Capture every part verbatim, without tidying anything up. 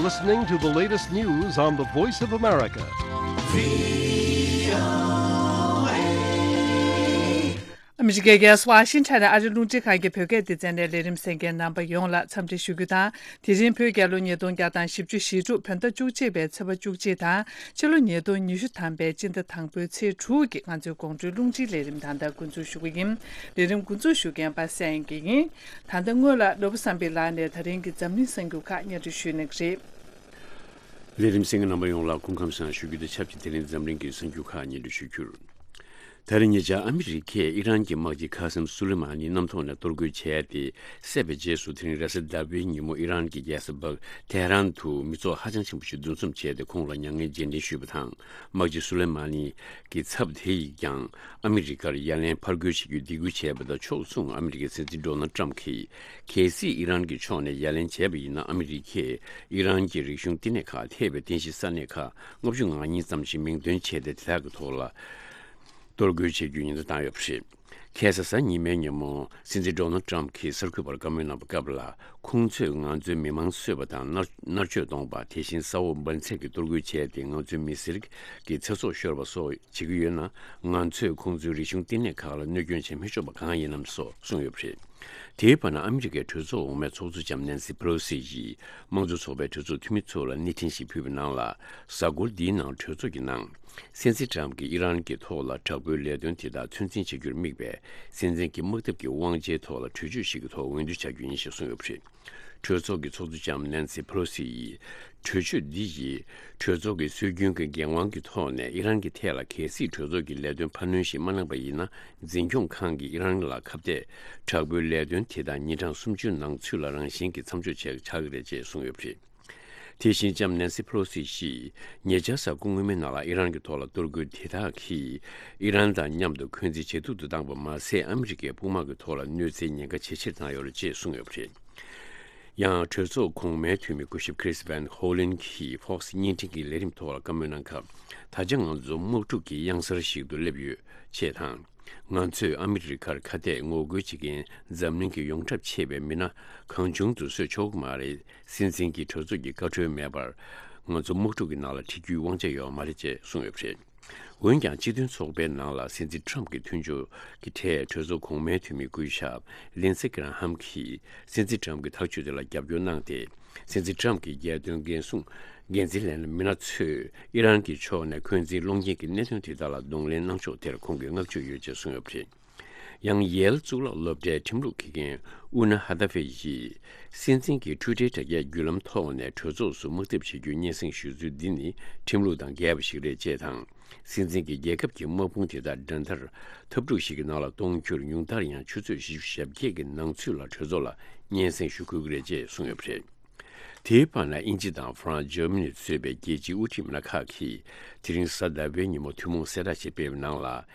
Listening to the latest news on the Voice of America. ཨ་མི་རི་ཀའི་རྒྱལ་ས་ཝ་ཤིང་ཊོན་ནས་ཨ་རི་རླུང་འཕྲིན་ཁང་གི་བོད་སྐད་སྡེ་ཚན་ནས་ལས་རིམ་གསན་མཁན་རྣམ་པ་ཡོངས་ལ་འཚམས་འདྲི་ཞུ་རྒྱུ་དང་། དེ་རིང་བོད་རྒྱལ་ལོ་ཉིས་སྟོང་བརྒྱ་དང་བཞི་བཅུ་ཞེ་དྲུག་བོད་ཟླ་བཅུ་གཅིག་པའི་ཚེས་པ་བཅུ་གཅིག་དང་། ཕྱི་ལོ་ཉིས་སྟོང་ཉི་ཤུ་ཐམ་པའི་སྤྱི་ཟླ་དང་པོའི་ཚེས་དྲུག་གི་ང་ཚོའི་དགོང་དྲོའི་རླུང་འཕྲིན་ལས་རིམ་ད་ལྟ་འགོ་འཛུགས་ཞུ་གི་ཡིན། ལས་རིམ་འགོ་འཛུགས་ཞུ་མཁན་པ་སངས་དབྱངས་སྐྱིད་ཡིན། ད་ལྟ་སྔོན་ལ་ནོར་བུ་བསམ་འཕེལ་ལགས་ནས་ད་རིང་གི་འཛམ་གླིང་གསར་འགྱུར་ཁག་སྙན་སྒྲོན་ཞུ་གནང་གི་རེད། ལས་རིམ་གསན་མཁན་རྣམ་པ་ཡོངས་ལ་སྐུ་ཁམས་བཟང་ཞུ་རྒྱུ་དང་ཆབས་ཅིག་དེ་རིང་འཛམ་གླིང་གི་གསར་འགྱུར་ཁག་སྙན་སྒྲོན་ཞུ་རྒྱུར། ད་རེས་ཉེ་ཆར་ཨ་མི་རི་ཀས་ཨི་རན་གྱི་དམག་སྤྱི་ཁ་སམ་སུ་ལེ་མ་ནི་གནམ་ཐོག་ནས་གཏོར་རྒོལ་བྱས་ཏེ་བསད་པའི་རྗེས་སུ། དེ་རིང་རེས་གཟའ་ཟླ་བའི་ཉིན་མོ་ཨི་རན་གྱི་རྒྱལ་ས་འབག་ཏེ་ཧ་རན་དུ་མི་ཚོགས་ཧ་ཅང་ཆེན་པོ་ཞིག་འདུ་འཛོམས་བྱས་ཏེ་ཁོང་ལ་མྱ་ངན་རྗེས་དྲན་ཞུས་པ་དང་། དམག་སྤྱི་སུ་ལེ་མ་ནི་གི་ཚབ་དེ་ཡིས་ཀྱང་ཨ་མི་རི་ཀར་ཡ་ལན་ཕར་རྒོལ་བྱེད་རྒྱུའི་སྡིགས་སྐུལ་བྱས་པ་དང་ཕྱོགས་མཚུངས། ཨ་མི་རི་ཀའི་སྲིད་འཛིན་ཌོ་ནལ་ཏྲམ་གྱིས་གལ་སྲིད་ཨི་རན་གྱི་ཕྱོགས་ནས་ཡ་ལན་བྱས་པ་ཡིན་ན། ཨ་མི་རི་ཀས་ཨི་རན་གྱི་རིག་གཞུང་བསྟི་གནས་ཁག་ཐེ་བའི་རྟེན་གཞི་ས་གནས་ཁག་ལྔ་བཅུ་ང་གཉིས་ཙམ་ཞིག་མིང་འདོན་བྱས་ཏེ། དེ་དག་གི་ཐོག་ལ་གཏོར་རྒོལ་བྱེད་རྒྱུའི་ཉེན་བརྡ་བཏང་ཡོད་པ་རེད། ཁ་སང་གཟའ་ཉི་མའི་ཉིན་མོ་སྲིད་འཛིན་ཌོ་ནལ་ཏྲམ་གྱིས་གསར་འགོད་པར་བཀའ་མོལ་གནང་བའི་སྐབས་ལ། ཁོང་ཚོས་ང་ཚོའི་མི་མང་གསོད་པ་དང་མནར་མནར་གཅོད་གཏོང་བ། དེ་བཞིན་ས་འོག་འབར་འཛེག་གི་གཏོར་རྒོལ་བྱས་ཏེ་ང་ཚོའི་མི་སེར་གྱི་ཚེ་སྲོག་ཤོར་བ་སོགས་བྱེད་ཀྱི་ཡོད་ན། ང་ཚོས་ཁོང་ཚོའི་རིག་གཞུང་བསྟི་གནས་ཁག་ལ་གནོད་སྐྱོན་བྱེད་མི་ཆོག་པ་གང་ཡིན་ནམ་སོགས་གསུངས་ཡོད་པ་རེད། དེའི་བར་ན། ཨ་མི་རི་ཀའི་གྲོས་ཚོགས་འོག་མའི་ཚོགས་གཙོ་ལྕམ་ནན་སི་པེ་ལོ་སི་ཡིས་དམངས་གཙོ་ཚོགས་པའི་གྲོས་ཚོགས་འཐུས་མི་ཚོ་ལ་གནས་འཕྲིན་ཞིག་ཕུལ་བའི་ནང་ལ། གཟའ་འཁོར་འདིའི་ནང་གྲོས་ཚོགས་ཀྱི་ནང་། སྲིད་འཛིན་ཏྲམ་གྱིས་ཨི་རན་གྱི་ཐོག་ལ་དྲག་པོའི་ལས་དོན་དེ་དག་ཚོད་འཛིན་བྱེད་རྒྱུར་དམིགས་པའི་སྲིད་འཛིན་གྱི་དམག་འཐབ་ཀྱི་དབང་ཆའི་ཐོག་ལ་གྲོས་ཆོད་ཞིག་གི་ཐོག་འོས་བསྡུ་བྱ་རྒྱུ་ཡིན་ཞེས་གསུངས་ཡོད་པ་རེད། གྲོས་ཚོགས་ཀྱི་ཚོགས་གཙོ་ལྕམ་ནན་སི་ཕེ་ལོ་སི་ཡིས། གྲོས་ཆོད་འདི་ཡིས་གྲོས་ཚོགས་ཀྱི་སྲོལ་རྒྱུན་གྱི་འགན་དབང་གི་ཐོག་ནས་ཨི་རན་གྱི་ཐད་ལ་གལ་སྲིད་གྲོས་ཚོགས་ཀྱི་ལས་དོན་འཕར་སྣོན་ཞིག་མ་གནང་པ་ཡིན་ན། འཛིན་སྐྱོང་ཁང་གིས་ཨི་རན་ལ་ཁ་གཏད་དྲག་པོའི་ལས་དོན་དེ་དག་ཉིན་གྲངས་སུམ་ཅུ་ནང་ཚུད་ལ་རང་བཞིན་གྱིས་མཚམས་འཇོག་བྱེད་ཆགས་ཀྱི་རེད་ཅེས་གསུངས་ཡོད་པ་རེད། དེ་བཞིན་ལྕམ་ནན་སི་ཕེ་ལོ་སི་ཡིས་ཉེ་ཆར་གཟའ་འཁོར་སྔོན་མའི་ནང་ལ་ཨི་རན་གྱི་ཐོག་ལ་གཏོར་རྒོལ་དེ་དག་གིས་ཨི་རན་དང་མཉམ་དུ་འཁོན་འཛིན་ཇེ་སྡུག་ཏུ་བཏང་པ་མ་ཟད། ཨ་མི་རི་ཀའི་དཔུང་དམག་གི་ཐོག་ལ་གནོད་འཚེའི་ཉེན་ཁ་ཇེ་ཆེར་བཏང་ཡོད་རེད་ཅེས་གསུངས་ཡོད་པ་རེད། ཡང་གྲོས་ཚོགས་གོང་མའི་འཐུས་མི་སྐུ་ཞབས་Chris Van Hollen་གྱིས་Fox་བརྙན་འཕྲིན་གྱི་ལས་རིམ་ཐོག་ལ་བཀའ་མོལ་གནང་སྐབས། ད་ཆ་ང་ཚོ་དམག་འཁྲུག་གི་གཡང་གཟར་ཞིག་ཏུ་སླེབས་ཡོད་ཅེས་དང་། ང་ཚོས་ཨ་མི་རི་ཀར་ཁ་གཏད་ངོ་རྒོལ་བྱེད་མཁན་འཛམ་གླིང་གི་ཡོངས་གྲགས་ཆེ་བའི་མི་སྣ་གང་བྱུང་དུ་གསོད་ཆོག་གི་མ་རེད། སྲིད་འཛིན་གྱིས་གྲོས་ཚོགས་ཀྱི་བཀའ་འཁྲོལ་མེད་པར་ང་ཚོ་དམག་འཁྲུག་གི་ནང་ལ་ཁྲིད་རྒྱུའི་དབང་ཆ་ཡོད་མ་རེད་ཅེས་གསུངས་ཡོད་པ་རེད། འོན་ཀྱང་། སྤྱི་མཐུན་ཚོགས་པའི་ནང་ལ་སྲིད་འཛིན་ཁྲམ་གྱི་མཐུན་ཕྱོགས་ཀྱི་གྲས་གྲོས་ཚོགས་གོང་མའི་འཐུས་མི་སྐུ་ཞབས་ལིན་སི་ཀེ་ར་ཧམ་གྱིས་སྲིད་འཛིན་ཁྲམ་གྱི་ཐག་གཅོད་དེ་ལ་རྒྱབ་སྐྱོར་གནང་སྟེ། སྲིད་འཛིན་ཁྲམ་གྱི་རྒྱལ་དོན་འགན་སྲུང་འགན་འཛིན་ལྷན་མི་སྣ་ཚོས་ཨི་རན་གྱི་ཕྱོགས་ནས་འཁོན་འཛིན་སློང་རྐྱེན་གྱི་གནད་དོན་དེ་དག་ལ་གདོང་ལེན་གནང་ཕྱོགས་དེར་ཁོང་གིས་བསྔགས་བརྗོད་ཡོད་ཅེས་གསུངས་ཡོད་པ་རེད། ཡང་། ཡེལ་གཙུག་ལག་སློབ་གྲྭའི་ཁྲིམས་ལུགས་དགེ་རྒན་ཨུ་ན་ཧ་ད་ཧྥེ་ཡིས། སྲིད་འཛིན་གྱིས་འཕྲུལ་སྒྲིལ་དྲ་རྒྱའི་བརྒྱུད་ལམ་ཐོག་ནས་གྲོས་ཚོགས་སུ་དམག་འཐབ་བྱེད་རྒྱུའི་སྙན་སེང་ཞུ་ཚུལ་འདི་ནི་ཁྲིམས་ལུགས་དང་འགལ་བ་ཞིག་རེད་ཅེས་དང་། སྲིད་འཛིན་གྱིས་རྒྱལ་ཁབ་ཀྱི་དམག་དཔུང་དེ་དག་འགྲན་ཟླར་འཐབ་འཁྲུག་ཞིག་གི་ནང་ལ་གཏོང་རྒྱུར་ཉུང་མཐར་ཡང་ཆུ་ཚོད་བཞི་བཅུ་ཞེ་བརྒྱད་ཀྱི་ནང་ཚུད་ལ་གྲོས་ཚོགས་ལ་སྙན་སེང་ཞུ་དགོས་ཀྱི་རེད་ཅེས་གསུངས་ཡོད་པ་རེད། དེའི་བར་ན། དབྱིན་ཇི་དང་ཧྥ་རན་སི། འཇར་མ་ནི་གཙོས་པའི་རྒྱལ་སྤྱིའི་དབུ་ཁྲིད་མི་སྣ་ཁག་གིས་དེ་རིང་གཟའ་ཟླ་བའི་ཉིན་མོ་ཐུན་མོང་གསལ་བསྒྲགས་ཤིག་སྤེལ་བའི་ནང་ལ།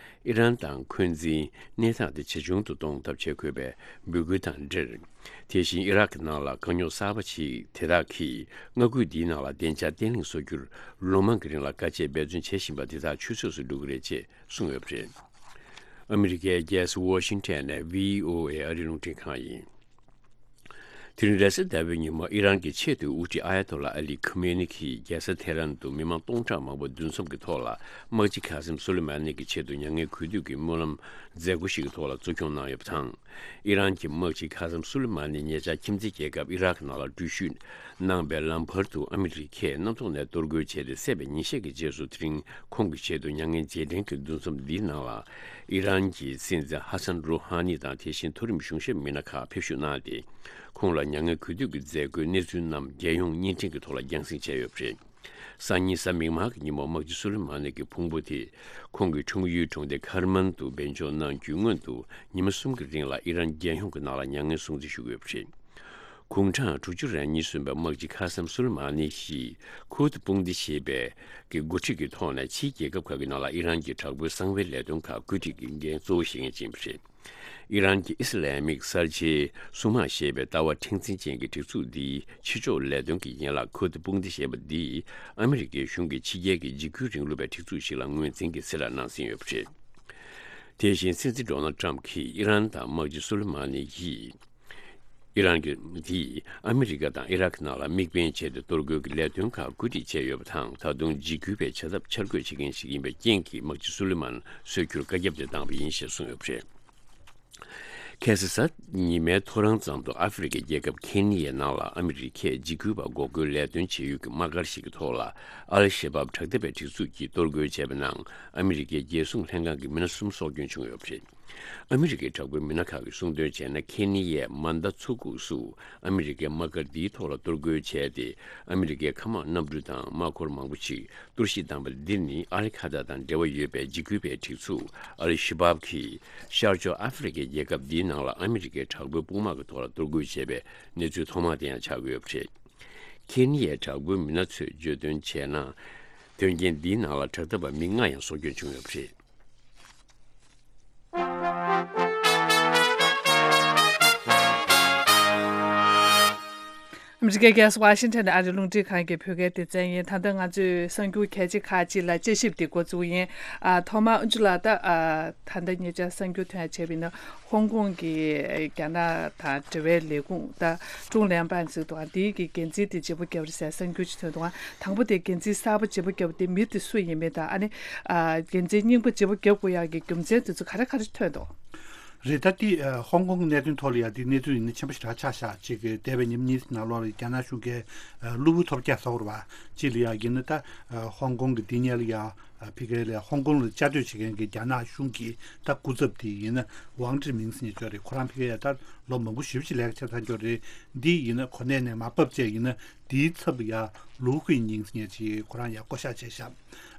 ཨི་རན་དང་འཁོན་འཛིན་གནས་སྟངས་དེ་ཇེ་ཆུང་དུ་གཏོང་ཐབས་བྱེད་དགོས་པའི་འབོད་སྐུལ་དང་འབྲེལ། དེ་བཞིན་ཨི་རག་གི་ནང་ལ་དཀའ་རྙོག་གསར་པ་ཞིག་དེ་དག་གིས་མངའ་ཁུལ་འདིའི་ནང་ལ་བདེ་འཇགས་བརྟན་ལྷིང་བཟོ་རྒྱུར་ལོ་མང་གི་རིང་ལ་དཀའ་སྤྱད་འབད་བརྩོན་བྱེད་བཞིན་པ་དེ་དག་ཆུད་ཟོས་སུ་འགྲོ་གི་རེད་ཅེས་གསུངས་ཡོད་པ་རེད། ཨ་མི་རི་ཀའི་རྒྱལ་ས་ཝ་ཤིང་ཊོན་ནས་བྷི་ཨོ་ཨེ་ཨ་རིའི་རླུང་འཕྲིན་ཁང་ཡིན། དེ་རིང་རེས་གཟའ་ཟླ་བའི་ཉིན་མོ་ཨི་རན་གྱི་ཆེས་མཐོའི་དབུ་ཁྲིད་ཨ་ཡ་ཏོ་ལ་ཨ་ལི་ཁུ་མེ་ནི་གིས་རྒྱལ་ས་ཐེ་རན་དུ་མི་མང་སྟོང་ཕྲག་མང་པོ་འདུ་འཛོམས་ཀྱི་ཐོག་ལ་དམག་སྤྱི་ཁ་སིམ་སུ་ལེ་མ་ནི་གི་ཆེད་དུ་མྱ་ངན་གུས་འདུད་ཀྱི་སྨོན་ལམ་མཛད་སྒོ་ཞིག་གི་ཐོག་ལ་གཙོ་སྐྱོང་གནང་ཡོད་པ་དང་། ཨི་རན་གྱི་དམག་སྤྱི་ཁ་སིམ་སུ་ལེ་མ་ནི་ཉེ་ཆར་ཁྱིམ་མཚེས་རྒྱལ་ཁབ་ཨི་རག་ནང་ལ་འགྲུལ་བཞུད་གནང་པའི་ལམ་བར་དུ་ཨ་མི་རི་ཀས་གནམ་ཐོག་ནས་གཏོར་རྒོལ་བྱས་ཏེ་བསད་པའི་ཉིན་ཤས་ཀྱི་རྗེས་སུ། དེ་རིང་ཁོང་གི་ཆེད་དུ་མྱ་ངན་རྗེས་དྲན་གྱི་འདུ་འཛོམས་འདིའི་ནང་ལ་ཨི་རན་གྱི་སྲིད་འཛིན་ཧ་སན་རུ་ཧ་ནི་དང་། དེ་བཞིན་མཐོ་རིམ་གཞུང་ཞབས་མི་སྣ་ཁག་ཕེབས་བཞུགས་གནང་སྟེ། ཁོང་ལ་མྱ་ངན་གུས་འདུད་ཀྱི་མཛད་སྒོའི་གནས་ཚུལ་རྣམས་རྒྱལ་ཡོངས་བརྙན་འཕྲིན་གྱི་ཐོག་ལ་རྒྱང་སྲིང་བྱས་ཡོད་པ་རེད། སང་ཉིན་གཟའ་མིག་དམར་གྱི་ཉིན་མོ་དམག་སྤྱི་སུ་ལེ་མ་ནི་གི་ཕུང་པོ་དེ་ཁོང་གི་འཁྲུངས་ཡུལ་གྲོང་སྡེ་ཁར་མན་དུ་སྦས་འཇོག་གནང་རྒྱུའི་སྔོན་དུ་ཉི་མ་གསུམ་གྱི་རིང་ལ་ཨི་རན་རྒྱལ་ཡོངས་ཀྱི་ནང་ལ་མྱ་ངན་སྲུང་བརྩི་ཞུ་གི་ཡོད་པ་རེད། དགུང་གྲངས་དྲུག་ཅུ་རེ་གཉིས་སོན་པའི་དམག་སྤྱི་ཁ་སམ་སུ་ལེ་མ་ནི་ཡིས་ཁུར་ཏི་དཔུང་སྡེ་ཞེས་པའི་གི་འགོ་ཁྲིད་ཀྱི་ཐོག་ནས་ཕྱིའི་རྒྱལ་ཁབ་ཁག་གི་ནང་ལ་ཨི་རན་གྱི་དྲག་པོའི་གསང་བའི་ལས་དོན་ཁག་བཀོད་སྒྲིག་གི་འགན་གཙོ་བོ་བཞེས་མཁན་ཅིག་ཡིན་པ་རེད། ཨི་རན་གྱི་ཨི་སི་ལའི་མིག་གསར་བརྗེའི་སྲུང་དམག་ཞེས་པའི་ལྟ་བ་མཁྲེགས་འཛིན་ཅན་གྱི་སྒྲིག་འཛུགས་འདིའི་ཕྱི་ཕྱོགས་ལས་དོན་གྱི་ཡན་ལག་ཁུར་ཏི་དཔུང་སྡེ་ཞེས་པ་འདིས་ཨ་མི་རི་ཀའི་གཞུང་གིས་ཕྱི་རྒྱལ་གྱི་འཇིགས་སྐུལ་རིང་ལུགས་པའི་སྒྲིག་འཛུགས་ཤིག་ལ་ངོས་འཛིན་གྱི་གསལ་བསྒྲགས་གནང་ཟིན་ཡོད་པ་རེད། དེ་བཞིན་སྲིད་འཛིན་ཌོ་ནལ་ཏྲམ་གྱིས་ཨི་རན་དང་དམག་སྤྱི་སུ་ལེ་མ་ནི་ཡིས་ ཨི་རན་གྱིས་ཨ་མི་རི་ཀ་དང་ཨི་རག་ནང་ལ་དམིགས་འབེན་བྱས་ཏེ་གཏོར་རྒོལ་གྱི་ལས་དོན་ཁག་བཀོད་སྒྲིག་བྱས་ཡོད་པ་དང་། ད་དུང་འཇིགས་སྐུལ་བའི་བྱ་ཐབས་འཆར་འགོད་བྱེད་མཁན་ཞིག་ཡིན་པའི་རྐྱེན་གྱིས། དམག་སྤྱི་སུ་ལི་མན་གསོད་རྒྱུར་བཀའ་ཁྱབ་དེ་བཏང་བ་ཡིན་ཞེས་གསུངས་ཡོད་པ་རེད། ཁ་སང་གཟའ་ཉི་མའི་ཐོ་རངས་ཙམ་དུ་ཨ་ཧྥེ་རི་ཁའི་རྒྱལ་ཁབ་ཁེ་ནི་ཡའི་ནང་ལ་ཨ་མི་རི་ཁས་འཇིགས་སྐུལ་བ་འགོག་རྒོལ་ལས་དོན་བྱེད་ཡུལ་གྱི་དམག་སྒར་ཞིག་གི་ཐོག་ལ་ཨལ་ཤ་བབ་དྲག་འཐབ་པའི་སྒྲིག་འཛུགས་ཀྱིས་གཏོར་རྒོལ་བྱས་པའི་ནང་ཨ་མི་རི་ཀའི་རྒྱལ་སྲུང་ལྷན་ཁང་གི་མི་སྣ་གསུམ་སྲོག་སྐྱོན་བྱུང་ཡོད་པ་རེད། ཨ་མི་རི་ཀའི་དྲག་པོའི་མི་སྣ་ཁག་གིས་གསུངས་དོན་བྱས་ན། ཁེ་ནི་ཡའི་མཱན་ད་མཚོ་ཁུག་སུ་ཨ་མི་རི་ཀའི་དམག་སྒར་འདིའི་ཐོག་ལ་གཏོར་རྒོལ་བྱས་ཏེ། ཨ་མི་རི་ཀའི་མཁའ་དམག་གནམ་གྲུ་དང་དམག་འཁོར་མང་པོ་ཞིག་གཏོར་བཤིག་བཏང་པ་འདི་ནི་ཨལ་ཁ་ད་དང་འབྲེལ་བ་ཡོད་པའི་འཇིགས་སྐུལ་བའི་སྒྲིག་འཛུགས་ཨལ་ཤ་བབ་ཀྱིས་ཤར་ཕྱོགས་ཨ་ཧྥེ་རི་ཁའི་རྒྱལ་ཁབ་འདིའི་ནང་ལ་ཨ་མི་རི་ཀའི་དྲག་པོའི་དཔུང་དམག་གི་ཐོག་ལ་གཏོར་རྒོལ་བྱས་པའི་གནས་ཚུལ་ཐོག་མ་དེ་ཡང་ཆགས་ཀྱི་ཡོད་པ་རེད། ཁེ་ནི་ཡའི་དྲག་པོའི་མི་སྣ་ཚོས་བརྗོད་དོན་བྱས་ན། དོན་རྐྱེན་འདིའི་ནང་ལ་དྲག་འཐབ་པ་མི་ལྔ་ཡང་སྲོག་སྐྱོན་བྱུང་ཡོད་པ་རེད། ཨ་མི་རི་ཀའི་རྒྱལ་ས་ཝ་ཤིང་ཊོན་ནས་ཨ་རིའི་རླུང་འཕྲིན་ཁང་གི་བོད་སྐད་སྡེ་ཚན་ཡིན། ད་ལྟ་ང་ཚོས་གསར་འགྱུར་གལ་ཆེ་ཁག་ཅིག་ལ་དཔྱད་ཞིབ་འདི་འགོ་བཙུགས་ཡིན། ཨ། ཐོག་མར་ཨུ་ཅུ་ལགས། ད། ཨ། ད་ལྟ་ཉེ་ཆར་གསར་འགྱུར་ཐོན་ཡ་བྱས་པ་ཡིན་ན། ཧོང་ཀོང་གི་རྒྱ་ནག་དང་འབྲེལ་བའི་ལས་ཁུངས། ད་ཀྲུང་ལན་པན་ཟེར་འདུག་ཨ། འདིའི་གི་འགན་འཛིན་དེ་བརྗེ་པོ་བརྒྱབ་རེད་ཟེར་གསར་འགྱུར་ཅིག་ཐོན་འདུག་ཨ། དང་པོ་དེ་འགན་འཛིན་གསར་པ་བརྗེ་པོ་བརྒྱབ་དེ་མི་དེ་སུ་ཡིན་མིན་དང་། ཨ་ནི། ཨ། འགན་འཛིན་རྙིང་པ་བརྗེ་པོ་བརྒྱབ་དགོས་ཡག་གི་རྒྱུ་མཚན་དེ་ཚོ་ག་རེ་ག་རེ་ཐོན་འདུག་རེད། ད་དེ་ཧོང་ཀོང་གི་གནད་དོན་ཐོག་ལ་ཡང་དེ་གནས་ཚུལ་ཡིན་ན་ཆེན་པོ་ཞེ་དྲག་ཆགས་ཤག་ཅིག་གི་འདས་པའི་ཉིན་གཉིས་ནང་ལོགས་ལ་རྒྱ་ནག་གཞུང་གིས་གློ་བུར་ཐོལ་རྒྱག་ཟེར་བ་ཅིག་ལ་ཡང་ཡིན་ན། ད་ཧོང་ཀོང་གི་དེ་ཉིད་ལ་ཡང་ཕ་གི་ལ་ཧོང་ཀོང་ལ་བཅའ་སྡོད་བྱེད་མཁན་གྱི་རྒྱ་ནག་གཞུང་གི་ད་སྐུ་ཚབ་དེ་ཡིན་ན་ཝང་ཀྲི་མིང་ཟེར་མཁན་ཅིག་ཡོད་རེད། ཁོ་རང་ཕ་གི་ཡ་ད་ལོ་མང་པོ་ཞེ་པོ་ཅིག་ལས་ཀ་བྱས་ཚར་ཡོད་རེད། འདི་ཡིན་ན་གོ་གནས་ནས་མར་བབས་བྱས་ཡིན་ན། དེའི་ཚབ་ལ་ཡ་ལུའུ་ཁུའེ་ཉིང་ཟེར་མཁན་ཅིག་ཁོ་རང་ཡ་བསྐོ་བཞག་བྱས་ཤག་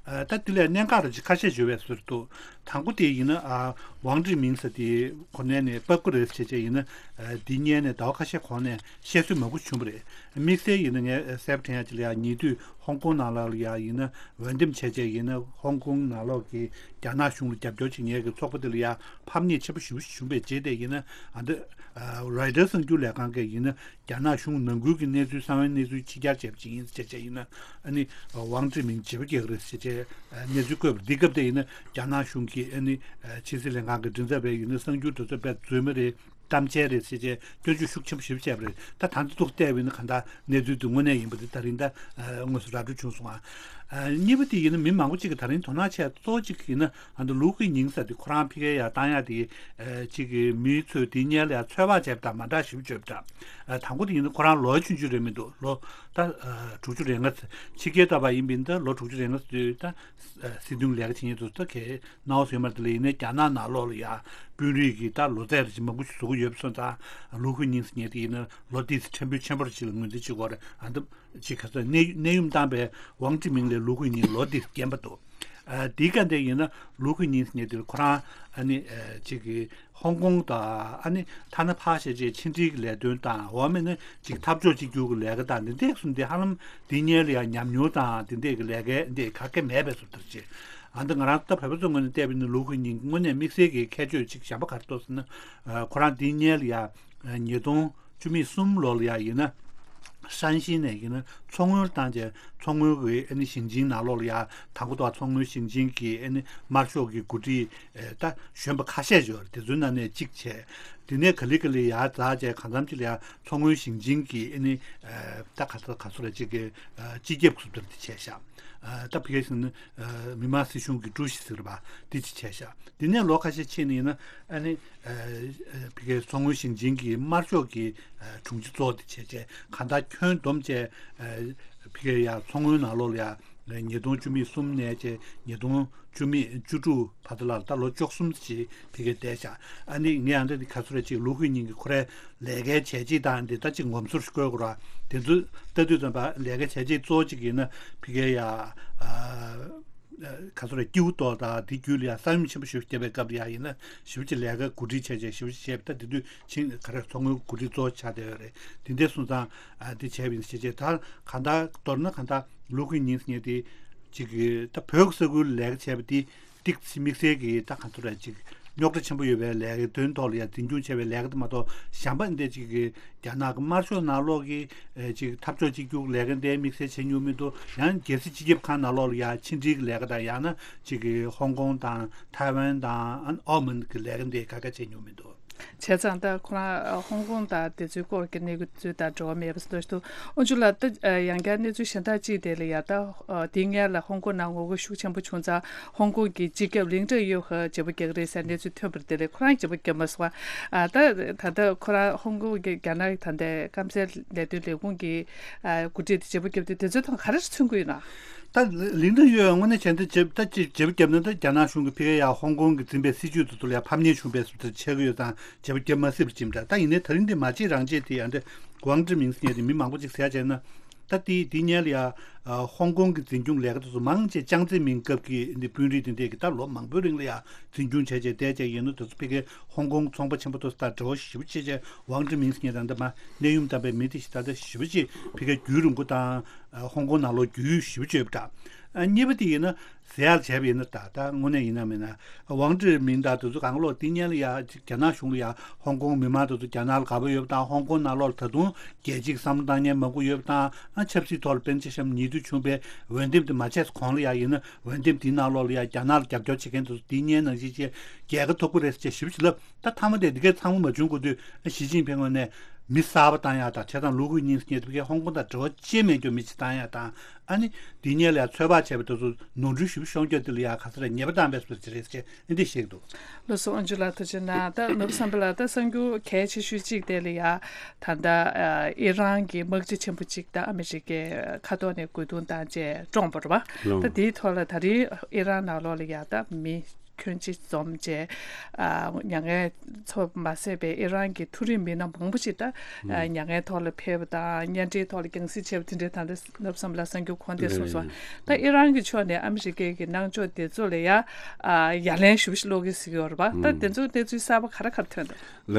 ཨ། ད་དེ་ལས་གནད་འགག་རེ་ཅིག་ཁ་ཤས་ཡོད་པའི་བཟོ་འདུག་དང་པོ་དེ་ཡིན་ན། ཨ། ཝང་ཀྲི་མིང་ཟེར་དེ་གོ་གནས་ནས་བབས་ཀྱི་རེད་ཟེར་བྱས་ཡིན་ན། ཨ། འདི་སྔོན་ནས་ཟླ་བ་ཁ་ཤས་གོང་ནས་བཤད་སྲོལ་མང་པོ་བྱུང་བ་རེད། དམིགས་བསལ་ཡིན་ན་ངས་གསལ་པོ་དྲན་ཡ་ཅིག་ལ་ཡ། ཉེ་དུས་ཧོང་ཀོང་ནང་ལོགས་ལ་ཡ་ཡིན་ན་འོས་འདེམས་བྱས་བྱས་ཡིན་ན། ཧོང་ཀོང་ནང་ལོགས་ཀྱི་རྒྱ་ནག་གཞུང་ལ་རྒྱབ་སྐྱོར་བྱེད་མཁན་གྱི་ཚོགས་པ་དེ་ལ་ཡ་ཕམ་ཉེས་ཆེན་པོ་ཞེ་པོ་ཞིག་བྱུང་བའི་རྗེས་དེ་ཡིན་ན། ཨ། འདི། ཨ། རོའི་ཊར་གསར་འགྱུར་ལས་ཁང་གིས་ཡིན་ན། རྒྱ་ནག་གཞུང་ནང་ཁུལ་གྱི་གནས་ཚུལ། གསང་བའི་གནས་ཚུལ་ཕྱི་གྱར་བྱས་པ་ཅིག་ཡིན་ཟེར་བྱས་ཡིན་ན། ཨ་ནི་ཝང་ཀྲི་མིང་བརྗེ་པོ་རྒྱག་གི་རེད་ཟེར་བྱས་གནས་ཚུལ་བཀོད་པ་འདི་སྐབས་དེ་ཡིན་ན། རྒྱ་ནག་གཞུང་གིས་ཨ་ནི་ཕྱི་སྲིད་ལྷན་ཁང་གི་མགྲིན་ཚབ་པས་ཡིན་ན། གསར་འགྱུར་དེ་ཚོ་དཔེ་རྫུན་མ་རེད། གཏམ་འཆལ་རེད་ཟེར་བྱས་སྐྱོན་བརྗོད་ཤུགས་ཆེན་པོ་ཞེ་པོ་བྱས་པ་རེད། ད་ད་འདི་ཐོག་བལྟས་པ་ཡིན་ན། གང་ལྟར་གནས་ཚུལ་འདི་དངོས་གནས་ཡིན་པ་འདི་ད་རིང་ད་དངོས་སུ་ར་སྤྲོད་བྱུང་སོང་ཨ། གཉིས་པ་དེ་ཡིན་ན། མི་མང་པོ་ཅིག་གིས་ད་རིང་དོ་སྣང་བྱས་གཙོ་བོ་གཅིག་ཡིན་ན། ཨ། འདི་ལུའུ་ཁུའེ་ཉིང་ཟེར་དེ་ཁོ་རང་ཕ་གིར་ཡར་བཏང་ཡག་དེ། ཨ། གཅིག་གི་མི་ཚོས་དེ་སྔོན་ལ་ཡང་ཚོད་དཔག་བྱས་པ་དང་མ་འདྲ་ཞེ་པོ་ཅིག་ཡོད་པ་འདྲ། ཨ། དང་པོ་དེ་ཡིན་ན་ཁོ་རང་ལོ་ཆུང་ཆུང་རེད་མི་འདུག་ལོ་ད། ཨ། དྲུག་ཅུ་རེ་ལྔ། ཕྱི་རྒྱལ་ལྟ་བུ་ཡིན་པ་ཡིན་ན་ད་ལོ་དྲུག་ཅུ་རེ་ལྔ་ཙམ་དུས་ད། ཨ། སྲིད་དོན་ལས་ཀ་བྱེད་མཁན་ཚོ་ད་གའི་སྣང་བ་ཟེར་མ་རེད། དེ་ལ་ཡིན་ན་རྒྱ་ནག་ནང་ལོགས་ལ་ཡ་དཔོན་རིགས་ཀྱི་ད་ལོ་ཚད་རེ་ཅིག་མང་པོ་ཞིག་བཟོ་གི་ཡོད་པ་སོང་ཙང་། ལུའུ་ཁུའེ་ཉིང་ཟེར་མཁན་དེ་ཡིན་ན་ལོ་དེ་ཚོ་ཕྲན་བུ་ཆེན་པོ་རེ་ཅིག་ལ་ངོས་འཛིན་བྱེད་དགོས་རེད། ཨ། འདི། ཅིག་ག་ཚོད་གནས་གནས་ཡུམ་བཏང་བའི་ཝང་ཀྲི་མིང་ལས་ལུའུ་ཁུའེ་ཉིང་ལོ་འདི་རྒན་པ་འདུག་ཨ། དེའི་སྐབས་དེ་ཡིན་ན་ལུའུ་ཁུའེ་ཉིང་ཟེར་མཁན་དེ་ཁོ་རང་ཨ་ནི། ཨ། ཅིག་གི་ཧོང་ཀོང་དང་། ཨ་ནི་ཐ་ན་ཕར་བཤད་བྱས་ཕྱི་འབྲེལ་གྱི་ལས་དོན་དང་། འོ་མེད་ན་ཅིག་འཐབ་ཕྱོགས་གཅིག་གྱུར་གྱི་ལས་ཀ་དང་། འདི་འདྲས་གསུམ་དེ་ཧ་ལམ་དེ་སྔོན་ལ་ཡང་ཉམས་མྱོང་དང་དེ་འདྲས་ཀྱི་ལས་ཀ་འདི་ག་གེ་མེད་པའི་བཟོ་ལྟ་ཅིག་ཨ། འདི་ང་རང་ད་བོད་པ་ཚོའི་ངོས་ནས་བལྟས་པ་ཡིན་ན་ལུའུ་ཁུའེ་ཉིང་དངོས་གནས་དམིགས་བསལ་གྱི་ཁྱད་ཆོས་ཅིག་གཞན་པ་ག་རེ་འདུག་ཟེར་ན། ཨ། ཁོ་རང་དེ་སྔོན་ལ་ཡང་ཉིས་སྟོང་བཅུ་མེད་གསུམ་ལོ་ལ་ཡ་ཡིན་ན། ཧྲན་ཤིན་ནས་ཡིན་ན་མཚོ་སྔོན་བཏང་བྱས། མཚོ་སྔོན་གྱི་ཨ་ནི་ཞིང་ཆེན་ནང་ལོགས་ལ་ཡ། དང་པོ་དང་མཚོ་སྔོན་ཞིང་ཆེན་གྱི་ཨ་ནི་དམར་ཤོག་གི་འགོ་ཁྲིད། ཨ། ད་གཞོན་པ་ཁ་ཤས་ཡོད་རེད། དེ་ཚོའི་ནང་ནས་གཅིག་བྱས། དེ་ནས་ག་ལེ་ག་ལེ་ཡར་འཛེགས་བྱས་གང་འཚམ་ཅིག་ལ་ཡ་མཚོ་སྔོན་ཞིང་ཆེན་གྱི་ཨ་ནི། ཨ། ད་ག་ཚོད་ག་ཚོད་རེད། ཅིག་གི། ཨ། སྤྱི་ཁྱབ་ཟུར་པ་དེ་བྱས་ཤག་ཨ། ད་ཕ་གིར་ཟེར་ན། ཨ། མི་དམངས་སྲིད་གཞུང་གི་ཀྲུའུ་ཞི་ཟེར་བ་དེ་ཅིག་བྱས་ཤག་དེ་ནས་ལོ་ཁ་ཤས་ཕྱིན་ནས་ཡིན་ན། ཨ་ནི། ཨ། ཨ། ཕ་གིའི་མཚོ་སྔོན་ཞིང་ཆེན་གྱི་དམར་ཤོག་གི། ཨ། དྲུང་ཆེ་གཙོ་བོ་དེ་བྱས་བྱས་གང་ལྟར་ཁྱོན་བསྡོམས་བྱས། ཨ། ཕ་གིར་ཡ་མཚོ་སྔོན་ནང་ལོགས་ལ་ཡ་ཉིས་སྟོང་བཅུ་མེད་གསུམ་ནས་བྱས་ཉིས་སྟོང་བཅུ་མེད་བཅུ་དྲུག་བར་དུ་ལ། ད་ལོ་བཅུ་གསུམ་ཙམ་ཅིག་ཕ་གིར་བསྡད་ཤག་ཨ་ནི་ངས་ཨ་འདྲ་འདི་ག་ཚོད་རེད། ཅིག་ལུའུ་ཁུའེ་ཉིང་གི་ཁོ་རའི་ལས་ཀའི་བྱས་རྗེས་དང་འདི་ལྟ་ཅིག་ངོམ་སོར་ཞིག་བཀོད་དགོས་ར། དེ་ཚོ་ལྟ་དུས་ཙམ་པ་ལས་ཀའི་བྱས་རྗེས་གཙོ་བོ་གཅིག་ཡིན་ན། ཕ་གིར་ཡ། ཨ། ག་ཚོད་རེད། སྐྱིད་པོ་ཏོག་དང་དེ་བརྒྱུད་ལ་ཡ་ས་ཡོམ་ཆེན་པོ་ཞིག་བརྒྱབ་པའི་སྐབས་ལ་ཡ་ཡིན་ན་ཞེ་པོ་ཅིག་ལས་ཀ་གོ་སྒྲིག་བྱས་བྱས་ཞེ་པོ་ཅིག་བྱས་པ། ད་དེ་དུས་ཆིང་ག་རེ་མཚོ་སྔོན་གོ་སྒྲིག་གཙོ་བོ་ཆགས་བསྡད་ཡོད་རེད། དེ་འདྲ་སོང་ཙང་། ཨ། དེ་བྱས་པ་ཡིན་ཟེར་བྱས། ད་གང་ལྟར་མདོར་ན་གང་ལྟར་ལུའུ་ཁུའེ་ཉིང་ཟེར་མཁན་དེ་ཅིག་གི་ད་བོད་ཀྱི་ས་ཁུལ་ལ་ལས་ཀ་བྱས་པ་དེ། ཏིག་ཙི་དམིགས་བསལ་གྱི་ད་གང་ཚོད་ར་ཅིག་རྙོག་དྲ་ཆེན་པོ་ཡོད་པའི་ལས་ཀའི་དོན་ཐོག་ལ་ཡ་འཛིན་སྐྱོང་བྱས་པའི་ལས་ཀ་དེ་མ་གཏོགས། གཞན་པ་འདི་ཅིག་གི་རྒྱ་ནག་གི་དམར་ཤོག་ནང་ལོགས་ཀྱི། ཨེ། ཅིག་འཐབ་ཕྱོགས་གཅིག་གྱུར་ལས་ཀ་འདི་དམིགས་བསལ་བྱེད་མྱོང་མི་འདུག་ཡང་རྒྱལ་སྲིད་སྤྱི་ཁྱབ་ཁང་ནང་ལོགས་ལ་ཡ་ཕྱི་འབྲེལ་གྱི་ལས་ཀ་དང་། ཡང་ན་ཅིག་གི་ཧོང་ཀོང་དང་ཐའེ་ཝན་དང་ཨ་ནི་ཨའོ་མོན་གྱི་ལས་ཀ་འདི་ག་ག་བྱེད་མྱོང་མི་འདུག་བྱས་ཙང་ད་ཁོ་རང་ཧོང་ཀོང་དང་དེ་ཚོའི་སྐོར་གྱི་གནས་ཚུལ་དང་འབྲེལ་བ་མེད་པ་ཞིག་འདུག་ཞུ་འདུག་ཨོ་ཇུ་ལགས། ད་ཡང་བསྐྱར་གནས་ཚུལ་གཞན་དག་ཅིག་དེ་ལ་ཡ་ད་དེའི་སྔོན་ལ་ཧོང་ཀོང་ནང་ངོ་རྒོལ་ཤུགས་ཆེན་པོ་བྱུང་ཙང་ཧོང་ཀོང་གི་སྤྱི་ཁྱབ་ལིང་ཀྲེང་ཡོ་ཧེ་བརྗེ་པོ་རྒྱག་གི་རེད་ཟེར་གནས་ཚུལ་ཐོན་པ་རེད། དེ་ལས་ཁོ་རང་བརྗེ་པོ་བརྒྱབ་མ་སོང་བ། ད་ད་ལྟ་ཁོ་རང་ཧོང་ཀོང་གི་རྒྱ་ནག་གི་ད་ལྟའི་སྐམ་སའི་ལས་དོན་ལས་ཁུངས་ཀྱི་འགོ་ཁྲིད་དེ་བརྗེ་པོ་བརྒྱབ་དུས་དེ་ཚོའི་ཐོག་ག་རེ་མཚོན་གྱི་ཡོད་ན། ད་ལིང་ཀྲེང་ཡོ་ཧེ་དངོས་གནས་བྱས་ན་ད་བརྗེ་པོ་བརྒྱབ་ན་ད་རྒྱ་ནག་གཞུང་གི་ཕ་གིར་ཡ་ཧོང་ཀོང་གི་འཛིན་པའི་སྲིད་བྱུས་དེ་ཚོ་ལ་ཡ་ཕམ་ཉེས་བྱུང་བའི་བཟོ་འདྲ་ཆགས་ཀྱི་ཡོད་ཙང་བརྗེ་པོ་བརྒྱབ་མ་སྲིད་པ་ཅིག་འདྲ། ད་ཡིན་ནའི་ད་རིང་འདི་མ་བརྗེད་རང་བརྗེད་དེ་ཡང་འདི་ཝང་ཀྲི་མིང་ཟེར་མཁན་དེ་མི་མང་པོ་ཅིག་ཟེར་ཡ་བྱས་ན། ད་དེ་དེ་སྔོན་ལ་ཡ་ཧོང་ཀོང་གི་འཛིན་སྐྱོང་ལས་ཀ་དེ་ཚོ་མང་ཆེ་ཅང་ཙེ་མིན་སྐབས་ཀྱི་འདི་དཔོན་རིགས་དེ་འདྲས་ཀྱིས་ད་ལོ་མང་པོའི་རིང་ལ་ཡ་འཛིན་སྐྱོང་བྱས་བྱས་བསྡད་བྱས་ཡིན་ནོ། དེ་ཚོ་ཕ་གིའི་ཧོང་ཀོང་ཚོང་པ་ཆེན་པོ་དེ་ཚོ་དང་འབྲེལ་བ་ཞེ་པོ་ཅིག་བྱས་བྱས་ཝང་ཀྲི་མིང་ཟེར་མཁན་ད་ལྟ་མ་གནས་ཡུམ་བཏང་པའི་མི་དེ་ཞིག་ད་ལྟ་ཞེ་པོ་ཅིག་ཕ་གིར་རྒྱུས་རིང་པོ་དང་ཧོང་ཀོང་ནང་ལོགས་རྒྱུས་ཞེ་པོ་ཅིག་ཡོད་པ་འདྲ། གཉིས་པ་དེ་ཡིན་ན། ཟེར་ཡག་བྱས་པ་ཡིན་ན། ད་ད་དངོས་གནས་ཡིན་ན་མིན་ན་ཝང་ཀྲི་མིང་དང་དེ་ཚོ་གང་ལོག་དེ་སྔོན་ལ་ཡ་རྒྱ་ནག་གཞུང་ལ་ཡ་ཧོང་ཀོང་མི་མང་དེ་ཚོ་རྒྱ་ནག་ལ་དགའ་པོ་ཡོད་པ་དང་། ཧོང་ཀོང་ནང་ལོགས་ལ་ད་དུང་རྒྱལ་སྤྱིའི་བསམ་བློ་བཏང་མཁན་མང་པོ་ཡོད་པ་དང་། ཨ་ཆབ་སྲིད་ཐོག་ལ་དཔེར་ན་ཆ་བཞག་ན་ཉེ་དུས་བྱུང་བའི་འོས་འདེམས་དེ་མ་བྱས་གོང་ལ་ཡ་ཡིན་ན། འོས་འདེམས་དེའི་ནང་ལོགས་ལ་ཡ་རྒྱ་ནག་ལ་རྒྱབ་སྐྱོར་བྱེད་མཁན་དེ་ཚོ་དེ་སྔོན་ནང་བཞིན་བྱས་རྒྱལ་ཁ་ཐོབ་ཀྱི་རེད་ཟེར་བྱས་ཞེ་པོ་ཅིག་ལབ། ད་མཐའ་མ་དེ་འདི་གའི་ཚང་མ་མ་བྱུང་གོང་དུ་ཞི་ཅིན་ཕིང་ངོས་ནས་མི་གསར་པ་བཏང་ཡག་དང་། བྱས་ཙང་ལུའུ་ཁུའུ་ཉིང་ཟེར་མཁན་དེ་ཕ་གིར་ཧོང་ཀོང་དང་འབྲེལ་བ་ཅི་མེད་རྒྱུ་མི་ཅིག་བཏང་ཡག་དང་། ཨ་ནི་དེ་སྔོན་ལ་ཡ་ཚོད་དཔག་བྱས་པ་དེ་ཚོ་ནོར་འཁྲུལ་ཞེ་པོ་ཤོང་རྒྱུ་དེ་ལ་ཡ་ག་ས་རེ་ཉེས་པ་བཏང་བས་སོ་ཅི་རེད་ཟེར་ཨ་འདི་བཤད་ཀྱི་འདུག་ལགས་སོ། ཨོན་ཇུ་ལགས་ཐུགས་རྗེ་གནང་། ད་ནོར་བུ་བསམ་འཕེལ་ལགས། ད་གསར་འགྱུར་གལ་ཆེ་ཤོས་གཅིག་དེ་ལ་ཡ་ད་ལྟ་ཨི་རན་གྱི་དམག་སྤྱི་ཆེན་པོ་གཅིག་ད་ཨ་མི་རི་ཀའི་མཁའ་ཐོག་ནས་རྒོལ་རྡུང་བཏང་བྱས་བཀྲོངས་པ་རེད་པ། ལགས། ད་དེའི་ཐོག་ལ་ད་རེས་ཨི་རན་ནང་ལོགས་ལ་ཡ་ད་མི་ཁྱོན་ཆེ་འཛོམས་བྱས་ཨ་མྱ་ངན་ཚོར་མ་ཟད་པའི་ཨི་རན་གྱི་མཐོ་རིམ་མི་སྣ་མང་པོ་ཞིག་ད་ཨ་མྱ་ངན་ཐོག་ལ་ཕེབས་པ་དང་། གཉེན་འབྲེལ་ཐོག་ལ་རྒྱང་སྲིང་བྱས་པ་དེ་འདྲའི་ད་ལྟ་ནོར་བུ་བསམ་འཕེལ་ལགས་གསར་འགྱུར་གོ་བ་དེ་གསུངས་སོང་། ད་ཨི་རན་གྱི་ཕྱོགས་ནས་ཨ་མི་རི་ཀའི་གི་གནང་ཕྱོགས་དེ་ཚོ་ལ་ཡ་ཨ་ཡ་ལན་ཞེ་པོ་ཞིག་སློག་གི་ཟེར་གྱི་ཡོད་རེད་པ། ད་དེ་ཚོ་གནས་ཚུལ་གསར་པ་ག་རེ་ག་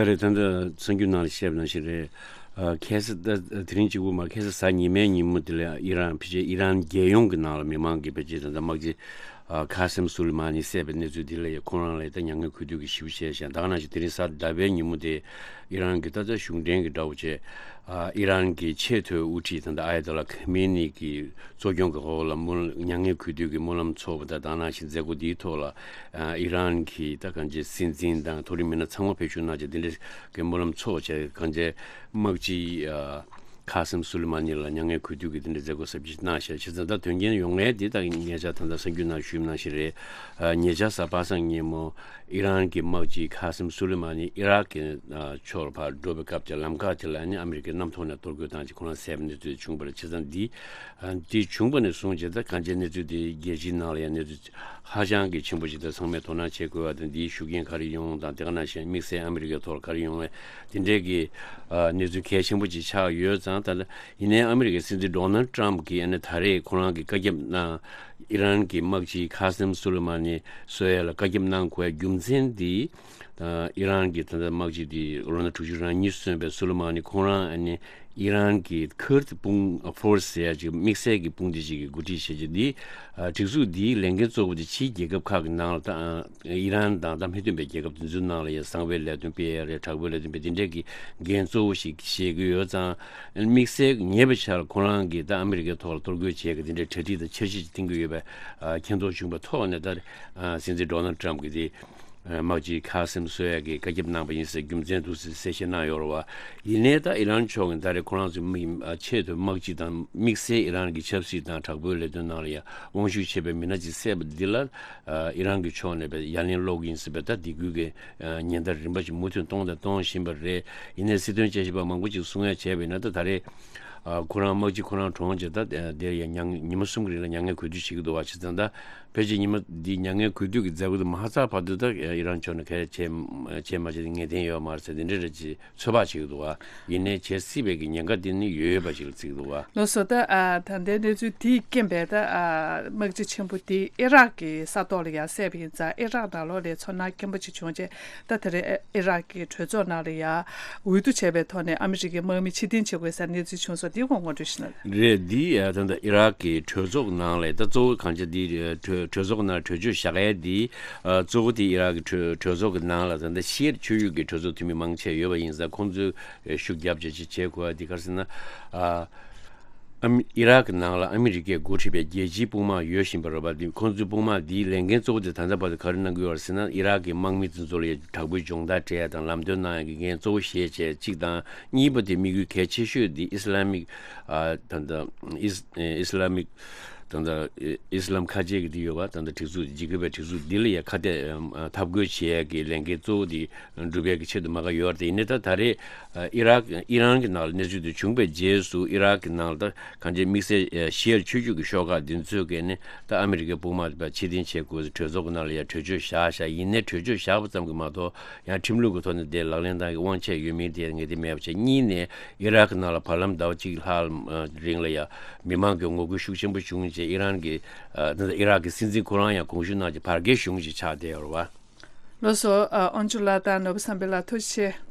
རེ་ཐོན་འདུག་ལགས་རེད། ད་ལྟ་གསར་འགྱུར་ནང་ལ་བཤད་པ་ནང་བཞིན་རེད། ཨ་ཁ་སང་ད་དེ་རིང་གཅིག་པུ་མ། ཁ་སང་གཟའ་ཉི་མའི་ཉིན་མོ་དེ་ལ་ཨི་རན་ཕལ་ཆེར་ཨི་རན་རྒྱལ་ཡོངས་ཀྱི་ནང་ལ་མི་མང་གི་ཕལ་ཆེར་ད་ལྟ་དམག་སྤྱི་ཨ་ཁ་སིམ་སུ་ལི་མ་ནི་བསད་པའི་གནས་ཚུལ་དེ་ལ་ཡ་ཁོང་རང་ལ་ད་མྱ་ངན་གུས་འདུད་ཀྱི་ཞུ་བྱས་ཤག་ད་ག་ནང་བཞིན་དེ་རིང་གཟའ་ཟླ་བའི་ཉིན་མོ་དེ་ཨི་རན་གྱི་ད་ལྟ་གཞུང་འབྲེལ་གྱི་དགྲ་བོ་བྱས་ཨ་ཨི་རན་གྱི་ཆེས་མཐོའི་དབུ་ཁྲིད་ད་ལྟ་ཨ་ཡ་ཏོ་ལ་ཁ་མེ་ནི་གི་གཙོ་སྐྱོང་གི་འོག་ལ་སྨོན་མྱ་ངན་གུས་འདུད་ཀྱི་སྨོན་ལམ་ཚོགས་པ་དང་། ད་ག་ནང་བཞིན་མཛད་སྒོ་འདིའི་ཐོག་ལ་ཨ་ཨི་རན་གྱི་ད་གང་ཅི་སྲིད་འཛིན་དང་མཐོ་རིམ་མི་སྣ་ཚང་མ་ཕེབས་ཞུགས་གནང་བྱས་དེ་འདྲའི་གི་སྨོན་ལམ་ཚོགས་བྱས། གང་ཅི་དམག་སྤྱི་ཨ་ཁ་སིམ་སུ་ལི་མ་ནི་ལ་མྱ་ངན་གུས་འདུད་ཀྱི་དེ་འདྲའི་མཛད་སྒོ་གསར་པ་ཅིག་གནང་བཞག་བྱས་ཙང་ད་དོན་རྐྱེན་ཡོང་མཁན་འདི་ད་ཉེ་ཆར་ད་ལྟ་གསར་འགྱུར་ནང་ཞུས་པ་ནང་བཞིན་རེད། ཨ་ཉེ་ཆར་གཟའ་པ་སངས་ཉིན་མོ་ཨི་རན་གྱི་དམག་སྤྱི་ཁ་སིམ་སུ་ལི་མ་ནི་ཨི་རག་གི་ཨ་ཕྱོགས་ལ་ཕར་འགྲོ་བའི་སྐབས་ཀྱི་ལམ་ཁ་དེ་ལ་ནི་ཨ་མི་རི་ཀའི་གནམ་ཐོག་ནས་གཏོར་རྒོལ་བཏང་བྱས་ཁོ་རང་བསད་པའི་གནས་ཚུལ་བྱུང་བ་རེད། བྱས་ཙང་འདི་ཨ་འདི་བྱུང་བ་ནས་བཟུང་བྱས་ད་གང་ཅིའི་གནས་ཚུལ་དེ་རྒྱལ་སྤྱིའི་ནང་ལ་ཡང་གནས་ཚུལ་ཧ་ཅང་གི་ཆེན་པོ་ཞིག་ད་ཚང་མས་དོ་སྣང་བྱེད་དགོས་པ་དང་། འདིའི་ཤུགས་རྐྱེན་ག་རེ་ཡོང་དང་། དེ་ག་ནང་བཞིན་དམིགས་བསལ་ཨ་མི་རི་ཀའི་ཐོག་ལ་ག་རེ་ཡོང་བའི་དེ་འདྲའི་གི་ཨ་གནས་ཚུལ་གལ་ཆེན་པོ་ཅིག་ཆགས་ཡོད་ཙང་། ད་ལྟ་ཡིན་ནའི་ཨ་མི་རི་ཀའི་སྲིད་འཛིན་ཌོ་ནལ་ཊམ་གྱིས་ཨ་ནི་ད་རེས་ཁོ་རང་གི་བཀའ་ཁྱབ་གནང་། ཨི་རན་གྱི་དམག་སྤྱི་ཁ་སིམ་སུ་ལེ་མ་ནི་གསོད་ཡ་ལ་བཀའ་ཁྱབ་གནང་དགོས་ཡ་རྒྱུ་མཚན་འདི། ཨ་ཨི་རན་གྱི་ད་ལྟ་དམག་སྤྱི་འདི་ལོ་ན་དྲུག་ཅུ་རེ་གཉིས་སོན་པའི་སུ་ལེ་མ་ནི་ཁོང་རང་ཨ་ནི་ཨི་རན་གྱི་ཁུར་དི་དཔུང་ཨ་ཕོར་སི་ཟེར་ཡ་ཅིག་དམིགས་བསལ་གྱི་དཔུང་སྡེ་ཅིག་གི་འགོ་ཁྲིད་བྱེད་ཀྱི་འདི། ཨ་སྒྲིག་འཛུགས་འདིའི་ལས་འགན་གཙོ་བོ་དེ་ཕྱིའི་རྒྱལ་ཁབ་ཁག་གི་ནང་ལ་ད་ཨ་ཨི་རན་དང་ད་མི་མཐུན་པའི་རྒྱལ་ཁབ་དེ་ཚོའི་ནང་ལ་ཡང་གསང་བའི་ལས་དོན་སྤེལ་ཡ་རེད། དྲག་པོའི་ལས་དོན་སྤེལ། དེ་འདྲས་ཀྱི་འགན་གཙོ་བོ་ཞིག་བཞེས་ཀྱི་ཡོད་ཙང་། དམིགས་བསལ་ཉེ་བའི་ཆར་ཁོ་རང་གིས་ད་ཨ་མི་རི་ཀའི་ཐོག་ལ་གཏོར་རྒོལ་བྱེད་ཀྱི་དེ་འདྲའི་གྲ་སྒྲིག་དང་འཆར་གཞི་ཅིག་བཏིང་གི་ཡོད་པའི་ཨ་མཁྱེན་རྟོགས་བྱུང་བའི་ཐོག་ནས། ད་ཨ་སྲིད་འཛིན་ཌོ་ནལ་ཊམ་གྱིས་དེ་ཨ་དམག་སྤྱི་ཁ་སིམ་གསོད་ཡ་གི་བཀའ་ཁྱབ་གནང་བ་ཡིན་ཟེར་རྒྱུ་མཚན་འདུག་ཟེར་གསལ་བཤད་གནང་ཡོད་རེད་བ། ཡིན་ནའི་ད་ཨི་རན་ཕྱོགས་ཀྱིས་ད་རེས་ཁོ་རང་ཚོའི་མི་ཨ་ཆེས་མཐོའི་དམག་སྤྱི་དང་དམིགས་བསལ་ཨི་རན་གྱི་ཆབ་སྲིད་དང་དྲག་པོའི་ལས་དོན་ནང་ལ་ཡང་དབང་ཤུགས་ཆེ་བའི་མི་སྣ་ཅིག་བསད་པ་འདི་ལ་ཨ་ཨི་རན་གྱི་ཕྱོགས་ནས་ཡ་ལན་སློག་གི་ཡིན་ཟེར་བའི་ད་སྡིགས་སྐུལ་གྱི་ཨ་ཉེན་བརྡ་རིམ་པ་ཞིག་མུ་མཐུད་གཏོང་དང་གཏོང་བཞིན་པ་རེད། ཡིན་ནའི་སྲིད་དོན་དཔྱད་ཞིབ་པ་མང་པོ་ཅིག་གསུང་ཡ་བྱས་པ་ཡིན་ན། ད་ད་རེས་ཨ་ཁོ་རང་དམག་སྤྱི་ཁོ་རང་གྲོངས་རྗེས་ད་དེར་ཡང་མྱ་ངན་ཉི་མ་གསུམ་གྱི་རིང་ལ་མྱ་ངན་གུས་འདུད་བྱེད་ཀྱི་འདུག་བ། བྱས་ཙང་ད་ཕལ་ཆེར་ཉི་མ་འདི་མྱ་ངན་གུས་འདུད་ཀྱི་མཛད་སྒོ་དེ་མ་ཚར་བར་དུ་ད་ཨི་རན་ཕྱོགས་ནས་ག་རེ་བྱས་བྱས་མ་བྱས་དེ་ངེས་གཏན་ཡོད་མ་རེད་ཟེར་དེ་འདྲ་རེ་ཅིག་ཚོད་དཔག་བྱེད་ཀྱི་འདུག་བ། ཡིན་ནའི་བྱེད་སྲིད་པའི་གི་ཉེན་ཁ་དེ་ནི་ཡོད་ཡོད་པ་ཞིག་ལ་བརྩི་གི་འདུག་བ། ལགས་སོ། ད་ཨ་ད་ལྟའི་གནས་ཚུལ་དེའི་རྐྱེན་པས་ད་ཨ་དམག་སྤྱི་ཆེན་པོ་དེ་ཨི་རག་གི་ས་ཐོག་ལ་ཡར་བསད་པ་ཡིན་ཙང་། ཨི་རག་ནང་ལོགས་ལ་ཚོར་སྣང་སྐྱེན་པོ་ཅིག་བྱུང་རྗེས། ད་དེ་རིང་ཨི་རག་གི་གྲོས་ཚོགས་ནང་ལ་ཡར་འོས་བསྡུ་བྱས་པའི་ཐོག་ནས་ཨ་མི་རི་ཀའི་དམག་མི་ཕྱིར་འཐེན་བྱེད་དགོས་ཟེར་གནས་ཚུལ་བྱུང་སོང་། དེའི་སྐོར་ངོ་སྤྲོད་ཞུ་ན། རེད། འདི་ཨ་ད་ལྟ་ཨི་རག་གི་གྲོས་ཚོགས་ནང་ལ་ད་གཙོ་བོ་གང་ཅི་འདི་གྲོས་གྲོས་ཚོགས་ནང་གྲོས་ཆོད་བཞག་ཡས་འདི་ཨ་གཙོ་བོ་དེ་ཨི་རག་གི་གྲོས་གྲོས་ཚོགས་ཀྱི་ནང་ལ་ད་ལྟ་ཤི་ཡར་ཆོས་ཡུལ་གྱི་གྲོས་ཚོགས་འཐུས་མི་མང་ཆེ་ཡོད་པ་ཡིན་ཙང་། ཁོང་ཚོས་ཤུགས་རྒྱབ་བྱས་བྱེད་བྱེད་དགོས་པ་འདི་ག་རེ་ཟེར་ན། ཨ་ ཨ་མི་ཨི་རག་གི་ནང་ལ་ཨ་མི་རི་ཀས་འགོ་ཁྲིད་པའི་རྒྱལ་སྤྱིའི་དཔུང་དམག་ཡོད་བཞིན་པ་རེད་པ། འདི་ཁོང་ཚོའི་དཔུང་དམག་འདིའི་ལས་འགན་གཙོ་བོ་དེ་ད་ལྟ་བར་དུ་ག་རེ་གནང་གི་ཡོད་རེད་ཟེར་ན། ཨི་རག་གི་དམག་མི་དེ་ཚོ་ལ་ཡ་དྲག་པོའི་སྦྱོང་བརྡར་སྤྲད་ཡ་དང་ལམ་སྟོན་གནང་ཡ་གི་འགན་གཙོ་བོ་བཞེས་བྱས་གཅིག་དང་། གཉིས་པ་དེ་དམིགས་ཡུལ་གལ་ཆེ་ཤོས་དེ་ཨི་སི་ལ་མིག་ཨ་ད་ལྟ་ཨིས་ཨི་སི་ལ་མིག་ད་ལྟ་ཨི་སི་ལམ་ཁ་ཆེ་གི་དེ་ཡོད་པ། ད་ལྟ་སྒྲིག་འཛུགས་འཇིགས་སྐུལ་བའི་སྒྲིག་འཛུགས་འདི་ལ་ཡ་ཁ་གཏད་ཨམ་ཨ་འཐབ་རྒོལ་བྱེད་ཡ་གི་ལས་འགན་གཙོ་བོ་དེ་སྒྲུབ་ཡ་གི་ཆེད་དུ་མ་ག་ཡོད་རེད། དེ་ཡིན་ནའི་ད་ད་རེས་ཨ་ཨི་རག་ཨི་རན་གྱི་ནང་ལ་གནས་ཚུལ་དེ་བྱུང་བའི་རྗེས་སུ། ཨི་རག་གི་ནང་ལ་ད་གང་ཅི་དམིགས་བསལ་ཨ་ཤི་ཡར་ཆོས་བརྒྱུད་ཀྱི་ཤོག་ཁག་འདི་ཚོས་ཀྱིས་ནི་ད་ཨ་མི་རི་ཀའི་དཔུང་དམག་དེ་ཕར་ཕྱིར་འཐེན་བྱེད་དགོས་ཟེར་གྲོས་ཚོགས་ཀྱི་ནང་ལ་ཡ་གྲོས་ཆོད་བཞག་བཞག་ཡིན་ནའི་གྲོས་ཆོད་བཞག་པ་ཙམ་གྱིས་མ་གཏོགས། ཡང་ཁྲིམས་ལུགས་ཀྱི་ཐོག་ནས་དེ་ལག་ལེན་བསྟར་གྱི་དབང་ཆ་ཡོད་མིན་དེ་ངེས་གཏན་མེད་པ་བྱས། གཉིས་ནས་ཨི་རག་གི་ནང་ལ་བར་ལམ་ཟླ་བ་གཅིག་ལྷག་རིང་ལ་ཡ་མི་མང་གི་ངོ་རྒོལ་ཤུགས་ཆེན་པོ་བྱུང་རྗེས་ཨི་རན་གྱི་ཨ་ད་ལྟ་ཨི་རག་གི་སྲིད་འཛིན་ཁོ་རང་ཡང་དགོངས་ཞུ་གནང་རྗེས་བར་བརྒལ་གཞུང་ཞིག་ཆགས་བསྡད་ཡོད་རེད་པ། ལགས་སོ། ཨ་དབང་ཕྱུག་ལགས་དང་ནོར་བུ་བསམ་འཕེལ་ལགས་ཐུགས་རྗེ་ཆེ།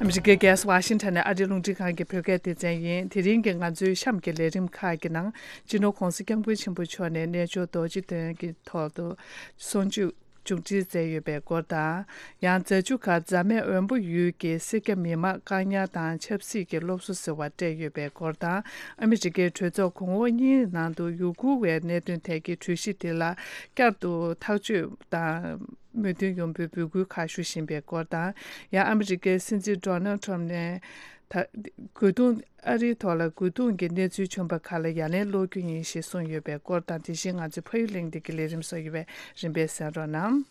ཨ་མི་རི་ཀའི་རྒྱལ་ས་ཝ་ཤིང་ཊོན་ནས་ཨ་རིའི་རླུང་འཕྲིན་ཁང་གི་བོད་སྐད་སྡེ་ཚན་ཡིན། དེ་རིང་གི་ང་ཚོའི་གཤམ་གྱི་ལས་རིམ་ཁག་གི་ནང་། སྤྱི་ནོར་༧གོང་ས་༧སྐྱབས་མགོན་ཆེན་པོ་མཆོག་ནས་རྣལ་འབྱོར་རྡོ་རྗེ་གདན་གྱི་ཐོག་ཏུ་གསུང་ཆོས་མཇུག་སྒྲིལ་མཛད་ཡོད་པའི་སྐོར་དང་། ཡང་རྫ་ཆུ་ཁ་རྫ་སྨད་འོན་པོ་ཡུལ་གྱི་སེར་སྐྱ་མི་མང་བཀག་ཉར་དང་ཆབ་སྲིད་ཀྱི་སློབ་གསོ་ཟེར་བ་སྤྲད་ཡོད་པའི་སྐོར་དང་། ཨ་མི་རི་ཀའི་གྲོས་ཚོགས་གོང་འོག་གཉིས་ནང་དུ་ཡུ་གུར་བའི་གནད་དོན་ཐད་ཀྱི་གྲོས་གཞི་དེ་ལ་བསྐྱར་དུ་ཐག་གཅོད་དང་མོས་མཐུན་ཡོང་རྒྱུའི་འབོད་སྐུལ་ཁག་ཞུ་བཞིན་པའི་སྐོར་དང་། ཡང་ཨ་མི་རི་ཀའི་སྲིད་འཛིན་ཌོ་ནལ་ཊམ་ནས་ད་རྒོལ་རྡུང་ཨ་རིའི་ཐོག་ལ་རྒོལ་རྡུང་གི་གནས་ཚུལ་བྱུང་བ་ཁག་ལ་ཡ་ལན་སློག་རྒྱུ་ཡིན་ཞེས་གསུངས་ཡོད་པའི་སྐོར་དང་། དེ་བཞིན་ང་ཚོའི་ཕ་ཡུལ་གླེང་སྟེགས་ཀྱི་ལས་རིམ་སོགས་ཡོད་པས་རིམ་པས་གསན་རོགས་གནང་།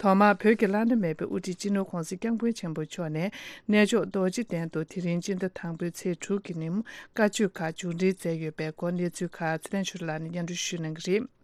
ཐོག་མར་བོད་ཀྱི་བླ་ན་མེད་པའི་དབུ་ཁྲིད་སྤྱི་ནོར་༧གོང་ས་༧སྐྱབས་མགོན་ཆེན་པོ་མཆོག་ནས་རྣལ་འབྱོར་རྡོ་རྗེ་གདན་དུ་དེ་རིང་སྤྱི་ཟླ་དང་པོའི་ཚེས་དྲུག་གི་ཉིན་བཀའ་ཆོས་ཁག་མཇུག་སྒྲིལ་མཛད་ཡོད་པའི་སྐོར་གནས་ཚུལ་ཁག་ཚེ་བརྟན་ཆོས་སྒྲོན་ལགས་ནས་སྙན་སྒྲོན་ཞུ་གནང་གི་རེད།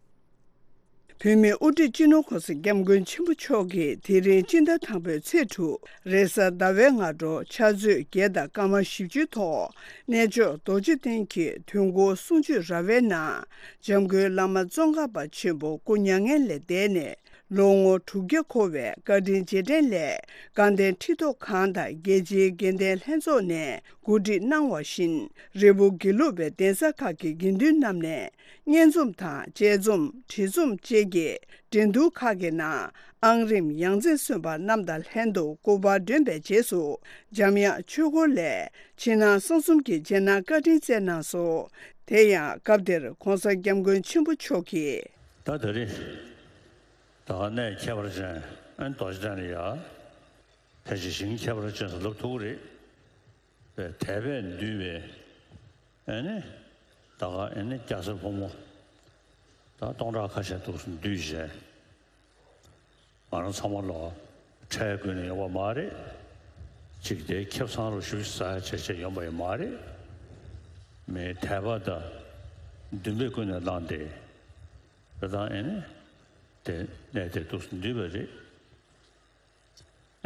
བོད་མིའི་དབུ་ཁྲིད་སྤྱི་ནོར་༧གོང་ས་༧སྐྱབས་མགོན་ཆེན་པོ་མཆོག་གིས་དེ་རིང་སྤྱི་ཟླ་དང་པོའི་ཚེས་དྲུག་རེས་གཟའ་ཟླ་བའི་སྔ་དྲོ་ཕྱག་ཚོད་བརྒྱད་དང་སྐར་མ་བཞི་བཅུའི་ཐོག་རྣལ་འབྱོར་རྡོ་རྗེ་གདན་གྱི་དུས་འཁོར་གསུང་ཆོས་ར་བའི་ནང་འཇམ་མགོན་བླ་མ་ཙོང་ཁ་པ་ཆེན་པོ་སྐུ་མྱ་ངན་ལས་འདས་ནས་ལོ་ངོ་དྲུག་བརྒྱ་འཁོར་བའི་བཀའ་དྲིན་རྗེས་དྲན་སླད་དགའ་ལྡན་ཁྲི་ཐོག་ཁང་དང་རྒྱལ་སྤྱིའི་དགེ་ལྡན་ལྷན་ཚོགས་ནས་གོ་སྒྲིག་གནང་བ་བཞིན། རི་བོ་དགེ་ལུགས་པའི་གདན་ས་ཁག་གི་དགེ་འདུན་རྣམས་ནས་སྙན་རྩོམ་དང་དཔྱད་རྩོམ། བྲིས་རྩོམ་བཅས་ཀྱི་འགྲན་བསྡུར་ཁག་གི་ནང་ཨང་རིམ་ཡང་རྩེར་སོན་པ་རྣམས་དང་ལྷན་དུ་སྐུ་པར་བསྒྲོན་པའི་རྗེས་སུ། འཇམ་དབྱངས་ཆོས་འཁོར་ལས་ཕྱི་ནང་གསང་གསུམ་གྱི་རྗེས་གནང་བཀའ་དྲིན་སྩལ་གནང་སོང་། དེ་ཡང་སྐབས་དེར་༧གོང་ས་༧སྐྱབས་མགོན་ཆེན་པོ་མཆོག་གིས། ད་ད་རེས་ད་གནས་ཁྱད་པར་ཅན་ཨན་རྡོ་རྗེ་གདན་ལ་ཡ་ཕལ་ཆེར་ཞིང་ཁྱད་པར་ཅན་ཟེར་ལབ་ཐུབ་ཀྱི་རེད། པའི་དད་པས་འདུས་པའི་ཨེ་ནི་ད་ག་ཨེ་ནི་སྐྱ་སེར་ཕོ་མོ་ད་སྟོང་ཕྲག་ཁ་ཤས་འདུག་སེ་འདུས་བྱས། ང་རང་ཚང་མ་ལོ་ཁྲལ་དགོས་ནས་ཡོང་བ་མ་རེད། ཅིག་དེ་ཁེ་བཟང་རུ་ཞུ་ཟ་བྱས་བྱས་ཡོང་བ་ཡང་མ་རེད། མི་དད་པ་དང་འདུན་པས་ཀུན་ནས་བསླངས་ཏེ་ད་ད་ཨེ་ནི་དེ་གནས་དེ་འདུག་སེ་འདུས་པ་རེད།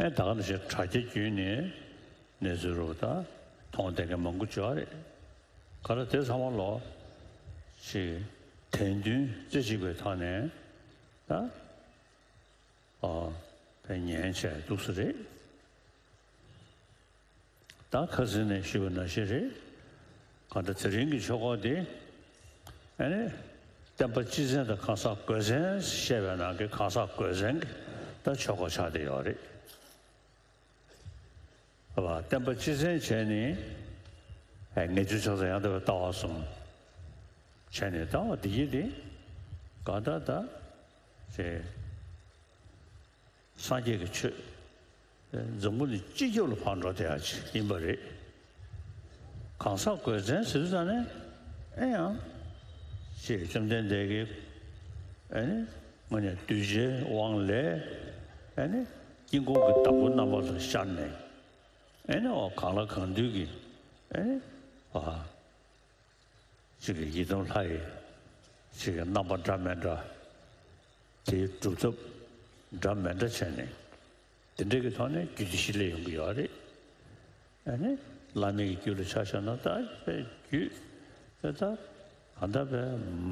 ཨེ་ད་ག་ནང་བཞིན་དྲ་རྒྱ་བརྒྱུད་ནས་གནས་ཚུལ་རོ་ད་མཐོང་བསྡད་མཁན་མང་པོ་ཅིག་ཡོད་རེད། ག་ལ་དེ་ཚང་མ་ལོ་ཅིག་དད་འདུན་རྩེ་གཅིག་པའི་ཐོག་ནས་ད་ཨ་ཉན་བྱས་འདུག་སེ་རེད། ད་ཁ་སང་ནས་ཞུས་པ་ནང་བཞིན་རེད། གང་ལྟར་དེ་རིང་གི་ཆོ་ག་འདི་ཨ་ནི་བསྟན་པ་སྤྱི་མཚན་དང་གང་ཟག་གོས་མཚན་བཤད་པའི་ནང་གི་གང་ཟག་གོས་མཚན་གྱི་ད་ཆོ་ག་ཆགས་བསྡད་ཡོད་རེད། བསྟན་པ་སྤྱི་མཚན་བྱས་ནས་ངེས་འབྱུང་ཕྱག་འཚལ་ཡང་དག་པའི་ལྟ་བ་གསུམ་བྱས་ནས་ལྟ་བ་འདི་ཡིན་ཏེ་གང་ལྟར་ད་ཅེས། སངས་རྒྱས་ཀྱི་ཆོས་འཛམ་བུ་གླིང་སྤྱི་ཁྱབ་ལ་ཕར་འགྲོ་བསྡད་ཡ་ཅིག་ཡིན་པ་རེད། གང་ཟག་གོས་མཚན་ཟེར་དུས་ཙང་ནས་ཨེ་ཡང་ཅེས་བཅོམ་ལྡན་འདས་ཀྱིས་ཨེ་ནི་དངོས་གནས་གདུལ་བྱའི་དབང་ལས་ཨེ་ནི་དཀྱིལ་འཁོར་གྱི་བདག་པོ་རྣམ་པ་ལ་ཤར་ནས་ཨེ་ནི་འོ་གང་ལ་གང་འདུལ་གྱི་ཨེ་ནི་བ། གཅིག་གི་ཡི་དམ་ལྷ་ཡི་གཅིག་གི་རྣམ་པ་འདྲ་མི་འདྲ། དེའི་སྒྲུབ་ཐབས་འདྲ་མི་འདྲ་བྱས་ནས་དེ་འདྲ་གི་ཐོག་ནས་རྒྱུད་སྡེ་བཞི་སླེབས་ཡོང་གི་ཡོད་རེད། ཨ་ནི་བླ་མའི་རྒྱུད་ལ་ཆ་བཞག་ན་ད་དཔེ་རྒྱུད་དེ་ད་ག་འདྲ་དཔེ་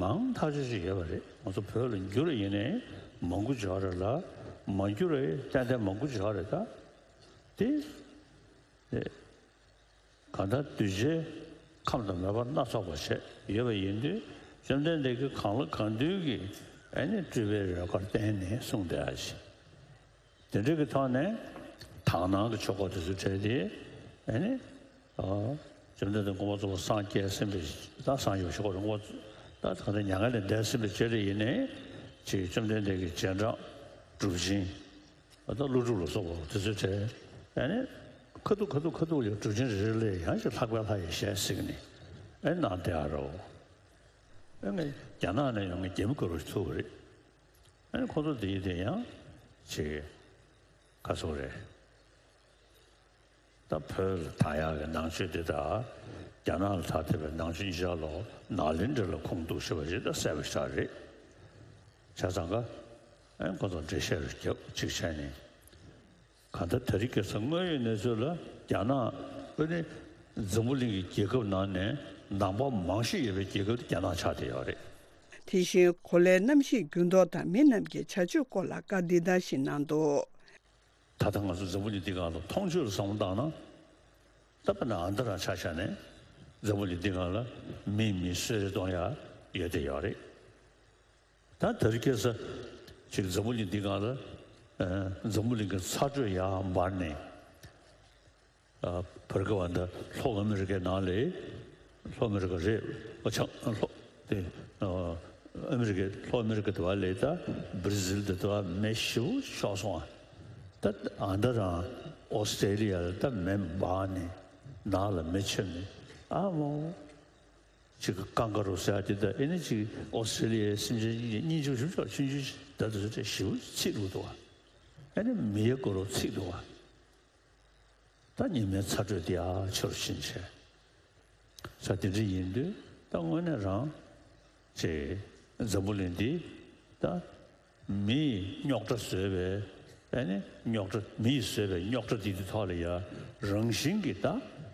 མང་ཐག་ཆོད་ཅིག་ཡོད་པ་རེད། ང་ཚོ་བོད་ལ་འགྱུར་ཡིན་ནའི་མང་པོ་ཅིག་ཡོད་རེད་ལ། མ་འགྱུར་བའི་ཏན་ཏན་མང་པོ་ཅིག་ཡོད་རེད་ད། དེ་དེ། གང་ལྟར་གདུལ་བྱའི་ཁམས་དང་མོས་པ་སྣ་ཚོགས་པ་བྱས་ཡོད་པ་ཡིན་དུས་ བཅོམ་ལྡན་འདས་ཀྱིས་གང་ལ་གང་འདུལ་གྱི་ཨ་ནི་སྤྲུལ་པའི་རོལ་གར་བསྟན་ནས་གསུངས་བསྡད་ཡ་ཞིག་དེ་འདྲ་གི་ཐོག་ནས་དག་སྣང་གི་ཆོས་སྐོར་དེ་ཚོ་བྲལ་ཏེ་ཨ་ནི། ཨ། བཅོམ་ལྡན་འདས་མགོན་པོ་རྫོགས་པར་སངས་རྒྱས་ཟིན་པའི་ད་སངས་རྒྱས་ཞུ་དགོས་རེད། མགོན་པོ་ད་ད་ལྟ་མྱ་ངན་ལས་འདས་ཟིན་པའི་བཅད་རིས་ཡིན་ནའི་ཅིག་བཅོམ་ལྡན་འདས་ཀྱི་རྗེས་འབྲང་གྲུབ་ཆེན་ད་ཀླུ་སྒྲུབ་ལ་སོགས་པ་དེ་ཚོའི་གྲས་ཨ་ནི་ཁ་ཐུག་ཁ་ཐུག་ཁ་ཐུག་ལ་གྲུབ་ཆེན་རེ་རེ་ལ་ཡང་ཅིག་ལྷག་པའི་ལྷ་ཡི་ཞལ་གཟིགས་ནས་ཨ་ནི་གནང་བསྡད་ཡ་རེད། ཨ་ནི་རྒྱ་ནག་ནས་ཡོང་མཁན་རྒྱ་མི་དཀར་པོ་ཞིག་ཐུག་པ་རེད། ཨ་ནི་ཁོ་ཚོ་དེ་ཡི་དེ་ཡང་ཅིག་ག་ཚོད་རེད། ད་བོད་ལ་དར་ཡག་གི་ནང་ཆོས་འདི་དང་རྒྱ་ནག་ལ་དར་ཐུབ་པའི་ནང་ཆོས་གཉིས་ཆར་ལོ་ནཱ་ལེནྡྲ་ལ་ཁུངས་གཏུགས་ཞེས་པ་ཞིག་ད་གསལ་པོ་ཞིག་རེད། བྱས་ཙང་ཀ་ཨེ་ཁོ་ཚོ་འགྲེལ་བཤད་རུ་རྒྱབ་ཅིག་བྱས་ནས། གང་ལྟར་དེ་རིང་ཁ་སང་དངོས་ཡོད་གནས་ཚུལ་ལ་རྒྱ་ནག་ཨ་ནི་འཛམ་བུ་གླིང་གི་རྒྱལ་ཁབ་ནང་ནས་ནང་པ་མང་ཤོས་ཡོད་པའི་རྒྱལ་ཁབ་དེ་རྒྱ་ནག་ཆགས་བསྡད་ཡོད་རེད། དེ་བཞིན་གོ་ལའི་གནམ་གཤིས་འགྱུར་ལྡོག་དང་མི་རྣམས་ཀྱི་བྱ་སྤྱོད་སྐོར་ལ་བཀའ་འདི་ལྟར་ཞིག་གནང་འདུག་ད་ལྟ་ང་ཚོ་འཛམ་བུ་གླིང་འདི་སྒང་ལ་མཐོང་ཆོས་ལ་བསམ་བློ་བཏང་ན། ད་དཔེར་ན་ཨ་མདོ་རང་ཆ་བཞག་ནས་འཛམ་བུ་གླིང་འདི་སྒང་ལ་མིས་མི་གསོད་རེས་གཏོང་ཡ་ཡོད་དེ་ཡོད་རེད། ད་དེ་རིང་ཁ་སང་ཅིག་འཛམ་བུ་གླིང་འདི་སྒང་ལ་ཨ་འཛམ་བུ་གླིང་གི་ཚ་དྲོད་ཡར་འབར་ནས། ཨ་བར་སྐབས་ཨ་ད་ལྷོ་ཨ་མི་རི་ཀའི་ནང་ལ། ལྷོ་ཨ་མི་རི་ཀ་རེད། ཨོ་ཆ་ལྷོ་དེ་ཨ་ཨ་མི་རི་ཀའི་ལྷོ་ཨ་མི་རི་ཀ་དེ་བ་ལ་ད་བྷར་ཛིལ་དེ་དེ་བ་མེ་ཞེ་པོ་ཤོར་སོང་ཨ། ད་ཨ་མདོ་རང་ཨོ་སི་ཀྲེ་ལི་ཡ་ལ་ད་མེ་འབར་ནས་ནགས་ལ་མེ་མཆེད་ནས་ཨ་མོ། ཅིག་ཀང་ཀ་རུ་ཟེར་ཡ་དེ་ད་ཨེ་ནི་ཅིག་ཨོ་སི་ཀྲེ་ལི་ཡའི་སེམས་ཅན་གཉིས་ཀྱི་སྙིང་རྗེ་ཞིབ་ཆོག་ཆུང་ཆུང་ཞིག་ད་དུ་ཟེར་ཏེ་ཞེ་པོ་ཚིག་འདུག་དོ། ཨེ་ནི་མི་ཡ་གོ་རུ་ཚིག་འདུག་བ། ད་ཉི་མའི་ཚ་དྲོད་དེ་ཡ་ཆེ་རུ་ཕྱིན་བྱས། ས་དེ་འདྲ་ཡིན་དུས་ད་དངོས་གནས་རང་ཅིག་འཛམ་བུ་གླིང་འདི་ད། མིས་རྙོག་དྲ་བཟོས་པའི་ཨ་ནི་རྙོག་དྲ་མིས་བཟོས་པའི་རྙོག་དྲ་འདི་དེ་ཐོག་ལ་ཡ་རང་བཞིན་གྱིས་ད་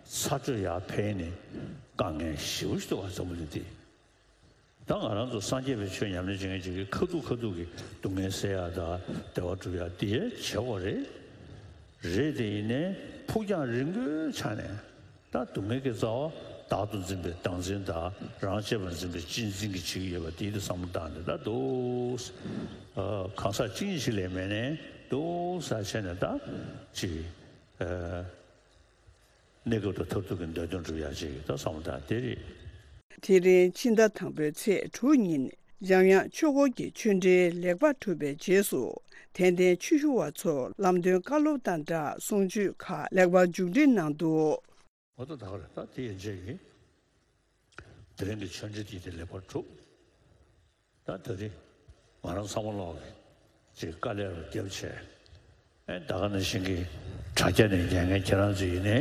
ཚ་དྲོད་ཡར་འཕེལ་ནས་དཀའ་ངལ་ཞེ་པོ་ཞིག་འདུག་བ་འཛམ་བུ་གླིང་འདི། ད་ང་རང་ཚོ་སངས་རྒྱས་པའི་ཆོས་ཉམས་ལེན་བྱེད་མཁན་ཅིག་གིས་ཁ་ཐུག་ཁ་ཐུག་གི་སྡུག་བསྔལ་སེལ་ཡ་དང་བདེ་བ་སྒྲུབ་ཡ་དེ་བྱེད་དགོས་རེད། རེད་དེ་ཡིན་ནའི་ཕུགས་རྒྱང་རིང་པོའི་ཆ་ནས། ད་སྡུག་བསྔལ་གྱི་རྩ་བ་བདག་ཏུ་འཛིན་པའི་བདག་འཛིན་དང་རང་གཅེས་པར་འཛིན་པའི་གཅེས་འཛིན་གྱིས་བྱེད་ཀྱི་ཡོད་པ་དེའི་དེ་བསམ་བློ་བཏང་ནས་ད་འདུག་ཨ་གང་ཟག་གཅིག་གཉིས་ཤིག་ལས་མེད་ནས་འདུག་ས་བྱས་ནས་ད་ཅིག་ཨ་གནས་སྐབས་དང་མཐར་ཐུག་གི་འདོད་དོན་སྒྲུབ་ཡག་ཅིག་ད་བསམ་བློ་བཏང་དེ་རེད། དེ་རིང་ཕྱི་ཟླ་དང་པོའི་ཚེས་དྲུག་ཉིན་འཇམ་དབྱངས་ཆོས་འཁོར་གྱི་ཆོས་འབྲེལ་ལེགས་པར་གྲུབ་པའི་རྗེས་སུ་དད་ལྡན་ཆོས་ཞུ་བ་ཚོར་ལམ་སྟོན་བཀའ་སློབ་དང་སྦྲགས་གསུང་ཆོས་ཁག་ལེགས་པར་མཇུག་སྒྲིལ་གནང་འདུག་འོ་ད་ད་ག་རེད། ད་དེ་ཡན་ཆད་ཀྱིས་དེ་རིང་གི་ཆོས་འབྲེལ་དེ་དེ་ལེགས་པར་གྲུབ། ད་དེ་རིང་ང་རང་ཚང་མ་ལོག་གི་ཅིག་དཀའ་ལས་རུ་བརྒྱབ་བྱས། ཨེ་ད་ག་ནང་བཞིན་གྱི་དྲ་རྒྱ་ནས་ཉན་མཁན་ཁྱེད་རང་ཚོ་ཡིན་ནའི་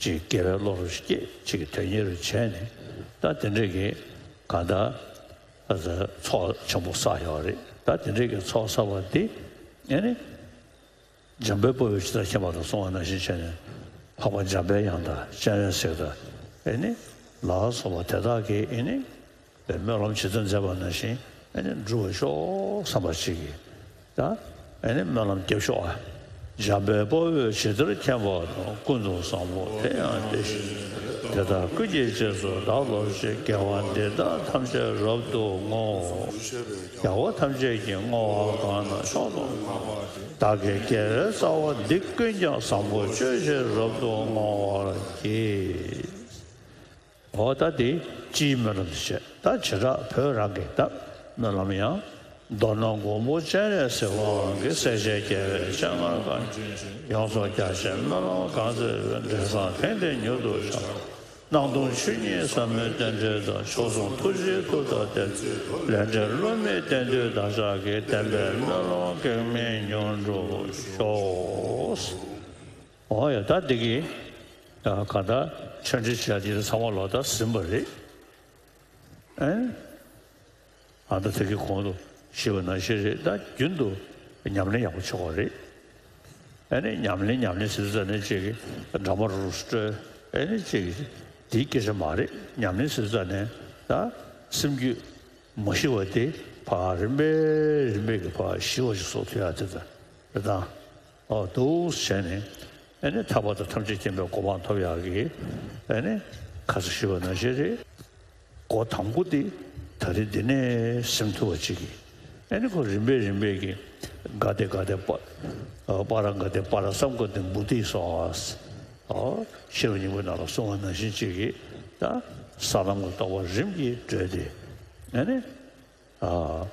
ཅིག་དགེ་བའི་བློ་རུ་སྐྱེས་ཅིག་དོན་གཉེར་རུ་བྱས་ནས་ད་དེ་འདྲས་ཀྱི་གང་ལྟར་ཚོགས་ཆེན་པོ་བསགས་ཡོད་རེད། ད་དེ་འདྲས་ཀྱི་ཚོགས་བསགས་པ་འདི་ཨེ་ནི། འཇམ་དཔལ་དཔའ་བོས་ཇི་ལྟར་མཁྱེན་པ་དང་གསུངས་པ་ནང་བཞིན་བྱས་ནས་འཕགས་པ་འཇམ་པའི་དབྱངས་དང་སྤྱན་རས་གཟིགས་དང་ཨེ་ནི་ལ་སོགས་པ་དེ་དག་གིས་ཨེ་ནི་སྨོན་ལམ་ཇི་ལྟར་མཛད་པ་ནང་བཞིན་ཨེ་ནི་འགྲུབ་པར་ཤོག་བསམ་པ་ཅིག་གིས་ད་ཨེ་ནི་སྨོན་ལམ་རྒྱབ་ཤོག་ཨ། འཇམ་དཔལ་དཔའ་བོས་ཇི་ལྟར་མཁྱེན་པ་དང་། ཀུན་ཏུ་བཟང་པོ་དེ་ཡང་དེ་བཞིན་དེ་དག་ཀུན་གྱི་རྗེས་སུ་བདག་སློབ་ཅིང་། དགེ་བ་འདི་དག་ཐམས་ཅད་རབ་ཏུ་བསྔོ། རྒྱལ་བ་ཐམས་ཅད་ཀྱིས་བསྔོ་བ་གང་རྣམས་མཆོག་ཏུ་བསྔགས་པ། བདག་གི་དགེ་བའི་རྩ་བ་འདི་ཀུན་ཀྱང་། བཟང་པོ་སྤྱོད་ཕྱིར་རབ་ཏུ་བསྔོ་བར་བགྱི། འོ་ད་དེ་སྤྱིའི་སྨོན་ལམ་དེ་བྱས། ད་བྱེ་བྲག་བོད་རང་གི་ད་སྨོན་ལམ་ཡང་། མདོར་ན་མགོན་པོ་སྤྱན་རས་གཟིགས་དབང་གིས། སྲས་བཅས་རྒྱལ་བའི་སྤྱན་སྔར་བཀའ་དྲིན་ཆེ། ཡོངས་སུ་རྒྱ་ཆེའི་སྨོན་ལམ་གང་མཛད་པའི། འབྲས་བཟང་དེང་འདིར་མྱུར་དུ་འཆར། སྣང་སྟོང་ཆོས་ཉིད་ཟབ་མོའི་རྟེན་འབྲེལ་དང་། མཆོག་གསུམ་ཐུགས་རྗེའི་མཐུ་དང་ལྡན། ལས་འབྲས་བསླུ་མེད་བསྟན་འདུས་བདག་ཅག་གི། བདེན་པའི་སྨོན་ལམ་གེགས་མེད་མྱུར་འགྲུབ་ཤོག། འོ་ཡ་ད་འདི་གི་ག་ད་ཆོས་འབྲེལ་བྱ་འདི་ཚང་མ་ལོ་ད་ཟིན་པ་རེད། ཨེ། ཨ་ད་དེ་གི་གོང་དུ་ཞུས་པ་ནང་བཞིན་རེད། ད་རྒྱུན་དུ་ཉམས་ལེན་ཡག་པོ་བྱེད་དགོས་རེད། ཨ་ནི་ཉམས་ལེན་ཉམས་ལེན་ཟེར་ཙ་ནས་ཅིག་གི་འདྲ་མོ་རུ་སྤྲོད། ཨ་ནི་ཅིག་གི་དེའི་སྐད་ཆ་མ་རེད། ཉམས་ལེན་ཟེར་ཙ་ནས་ད་སེམས་རྒྱུད་མ་ཞི་བ་དེ་ཕར་རིམ་པས་རིམ་པས་ཀྱི་ཕར་ཞི་བ་ཞིག་བཟོ་ཐུབ་ཡ་དེ་ད་རེད་ད། ཨོ་འདུག་བྱས་ནས་ཨ་ནི་ཐར་པ་དང་ཐམས་ཅད་མཁྱེན་པའི་གོ་འཕང་ཐོབ་ཡག་གི་ཨ་ནི་ཁ་ས་ཞུས་པ་ནང་བཞིན་རེད། སྒོ་དང་པོ་དེ་ ད་རེས་འདི་ནས་སེམས་ཐུབ་པ་ཅིག་གིས། ཨེ་ནི་ཁོ་རིམ་པས་རིམ་པས་ཀྱི་ག་དེ་ག་དེ་པ་པ་ར་ག་དེ་པ་ར་སམ་ག་དེ་བུ་དི་སོ། ཨོ་ཤེས་རབ་སྙིང་པོའི་ནང་ལ་གསུངས་པ་ནང་བཞིན་ཅིག་གིས་ད་ས་ལམ་གྱི་རྟོགས་པ་རིམ་གྱིས་བགྲོད་དེ། ཨེ་ནི། ཨ།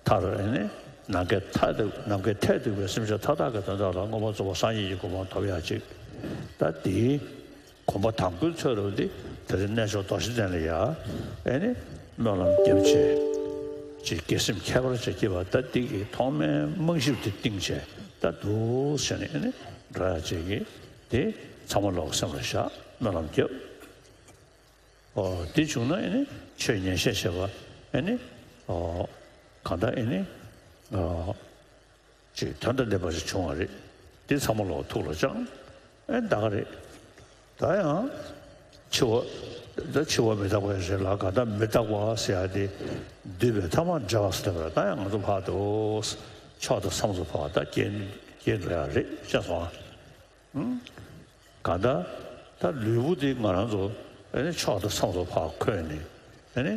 མཐར་ཨེ་ནི་ནམ་མཁའི་མཐས་གཏུགས། ནམ་མཁའི་མཐས་གཏུགས་པའི་སེམས་ཅན་མཐའ་དག་གི་དོན་དག་ལ་མངོན་པར་རྫོགས་པ་སངས་རྒྱས་ཀྱི་གོ་འཕང་ཐོབ་ཡག་ཅིག་ད་དེའི་གོམ་པ་དང་པོའི་ཚོད་རུ་དེ་དེ་རིང་གནས་མཆོག་རྡོ་རྗེ་གདན་ལ་ཡ་ཨེ་ནི་སྨོན་ལམ་བརྒྱབ་བྱས། ཅིག་དགེ་སེམས་ཁྱད་པར་ཅིག་སྐྱེས་པ་ད་དེ་གི་ཐོག་མའི་རྨང་གཞི་དེ་བཏིང་བྱས་ད་འདུག་ཟེར་ནས་ཨེ་ནི་འགྲོ་ཡག་ཅིག་གི་དེ་ཚང་མ་ལོག་སེམས་ལ་བཞག་སྨོན་ལམ་བརྒྱབ། ཨོ། དེ་བྱུང་ན་ཨེ་ནི་ཆོས་ཉན་བཤད་བྱེད་པ་ཨེ་ནི། ཨོ། གང་ལྟར་ཨེ་ནི། ཨོ། ཅིག་དོན་དང་ལྡན་པ་ཞིག་བྱུང་བ་རེད། དེ་ཚང་མ་ལོག་ཐུགས་ལ་བཅངས། ཨེ་ད་ག་རེད། ད་ཡང་། འཆི་བ། ད་འཆི་བ་མི་རྟག་པ་རེད་ལ་གང་ལྟར་མི་རྟག་པ་ཟེར་ཡ་དེ། འདུས་པའི་ཐ་མ་བྲལ་བ་ཟེར་བ་ད་ཡང་ང་ཚོ་ཕར་དུ། མཆོག་དང་ཚངས་པ་ཕར་ད་སྐྱེ་སྐྱེ་འགྲོ་ཡ་རེད་ཤེས་སོང་ཨ། གང་ལྟར་ད་ལུས་པོ་དེ་ང་རང་ཚོ་ཨེ་ནི་མཆོག་དང་ཚངས་པ་ཕར་འཁོད་ནས་ཨེ་ནི་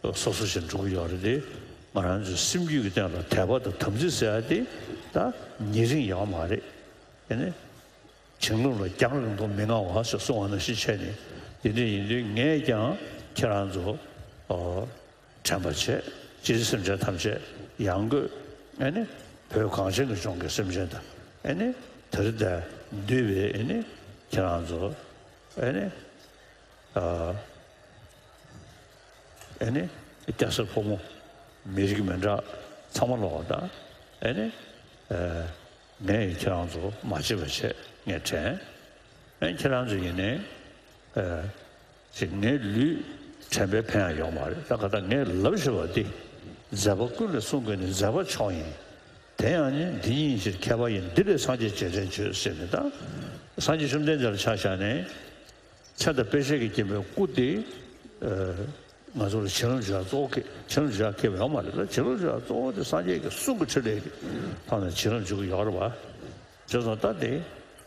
སོ་སོ་ཞིག་འགྲོ་གི་ཡོད་རེད་དེ། ང་རང་ཚོའི་སེམས་རྒྱུད་ཀྱི་སྟེང་ལ་དད་པ་དང་དམ་ཚིག་ཟེར་ཡ་དེ་ད་ཉེ་རིང་ཡོད་མ་རེད། ཨེ་ནི་བྱིང་རླུང་ལ་རྒྱང་རིང་དུ་མི་མངའ་བ་ཞེས་གསུངས་པ་ནང་བཞིན་བྱས་ནས་དེ་འདྲ་ཡིན་དུས་ངས་ཀྱང་ཁྱེད་རང་ཚོ་ཨོ། དྲན་པ་བྱས། སྤྱིར་སེམས་ཅན་ཐམས་ཅད་ཡང་སྒོས་ཨེ་ནི་བོད་གངས་ཅན་གྱི་ལྗོངས་ཀྱི་སེམས་ཅན་དང་ཨེ་ནི་དེར་བསྡད་འདུས་པའི་ཨེ་ནི་ཁྱེད་རང་ཚོ་ཨེ་ནི་ཨ་ཨེ་ནི་སྐྱ་སེར་ཕོ་མོ་མི་རིགས་མི་འདྲ་ཚང་མ་ལོག་དང་ཨེ་ནི་ཨ་ངས་ཁྱེད་རང་ཚོ་མ་བརྗེད་པ་བྱས་ངས་དྲན། ཨེ་ཁྱེད་རང་ཚོ་ཡིན་ནའི་ཨ། ཅིག་ངའི་ལུས་དྲན་པའི་ཕན་ཡང་ཡོད་མ་རེད། ད་ག་ད་ངས་ལབ་ཤེས་པ་འདི། མཛད་པ་ཀུན་ལས་གསུང་དགོས་ནི་མཛད་པ་མཆོག་ཡིན། དེ་ཡང་ནི་འདི་ཉིད་ཕྱིར་མཁས་པ་ཡིན། འདི་ལས་སངས་རྒྱས་རྗེས་དྲན་བྱོས་ཟེར་ནས་ད། སངས་རྒྱས་བཅོམ་ལྡན་འདས་ལ་ཆ་བཞག་ནས། མཚན་དང་དཔེ་བྱད་ཀྱིས་བརྒྱན་པའི་སྐུ་དེ། ཨ། ང་ཚོ་ལ་བྱིན་རླབས་འཇུག་ཡག་གཙོ་བོ་གི་བྱིན་རླབས་འཇུག་ཡག་ཁེལ་བ་ཡོད་མ་རེད་ལ། བྱིན་རླབས་འཇུག་ཡག་གཙོ་བོ་དེ་སངས་རྒྱས་ཀྱི་གསུང་གི་ཕྲིན་ལས་ཀྱི་ཐོག་ནས་བྱིན་རླབས་འཇུག་གི་ཡོད་རེད་བ། བྱས་ཙང་ད་དེ།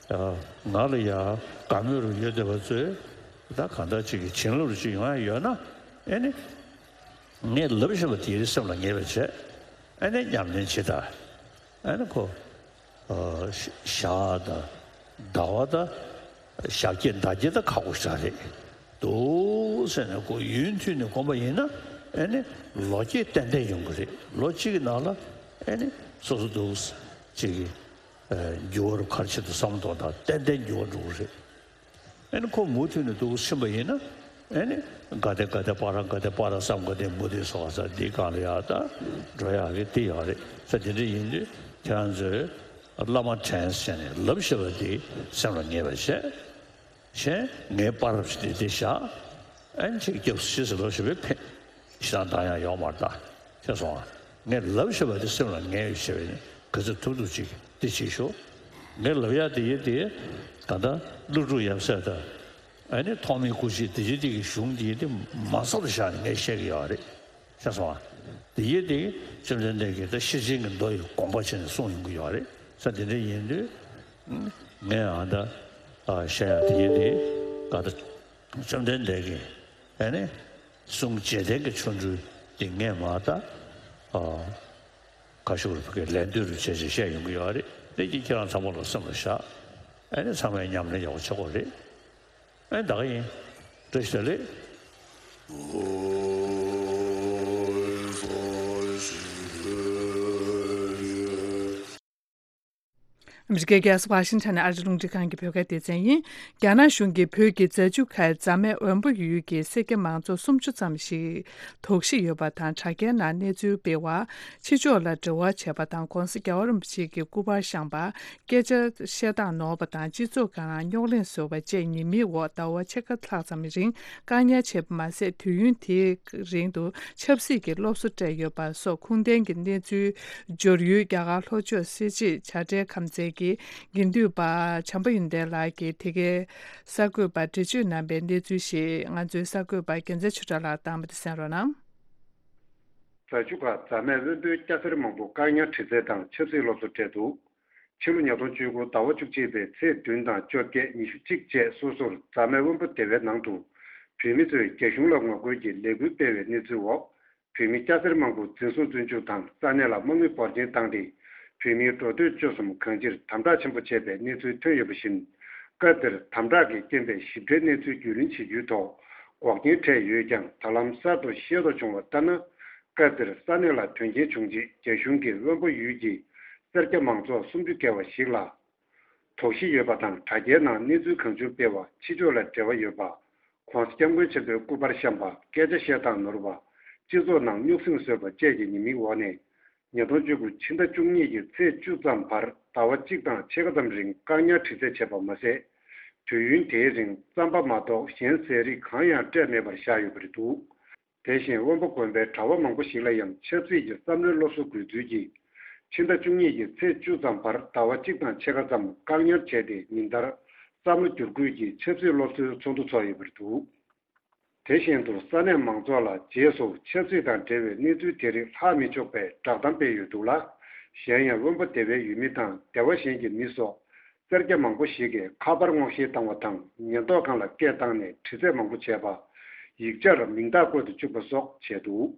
ང་ལ་ཡ་དགའ་མོས་རུ་ཡོད་བསྡད་པ་ཚོས་ད་གང་ལྟར་ཅིག་གི་བྱིན་རླབས་རུ་ཅིག་ཡོང་ཡ་ཡོད་ན་ཨེ་ནི། ངས་ལབ་བཞིན་པ་དེའི་སེམས་ལ་ངེས་པ་བྱས་ཨེ་ནི་ཉམས་ལེན་བྱེད་ད་ཨེ་ནི་ཁོ། ཞག་དང་ཟླ་བ་དང་ཞག་བརྒྱད་ཟླ་བརྒྱད་ད་ཁག་པོ་ཞིག་རེད་འདུག་ཟེར་ནས་ཁོ་ཡུན་མཐུད་ནས་བསྒོམ་པ་ཡིན་ན་ཨེ་ནི་ལོ་བརྒྱད་ཏན་ཏན་ཡོང་གི་རེད། ལོ་གཅིག་གི་ནང་ལ་ཨེ་ནི་སོ་སོ་འདུག་ཅིག་གི། འགྱུར་བ་རུ་ཁར་ཆེད་དུ་བསམ་བློ་གཏོང་དང་ཏན་ཏན་འགྱུར་བ་འགྲོ་གི་རེད། ཨེ་ནི་ཁོ་མུ་མཐུད་ནས་འདུག་ཕྱིན་པ་ཡིན་ན་ཨེ་ནི་ག་དེ་ག་དེ་པ་ར་ག་དེ་པ་ར་སམ་ག་དེ་མུ་དེ་སོགས་ས་འདི་གང་ལ་ཡག་ད་འགྲོ་ཡག་གི་དེ་ཡག་རེད་ས། དེ་འདྲ་ཡིན་དུས་ཁྱེད་རང་ཚོས་བླ་མ་དྲན་བྱས་ནས་ལབ་ཤེས་པ་དེ་སེམས་ལ་ངེས་པ་བྱས། གཞན་ངའི་པར་རབ་ཞིག་དེ་དེ་བཞག་ཨན་ཅིག་སྐྱབས་སུ་མཆི་ཟེར་ལོ་ཞེས་པའི་ཕན་ཞེ་སྡང་ཡང་ཡོང་མ་རེད་ད་ཤེས་སོང་ང་། ངས་ལབ་ཤེས་པ་དེ་སེམས་ལ་ངེས་ཡོད་ཤེས་པས་ནི་ག་ཚོད་ཐུབ་ཐུབ་ཅིག་དེ་བྱེད་ཤོག་ངས་ལབ་ཡ་དེ་ཡིན་དེ་ད་ལྟ་ཀླུ་སྒྲུབ་ཡབ་སྲས་དང་ཨ་ནི་ཐོགས་མེད་སྐུ་མཆེད་དེ་བཞིན་དེ་གི་གཞུང་དེ་ཡིན་དེ་མ་ཚར་བཞག་ནས་ངས་བཤད་གི་ཡོད་རེད། ཤེས་སོང་ང་། དེ་ཡིན་དེ་བཅོམ་ལྡན་འདས་ཀྱིས་ད་ཤེར་ཕྱིན་གྱི་མདོ་ཡི་དགོངས་པ་བྱས་ནས་གསུངས་ཡོང་གི་ཡོད་རེད་ས། དེ་འདྲ་ཡིན་དུས། ངས་ཨ་ད་ཨ་བཤད་ཡ་དེ་ཡིན་དེ། ག་ད་བཅོམ་ལྡན་འདས་ཀྱིས་ཨ་ནི་གསུང་རྗེས་དྲན་གྱི་ཆོ་འཕྲུལ་དེ་ངས་མ་ད་ཨ་ཁ་ཤུགས་རུ་ཕ་གིར་ལན་ལྡོན་རུ་བྱས་བྱས་བཤད་ཡོང་གི་ཡོད་རེད། དེ་གྱིས་ཁྱེད་རང་ཚང་མ་ལ་སེམས་ལ་བཞག་ཨ་ནི་ཚང་མས་ཉམས་ལེན་ཡག་པོ་བྱེད་དགོས་རེད། ཨ་ནི་ད་ག་ཡིན། བཀྲ་ཤིས་བདེ་ལེགས། ཨ་མི་རི་ཀའི་རྒྱལ་ས་ཝ་ཤིང་ཊོན་ནས་ཨ་རིའི་རླུང་འཕྲིན་ཁང་གི་བོད་སྐད་སྡེ་ཚན་ཡིན། རྒྱ་ནག་གཞུང་གིས་བོད་ཀྱི་རྫ་ཆུ་ཁའི་རྫ་སྨད་དབོན་པོ་ཡུལ་གྱི་སེར་སྐྱ་མང་ཚོགས་སུམ་ཅུ་ཙམ་ཞིག་དོགས་གཞི་ཡོད་པ་དང་དྲ་རྒྱའི་ནང་གནས་ཚུལ་སྤེལ་བ། ཕྱི་ཕྱོགས་ལ་འབྲེལ་བ་བྱས་པ་དང་ྋགོང་ས་རྒྱལ་བ་རིན་པོ་ཆེ་གི་སྐུ་པར་བཤམས་པ། སྐད་ཆ་བཤད་སྟངས་ནོར་བ་དང་སྤྱི་ཚོགས་ཀྱི་ནང་རྙོག་གླེང་བཟོས་པ་བཅས་ཉེས་མིང་འོག་ཟླ་བ་ཕྱེད་ཀ་ལྷག་ཙམ་རིང་བཀག་ཉར་བྱས་པ་མ་ཟད། དུས་ཡུན་དེའི་རིང་དུ་ཆབ་སྲིད་ཀྱི་སློབ་གསོ་སྤྲད་ཡོད་པ་སོགས་ཁུངས་ལྡན་གྱི་གནས་ཚུལ་འབྱོར་ཡུལ། རྒྱ་གར་ལྷོ་ཕྱོགས་སེར་བྱེས་བྱ་བྲལ་ཁམས་ཚན་གྱི་དགེ་འདུན་པ་བྱམས་པ་ཡོན་ཏན་ལགས་ཀྱིས་དེ་གའི་གསར་འགོད་པར་འགྲེལ་བརྗོད་གནང་པའི་གནས་ཚུལ་ཞིག་ང་ཚོའི་གསར་འགོད་པ་རྒྱལ་མཚན་ཆོས་གྲགས་ལགས་བཏང་བ་དེ་གསན་རོགས་གནང་། རྫ་ཆུ་ཁ་རྫ་སྨད་དབོན་པོའི་སྐྱ་སེར་མང་པོ་བཀག་ཉར་དྲི་རྩད་དང་ཆབ་སྲིད་སློབ་གསོ་སྤྲད་འདུག་ཕྱི་ལོ་ཉིས་སྟོང་བཅུ་དགུ་ཟླ་བ་བཅུ་གཅིག་པའི་ཚེས་བདུན་དང་བཅོ་བརྒྱད་ཉི་ཤུ་གཅིག་བཅས་སོ་སོར་རྫ་སྨད་དབོན་པོ་སྡེ་བའི་ནང་དུ་བོད་མི་ཚོས་རྒྱ་གཞུང་ལ་ངོ་རྒོལ་གྱི་ལས་འགུལ་སྤེལ་བའི་གནས་ཚུལ་འོག་བོད་མི་སྐྱ་སེར་མང་པོ་འཛིན་བཟུང་བཙོན་འཇུག་དང་ས་གནས་ལ་དམག་མི་འབོར་ཆེན་བཏང་སྟེ། བོད་མིའི་འགྲོ་སྡོད་སྤྱོད་གསུམ་གང་ཅིར་དམ་དྲག་ཆེན་པོ་བྱས་པའི་གནས་ཚུལ་ཐོན་ཡོད་པ་བཞིན། སྐབས་དེར་དམ་དྲག་གི་རྐྱེན་པས་ཞིབ་ཕྲའི་གནས་ཚུལ་རྒྱུས་ལོན་བྱེད་རྒྱུའི་ཐོག་འགོག་རྐྱེན་འཕྲད་ཡོད་ཀྱང་། ད་ལམ་གསར་དུ་ཤེས་རྟོགས་བྱུང་བ་ལྟར་ན། སྐབས་དེར་ས་གནས་ལ་དོན་རྐྱེན་བྱུང་རྗེས། རྒྱ་གཞུང་གིས་དབོན་པོ་ཡུལ་གྱི་སེར་སྐྱ་མང་ཚོགས་སུམ་ཅུ་བརྒལ་བ་ཞིག་ལ་དོགས་གཞི་ཡོད་པ་དང་། དྲ་རྒྱའི་ནང་གནས་ཚུལ་གང་བྱུང་སྤེལ་བ། ཕྱི་ཕྱོགས་ལ་འབྲེལ་བ་ཡོད་པ། ྋགོང་ས་ྋསྐྱབས་མགོན་ཆེན་པོའི་སྐུ་པར་བཤམས་པ། སྐད་ཆ་བཤད་སྟངས་ནོར་བ། སྤྱི་ཚོགས་ནང་རྙོག་ཟིང་བཟོས་པ་བཅས་ཀྱི་ཉེས་མིང་འོག་ནས། ཉིས་སྟོང་བཅུ་དགུ་ཕྱི་ཟླ་བཅུ་གཉིས་ཀྱི་ཚེས་བཅུ་ཙམ་བར་ཟླ་བ་གཅིག་དང་ཕྱེད་ཀ་ཙམ་རིང་བཀག་ཉར་དྲི་རྩད་བྱས་པ་མ་ཟད། དུས་ཡུན་དེའི་རིང་རྩམ་པ་མ་གཏོགས་གཞན་ཟས་རིགས་གང་ཡང་སྤྲད་མེད་པར་བཞག་ཡོད་པ་རེད་འདུག་དེ་བཞིན་དབོན་པོ་དགོན་པའི་གྲྭ་བ་མང་པོ་ཞིག་ལ་ཡང་ཆབ་སྲིད་ཀྱི་བསམ་བློའི་སློབ་གསོ་དགོས་ཚུལ་གྱིས། ཕྱི་ཟླ་བཅུ་གཉིས་ཀྱི་ཚེས་བཅུ་ཙམ་བར་ཟླ་བ་གཅིག་དང་ཕྱེད་ཀ་ཙམ་བཀག་ཉར་བྱས་ཏེ། ཉིན་ལྟར་བསམ་བློ་བསྒྱུར་བཀོད་ཀྱི་ཆབ་སྲིད་སློབ་གསོའི་ཚོགས་འདུ་ཚོགས་ཡོད་པ་རེད་འདུག་དེ་བཞིན་དུ་ས་གནས་མང་ཚོགས་ལ་རྗེས་སུ་ཆབ་སྲིད་དང་འབྲེལ་བའི་གནས་ཚུལ་དེ་རིགས་ལྷག་མི་ཆོག་པའི་བསྒྲགས་གཏམ་སྤེལ་ཡོད་འདུག་ལ། གཞན་ཡང་དབོན་པོ་སྡེ་བའི་ཡུལ་མི་དང་སྡེ་བ་གཞན་གྱི་མི་སོགས་སེར་སྐྱ་མང་པོ་ཞིག་གིས་ཁ་པར་སྔོག་བཤེར་བཏང་བ་དང་། ཉེན་རྟོག་ཁང་ལ་སྐད་བཏང་ནས་དྲི་རྩད་མང་པོ་བྱས་པ། ཡིག་ཆར་མིང་རྟགས་བཀོད་དུ་བཅུག་པ་སོགས་བྱས་འདུག་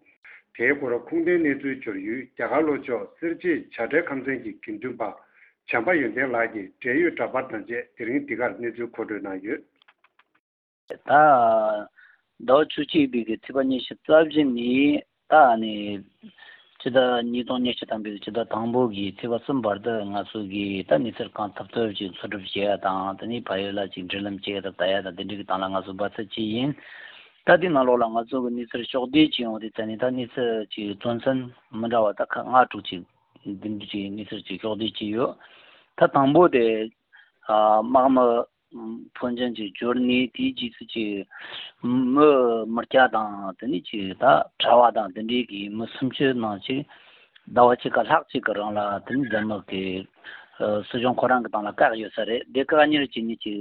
དེའི་སྐོར་ཁུངས་ལྡན་གནས་ཚུལ་འབྱོར་ཡུལ་རྒྱ་གར་ལྷོ་ཕྱོགས་སེར་བྱེས་བྱ་བྲལ་ཁམས་ཚན་གྱི་དགེ་འདུན་པ་བྱམས་པ་ཡོན་ཏན་ལགས་ཀྱིས་འབྲེལ་ཡོད་འདྲ་པར་དང་བཅས་དེ་རིང་འདི་གར་གནས་ཚུལ་མཁོ་སྤྲོད་གནང་ཡོད། ད། ཟླ་བ་བཅུ་གཅིག་པའི་གི་ཚེས་པ་ཉི་ཤུ་རྩ་བཞི་ནས་ད་ནི་ཕྱི་ཟླ་ཉིས་སྟོང་ཉི་ཤུ་ཐམ་པའི་ཕྱི་ཟླ་དང་པོ་གི་ཚེས་པ་གསུམ་བར་དུ་ང་ཚོ་གི་ད་གནས་ཚུལ་གང་ཐུབ་ཐུབ་ཅིག་འཚོལ་སྒྲུབ་བྱེད་ཡ་དང་། དེ་ནས་ཕ་ཡུལ་ལ་ཅིག་འབྲེལ་ལམ་བྱེད་ཡ་དང་ལྟ་ཡ་དང་། དེ་འདྲའི་གི་སྟེང་ལ་ང་ཚོ་འབད་བརྩོན་བྱས་ཡིན། ད་དེ་ནང་ལོགས་ལ་ང་ཚོ་གི་གནས་ཚུལ་ཕྱོགས་བསྡུས་ཅིག་ཡོང་དུས་ཙ་ནས། ད་གནས་ཚུལ་ཅིག་དོན་ཚན་མི་འདྲ་བ་ད་ཁག་ལྔ་དྲུག་ཅིག་འདི་འདྲ་ཅིག་གནས་ཚུལ་ཅིག་ཕྱོགས་བསྡུས་བྱས་ཡོད། ད་དང་པོ་དེ་ཨ་དམག་མི་ཕོན་ཆེན་ཅིག་འབྱོར་ནས། དེའི་རྗེས་སུ་ཅིག་མི་མི་སྐྱ་དང་། དེ་ནས་ཅིག་ད་གྲྭ་བ་དང་དེ་འདྲའི་གི་མི་སུམ་ཅུ་ནང་ཅིག་ཟླ་བ་གཅིག་ག་ལྷག་ཅིག་གི་རིང་ལ་དེ་ནས་རྒྱ་ནག་གི་ཨ་སྲིད་གཞུང་ཁོ་རང་གི་སྟེང་ལ་བཀག་ཡོད་ས་རེད། དེ་བཀག་ཉར་བྱས་ནས་ཅིག་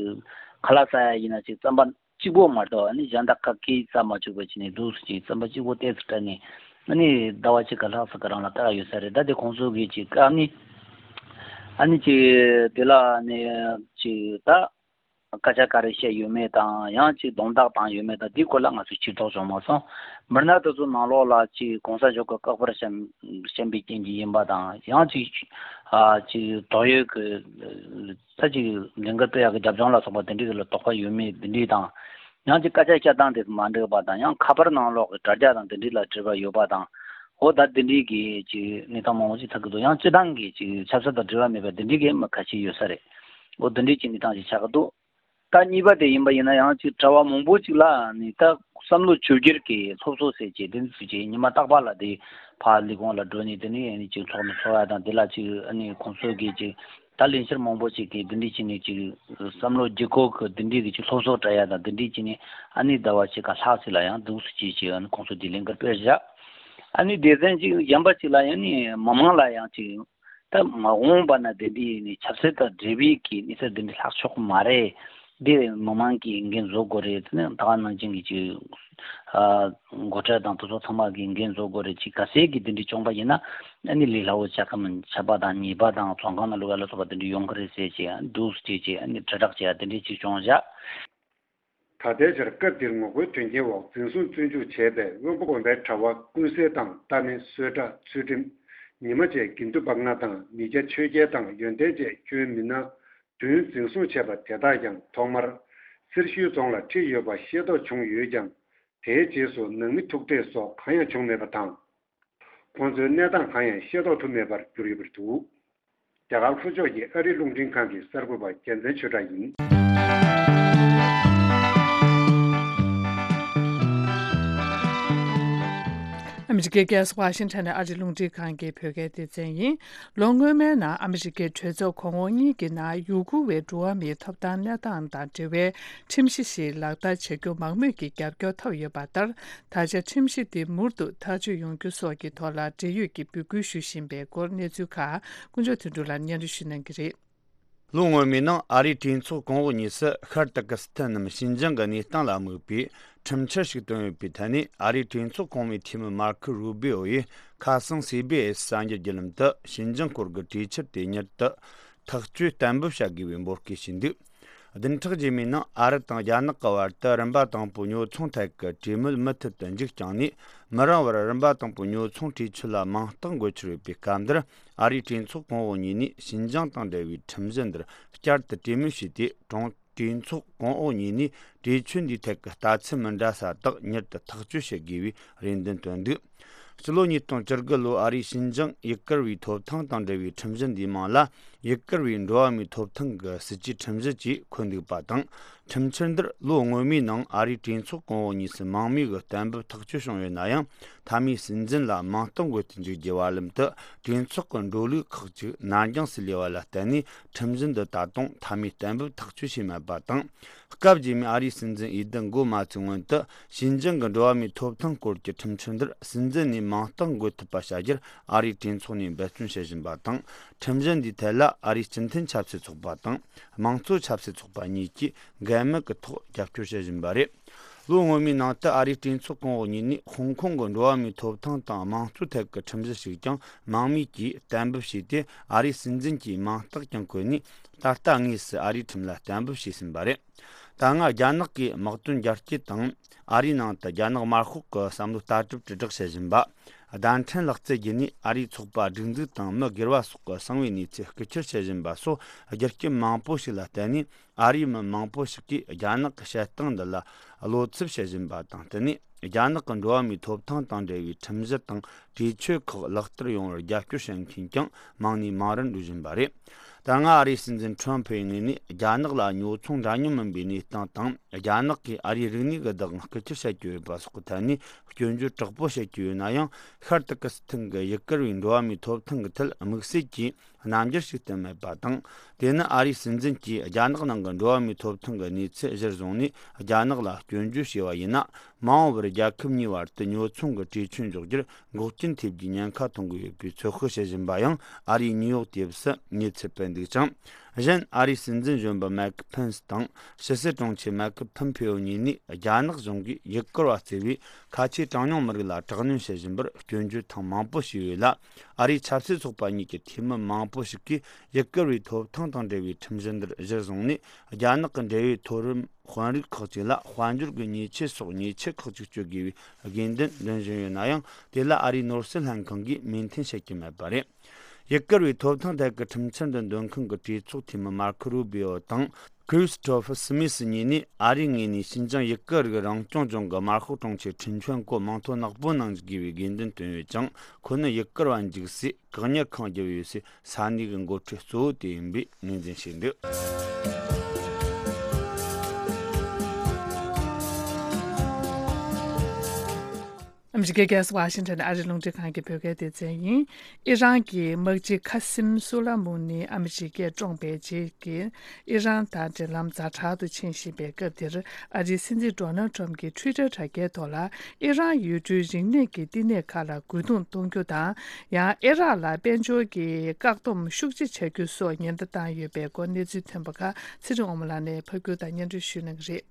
ཁ་ལག་ཟ་ཡ་ཡིན་ན་ཅིག་རྩམ་པ་གཅིག་པོ་མ་གཏོགས། ཨ་ནི་གཞན་དག་ག་གིས་ཟ་མ་བཅུག་པ་བྱས་ནས། འདུག་སེ་ཅིག་རྩམ་པ་གཅིག་པོ་ཏོག་ཙམ་སྤྲད་ནས། ཨ་ནི་ཟླ་བ་གཅིག་ག་ལྷག་ཙམ་གི་རིང་ལ་བཀག་ཡོད་ས་རེད། ད་དེ་ཁོང་ཚོ་གིས་ཅིག་བཀག་ནས། ཨ་ནི་ཅིག་དེ་ལ་ནི་ཅིག་ད་སྐད་ཆ་ག་རེ་བཤད་ཡོད་མེད་དང་། ཡང་ཅིག་རྡུང་རྡེག་བཏང་ཡོད་མེད་དང་། དེའི་སྐོར་ལ་ང་ཚོས་ཕྱིར་རྟོག་བྱུང་མ་སོང་། མི་སྣ་དེ་ཚོ་ནང་ལོགས་ལ་ཅིག་གོང་ས་མཆོག་གི་སྐུ་པར་བཤམས་བཤམས་པའི་རྐྱེན་གྱིས་ཡིན་པ་དང་། ཡང་ཅིག་ཨ་ཅིག་དོགས་ཡོད་ཀྱི་ད་ཅིག་ལས་འགུལ་སྤེལ་ཡག་གི་རྒྱབ་ལྗོངས་ལ་སོགས་པ་དེ་འདྲའི་གི་ལ་དོགས་པ་ཡོད་མེད་དེ་འདྲའི་དང་། ཡང་ཅིག་སྐད་ཆ་བཤད་སྟངས་དེ་མ་འགྲིག་པ་དང་། ཡང་ཁ་པར་ནང་ལོགས་ཀྱི་དྲ་རྒྱ་དང་དེ་འདྲའི་ལ་འབྲེལ་བ་ཡོད་པ་དང་། འོ་ད་དེ་འདྲའི་གི་ཅིག་གནས་སྟངས་མང་པོ་ཅིག་ཐོན་གྱི་འདུག་ཡང་སྤྱིར་བཏང་གི་ཅིག་ཆབ་སྲིད་དང་འབྲེལ་བ་མེད་པ་དེ་འདྲའི་གི་མི་ཁ་ཤས་ཡོད་ས་རེད། འོ་དེ་འདྲའི་ཅིག་གནས་སྟངས་ཅིག་ཆགས་ཀྱི་འདུག་ད་གཉིས་པ་དེ་ཡིན་པ་ཡིན་ན། ཡང་ཅིག་གྲྭ་བ་མང་པོ་ཅིག་ལ་ནི་ད་བསམ་བློ་བཅོས་བསྒྱུར་གྱི་སློབ་གསོ་ཟེར་བྱས་དེ་ཚོ་ཅིག་ཉི་མ་རྟག་པར་ལ་དེ་ཕར་ལས་ཁུངས་ལ་འགྲོ་ནས། དེ་ནས་ཨ་ནི་ཅིག་ཚོགས་འདུ་ཚོགས་ཡ་དང་། དེ་ལ་ཅིག་ཨ་ནི་ཁོང་ཚོ་གིས་ཅིག་ད་ལས་འཆར་མང་པོ་ཅིག་གིས་དེ་འདྲའི་བྱས་ནས་ཅིག་བསམ་བློ་བསྒྱུར་བཀོད་ཀྱི་དེ་འདྲའི་གི་ཅིག་སློབ་གསོ་སྤྲད་ཡ་དང་། དེ་འདྲའི་བྱས་ནས་ཨ་ནི་ཟླ་བ་གཅིག་ག་ལྷག་ཅིག་ལ་ཡང་འདུག་སེ་བྱས་བྱས། ཨ་ནི་ཁོང་ཚོ་དེ་ལས་འགུལ་སྤེལ་བཞག་ཨ་ནི་སྡེ་ཚན་ཅིག་གཞན་པ་ཅིག་ལ་ཡང་ནི་མི་མང་ལ་ཡང་ཅིག་ད་མ་འོངས་པ་ན་དེ་འདྲའི་ནི་ཆབ་སྲིད་དང་འབྲེལ་བའི་གི་གནས་ཚུལ་དེ་འདྲ་ལྷག་ཆོག་གི་མ་རེད། འདི་མི་མང་གིས་འགན་བཟོ་དགོས་རེད། དེ་ནི་ད་ག་ནང་བཞིན་གྱི་ཅིག་ཨ་འགོ་ཁྲིད་དང་དེ་ཚོ་ཚང་མ་གིས་འགན་བཟོ་དགོས་རེད། ཅིག་གལ་སྲིད་ཀྱི་དེ་འདྲ་བྱུང་པ་ཡིན་ན། ཨ་ནི་ལས་སླ་བོ་ཆགས་ཀྱི་མིན། ཆད་པ་དང་ཉེས་པ་དང་བཙོན་ཁང་ནང་བླུག་ཡ་ལ་སོགས་པ་དེ་འདྲ་ཡོང་གི་རེད་ཟེར་བྱས། ཨ་ནི་འདུག་སེ་བྱས་བྱས། ཨ་ནི་དྲིལ་བསྒྲགས་བྱས་ཡ་དེ་འདྲ་ཅིག་བྱུང་བཞག་ད་ལྟའི་ཆར་སྐབས་དེར་ངོ་རྒོལ་དོན་རྐྱེན་འོག་འཛིན་བཟུང་བཙོན་འཇུག་བྱས་པའི་དབོན་པོ་དགོན་པའི་གྲྭ་བ་ཀུན་གསལ་དང་། རྟ་མེན། གསོལ་ཁྲ། ཚུལ་ཁྲིམས། ཉི་མ་བཅས་དགེ་འདུན་པ་ལྔ་དང་། མི་སྐྱ་ཆོས་རྒྱལ་དང་ཡོན་ཏན་བཅས་ཁྱོན་མི་སྣ་བདུན་འཛིན་བཟུང་བྱས་པ་དེ་དག་ཀྱང་ཐོག་མར་སེར་ཤུལ་རྫོང་ལ་ཁྲིད་ཡོད་པ་ཤེས་རྟོགས་བྱུང་ཡོད་ཀྱང་། དེའི་རྗེས་སུ་ནང་མི་ཐུག་འཕྲད་སོགས་གང་ཡང་བྱུང་མེད་པ་དང་། ཁོང་ཚོའི་གནས་སྟངས་གང་ཡང་ཤེས་རྟོགས་ཐུབ་མེད་པར་གྱུར་ཡོད་པ་རེད་འདུག་རྒྱ་གར་ལྷོ་ཕྱོགས་ཀྱི་ཨ་རིའི་རླུང་འཕྲིན་ཁང་གི་གསར་འགོད་པ་རྒྱལ་མཚན་ཆོས་གྲགས་ཡིན། ཨ་མི་རི་ཀའི་རྒྱལ་ས་ཝ་ཤིང་ཊོན་ནས་ཨ་རིའི་རླུང་འཕྲིན་ཁང་གི་བོད་སྐད་སྡེ་ཚན་ཡིན། ལོ་སྔོན་མའི་ནང་ཨ་མི་རི་ཀའི་གྲོས་ཚོགས་གོང་འོག་གཉིས་ཀྱི་ནང་ཡུ་གུར་བའི་འགྲོ་བ་མིའི་ཐོབ་ཐང་གནས་སྟངས་དང་འབྲེལ་བའི་ཁྲིམས་གཞི་ཞིག་ལག་བསྟར་བྱ་རྒྱུ་མང་མོས་ཀྱི་རྒྱབ་སྐྱོར་ཐོབ་ཡོད་པ་ལྟར། ད་ཆ་ཁྲིམས་གཞི་འདི་མུར་དུ་ཐག་གཅོད་ཡོང་རྒྱུ་སོགས་ཀྱི་ཐོག་ལ་འབྲེལ་ཡོད་ཀྱིས་འབོད་སྐུལ་ཞུ་བཞིན་པའི་སྐོར་གནས་ཚུལ་ཁག་དཀོན་མཆོག་དོན་གྲུབ་ལགས་སྙན་སྒྲོན་ཞུ་གནང་གི་རེད། ལོ་སྔོན་མའི་ནང་ཨ་རིའི་གྲོས་ཚོགས་གོང་འོག་གཉིས་སུ་ཤར་ཏུར་ཀི་སི་ཐན་ནམ་ཞིན་ཅང་གི་གནས་སྟངས་ལ་དམིགས་པའི་ཁྲིམས་འཆར་ཞིག་བཏོན་ཡོད་པའི་ཐད་ནས། ཨ་རིའི་གྲོས་ཚོགས་གོང་མའི་འཐུས་མི་མར་ཁོ་རུ་བྷི་ཨོ་ཡིས་ཁ་སང་སི་བྷི་ཨེས་གསར་འགྱུར་བརྒྱུད་ལམ་དུ་ཞིན་ཅང་སྐོར་གྱི་གྲོས་འཆར་དེ་མྱུར་དུ་ཐག་གཅོད་གཏན་འབེབས་བྱ་དགོས་པའི་འབོད་སྐུལ་བྱས་འདུག་བདུན་ཕྲག་རྗེས་མའི་ནང་ཨ་རི་དང་རྒྱ་ནག་གི་བར་དུ་རིམ་པ་དང་པོའི་ཉོ་ཚོང་ཐད་ཀྱི་གྲོས་མོལ་མུ་མཐུད་དུ་མཇུག་བསྐྱངས་ནས། མི་རིང་བར་རིམ་པ་དང་པོའི་ཉོ་ཚོང་གྲོས་ཆོད་ལ་མིང་རྟགས་འགོད་འཆར་ཡོད་པའི་སྐབས་འདིར། ཨ་རིའི་གྲོས་ཚོགས་གོང་འོག་གཉིས་ནས་ཞིན་ཅང་དང་འབྲེལ་བའི་ཁྲིམས་གཞི་འདིར་བསྐྱར་དུ་གྲོས་མོལ་བྱས་ཏེ། གྲོང་གྲོས་ཚོགས་གོང་འོག་གཉིས་ནས་གྲོས་ཆོད་འདིའི་ཐད་ཀྱི་ལྟ་ཚུལ་མི་འདྲ་ས་དག་མྱུར་དུ་ཐག་གཅོད་བྱེད་དགོས་པའི་རེ་འདུན་བཏོན་འདུག། ཕྱི་ལོ་ཉིས་སྟོང་བཅུ་དགུ་ལོའི་ཨ་རིའི་ཞིན་ཅང་ཡུ་གུར་བའི་ཐོབ་ཐང་དང་འབྲེལ་བའི་ཁྲིམས་གཞི་འདིའི་མིང་ལ་ཡུ་གུར་བའི་འགྲོ་བ་མིའི་ཐོབ་ཐང་གི་སྲིད་ཇུས་ཁྲིམས་གཞི་བཅས་འཁོད་འདུག་པ་དང་། ཁྲིམས་འཆར་འདིར་ལོ་སྔོན་མའི་ནང་ཨ་རིའི་གྲོས་ཚོགས་གོང་འོག་གཉིས་སུ་མང་མོས་ཀྱི་གཏན་འབེབས་ཐག་གཅོད་བྱུང་ཡོད་ན་ཡང་། མཐའ་མའི་སྲིད་འཛིན་ལ་མིང་རྟགས་འགོད་དུ་འཇུག་རྒྱུའི་བར་ལམ་དུ་གྲོས་ཚོགས་ཀྱི་འགྲོ་ལུགས་ཁག་ཅིག་ནར་འགྱངས་སུ་ལུས་པ་ལ་བརྟེན་ནས། ཁྲིམས་གཞི་འདི་ད་དུང་མཐའ་མའི་གཏན་འབེབས་ཐག་གཅོད་བྱས་མེད་པ་དང་། སྐབས་རྗེས་མའི་ཨ་རིའི་སྲིད་འཛིན་འོས་བསྡུ་འགོ་མ་ཚུགས་སྔོན་དུ། ཞིན་ཅང་གི་འགྲོ་བ་མིའི་ཐོབ་ཐང་སྐོར་གྱི་ཁྲིམས་འཆར་འདིར་སྲིད་འཛིན་ནས་མིང་རྟགས་འགོད་ཐུབ་པ་བྱ་རྒྱུར་ཨ་རིའི་གྲོས་ཚོགས་ནས་འབད་བརྩོན་བྱེད་བཞིན་པ་དང་། ཁྲིམས་གཞི་འདིའི་ཐད་ལ་ཨ་རིའི་སྤྱི་མཐུན་ཆབ་སྲིད་ཚོགས་པ་དང་། དམངས་གཙོ་ཆབ་སྲིད་ཚོགས་པ་གཉིས་ཀྱིས་འགལ་མེད་ཀྱི་ཐོག་རྒྱབ་སྐྱོར་བྱེད་བཞིན་པ་རེད། ལོ་སྔོན་མའི་ནང་དུ་ཨ་རིའི་གྲོས་ཚོགས་གོང་འོག་གཉིས་ནས་ཧོང་ཀོང་གི་འགྲོ་བ་མིའི་ཐོབ་ཐང་དང་དམངས་གཙོའི་ཐད་ཀྱི་ཁྲིམས་གཞི་ཞིག་ཀྱང་མང་མོས་ཀྱིས་གཏན་འབེབས་བྱས་ཏེ། ཨ་རིའི་སྲིད་འཛིན་གྱིས་མིང་རྟགས་ཀྱང་བཀོད་ནས། ད་ལྟ་དངོས་སུ་ཨ་རིའི་ཁྲིམས་ལ་གཏན་འབེབས་བྱས་ཟིན་པ་རེད། ད་སྔ་རྒྱ་ནག་གིས་དམག་དོན་རྒྱ་སྐྱེད་དང་། ཨ་རིའི་ནང་དུ་རྒྱ་ནག་དམར་ཤོག་གི་བསམ་བློ་ལྟ་གྲུབ་དྲིལ་བསྒྲགས་བྱེད་བཞིན་པ། བརྡ་འཕྲིན་ལག་རྩལ་བརྒྱུད་ནས་ཨ་རིའི་ཚོགས་པ་སྒྲིག་འཛུགས་དང་མི་སྒེར་བ་སོགས་ཀྱི་གསང་བའི་གནས་ཚུལ་རྐུ་འཁྱེར་བྱེད་བཞིན་པ་སོགས། རྒྱུ་རྐྱེན་མང་པོ་ཞིག་ལ་བརྟེན་ནས། ཨ་རིའི་མི་མང་པོ་ཞིག་གིས་རྒྱ་ནག་གི་བྱེད་སྟངས་འདི་ལ་བློ་འཚབ་བྱེད་བཞིན་པ་དང་བསྟུན་ནས། རྒྱ་ནག་གི་འགྲོ་བ་མིའི་ཐོབ་ཐང་དང་འབྲེལ་བའི་ཁྲིམས་གཞི་དང་གྲོས་ཆོད་ཁག་ལག་བསྟར་ཡོང་བར་རྒྱབ་སྐྱོར་བྱེད་མཁན་ཀྱང་མང་ནས་མང་རུ་འགྲོ་བཞིན་པ་རེད། ད་སྔ་ཨ་རིའི་སྲིད་འཛིན་ཁྲོམ་ཕུའི་ངོས་ནས་རྒྱ་ནག་ལ་ཉོ་ཚོང་འདྲ་མཉམ་མིན་པའི་གནས་སྟངས་དང་། རྒྱ་ནག་གིས་ཨ་རིའི་རིག་གནས་ཀྱི་བདག་དབང་རྐུ་འཁྱེར་བྱ་རྒྱུ་ཡོད་པ་སོགས་ཀྱི་ཐད་ནས་སྐྱོན་བརྗོད་དྲག་པོ་བྱེད་ཀྱི་ཡོད་ན་ཡང་། ཤར་ཏུར་ཀི་སི་ཐན་གྱི་ཡུ་གུར་བའི་འགྲོ་བ་མིའི་ཐོབ་ཐང་གི་ཐད་དམིགས་བསལ་གྱིས་རྣམ་འགྱུར་ཞིག་བསྟན་མེད་པ་དང་། དེ་ནི་ཨ་རིའི་སྲིད་འཛིན་གྱིས་རྒྱ་ནག་ནང་གི་འགྲོ་བ་མིའི་ཐོབ་ཐང་གི་གནས་ཚུལ་གཞིར་བཟུང་ནས་རྒྱ་ནག་ལ་སྐྱོན་བརྗོད་བྱས་པ་ཡིན་ན། མ་འོངས་པར་རྒྱལ་ཁབ་གཉིས་བར་དུ་ཉོ་ཚོང་གི་གྲོས་ཆོད་འཇོག་རྒྱུར་འགོག་རྐྱེན་ཐེབས་རྒྱུའི་ཉེན་ཁ་མཐོང་གི་ཡོད་པའི་ཚོད་དཔག་བྱེད་བཞིན་པ་ཡང་ཨ་རིའི་ནིའུ་ཡོག་དེབ་སུ་གནས་ཚུལ་སྤེལ་འདུག་ཅིང་། གཞན། ཨ་རིའི་སྲིད་འཛིན་གཞོན་པ་མའེ་ཁི་ཕེན་སི་དང་ཕྱི་སྲིད་དྲུང་ཆེ་མའེ་ཁི་ཕོམ་ཕེའོ་གཉིས་ནས་རྒྱ་ནག་གཞུང་གིས་ཡུ་གུར་བ་བརྩི་བའི་ཁ་ཆེའི་གྲངས་ཉུང་མི་རིགས་ལ་དྲག་གནོན་བྱེད་བཞིན་པར་སྐྱོན་བརྗོད་ཐེངས་མང་པོ་བྱས་ཡོད་ལ། ཨ་རིའི་ཆབ་སྲིད་ཚོགས་པ་གཉིས་ཀྱི་འཐུས་མི་མང་པོ་ཞིག་གིས་ཡུ་གུར་བའི་ཐོབ་ཐང་དང་འབྲེལ་བའི་ཁྲིམས་གཞི་འདིར་གཞིར་བཟུང་ནས། རྒྱ་ནག་གི་འབྲེལ་ཡོད་མཐོ་རིམ་དཔོན་རིགས་ཁག་ཅིག་ལ་དཔལ་འབྱོར་གྱི་ཉེས་ཆད་སོགས་ཉེས་ཆད་ཁག་ཅིག་གཅོད་དགོས་པའི་དགོས་འདུན་འདོན་བཞིན་ཡོད་ན་ཡང་། དེ་ལ་ཨ་རིའི་ནོར་སྲིད་ལྷན་ཁང་གིས་མོས་མཐུན་བྱེད་ཀྱི་མེད་པ་རེད། ཡུ་གུར་བའི་ཐོབ་ཐང་ཐད་ཀྱི་ཁྲིམས་འཆར་འདི་འདོན་མཁན་གྱི་གྲོས་ཚོགས་འཐུས་མི་མར་ཁོ་རུ་བི་ཨོ་དང་། ཁྲིས་ཏོ་ཕར་སི་མི་སི་གཉིས་ནས་ཨ་རིའི་ངོས་ནས་ཞིན་ཅང་ཡུ་གུར་རིགས་རང་སྐྱོང་ལྗོངས་ཀྱི་དམར་ཤོག་དྲུང་ཆེ་ཁྲིན་ཆོན་གོ་མིང་ཐོ་ནག་པོ་གནང་དགོས་པའི་དགོས་འདུན་བཏོན་ཡོད་ཀྱང་། ཁོ་ནི་ཡུ་གུར་བ་འཇིགས་སའི་བཀག་ཉར་ཁང་བརྒྱབ་ཡོད་སའི་ས་གནས་ཀྱི་འགོ་ཁྲིད་གཙོ་བོ་དེ་ཡིན་པའི་ངོས་འཛིན་བྱས་འདུག། ཨ་མི་རི་ཀའི་རྒྱལ་ས་ཝ་ཤིང་ཊོན་ཨ་རིའི་རླུང་འཕྲིན་ཁང་གི་བོད་སྐད་སྡེ་ཚན་ཡིན། ཨི་རན་གྱི་དམག་སྤྱི་ཁ་སིམ་སུ་ལ་མུ་ནི་ཨ་མི་རི་ཀས་བཀྲོངས་པའི་རྗེས་ཀྱི་ཨི་རན་དང་འབྲེལ་ལམ་ཛ་དྲག་ཏུ་ཕྱིན་བཞིན་པའི་སྐབས་འདིར། ཨ་རིའི་སྲིད་འཛིན་ཌོ་ནལ་ཊམ་གྱིས་ཊུའི་ཊར་དྲ་རྒྱའི་ཐོག་ལ། ཨི་རན་ཡུལ་གྲུའི་རིག་གནས་ཀྱི་བསྟི་གནས་ཁག་ལ་རྒོལ་རྡུང་གཏོང་རྒྱུ་དང་། ཡང་ཨི་རག་ལ་དཔལ་འབྱོར་གྱི་བཀག་སྡོམ་ཤུགས་ཆེ་བྱ་རྒྱུ་སོགས་ཉེན་བརྡ་བཏང་ཡོད་པའི་སྐོར་གནས་ཚུལ་ཐོན་པ་ཁག་ཚེ་རིང་དབང་མོ་ལགས་ནས་ཕབ་སྒྱུར་དང་སྙན་སྒྲོན་ཞུ་གནང་གི་རེད།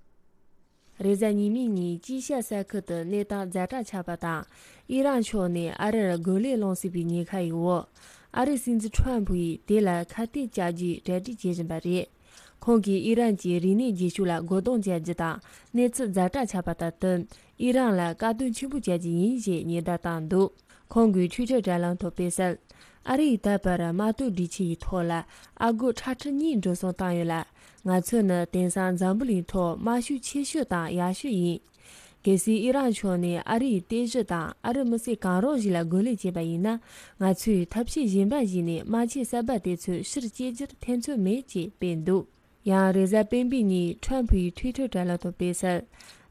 རེས་གཟའ་ཉི་མའི་ཉིན་ཅི་ཤ་ས་ཁུལ་དུ་གནས་སྟངས་ཛ་དྲག་ཆགས་པ་དང་། ཨི་རན་ཕྱོགས་ནས་ཨ་རིར་རྒོལ་ལན་སློང་སྲིད་པའི་ཉེན་ཁ་ཡོད། ཨ་རིའི་སྲིད་འཛིན་ཁྲོམ་ཕུ་ཡིས་དེ་ལ་ཁ་གཏད་བཅག་རྒྱུའི་གྲ་སྒྲིག་བྱེད་བཞིན་པ་རེད། ཁོང་གིས་ཨི་རན་གྱི་རིག་གནས་རྗེས་ཕྱོགས་ལ་རྒོལ་རྡུང་བྱ་རྒྱུ་དང་། གནས་ཚུལ་ཛ་དྲག་ཆགས་པ་དང་བསྟུན། ཨི་རན་ལ་དཀའ་སྡུག་ཆེན་པོ་བྱ་རྒྱུ་ཡིན་ཞེས་ཉེན་བརྡ་བཏང་འདུག། ཁོང་གིས་ཊུའི་ཊར་དྲ་ལམ་ཐོག་སྤེལ་གསལ། ཨ་རི་ཡིས་ད་བར་དམག་དོན་སྒྲིག་ཆས་ཀྱི་ཐོག་ལ་ཨ་སྒོར་ཁྲག་ཁྲིག་གཉིས་འགྲོ་སོང་བཏང་ཡོད་ལ། ང་ཚོ་ནི་དེང་སང་འཛམ་བུ་གླིང་ཐོག་དམག་ཤུགས་ཆེ་ཤོས་དང་ཡག་ཤོས་ཡིན། གལ་སྲིད་ཨི་རན་ཕྱོགས་ནས་ཨ་རི་ཡི་རྟེན་གཞི་དང་ཨ་རི་མི་སེར་གང་རུང་ཞིག་ལ་རྒོལ་ལན་བྱས་པ་ཡིན་ན། ང་ཚོས་ཐབས་ཤེས་གཞན་པ་བྱས་ནས་དམག་ཆས་གསར་པ་དེ་ཚོ་ཕྱིར་སྐྱེལ་རྒྱུར་ཐེ་ཚོམ་མེད་ཅེས་སྤེལ་འདུག། ཡང་རེས་གཟའ་སྤེན་པའི་ཉིན་ཁྲོམ་ཕུ་ཡིས་ཊུའི་ཊར་དྲ་ལམ་ཐོག་སྤེལ་གསལ།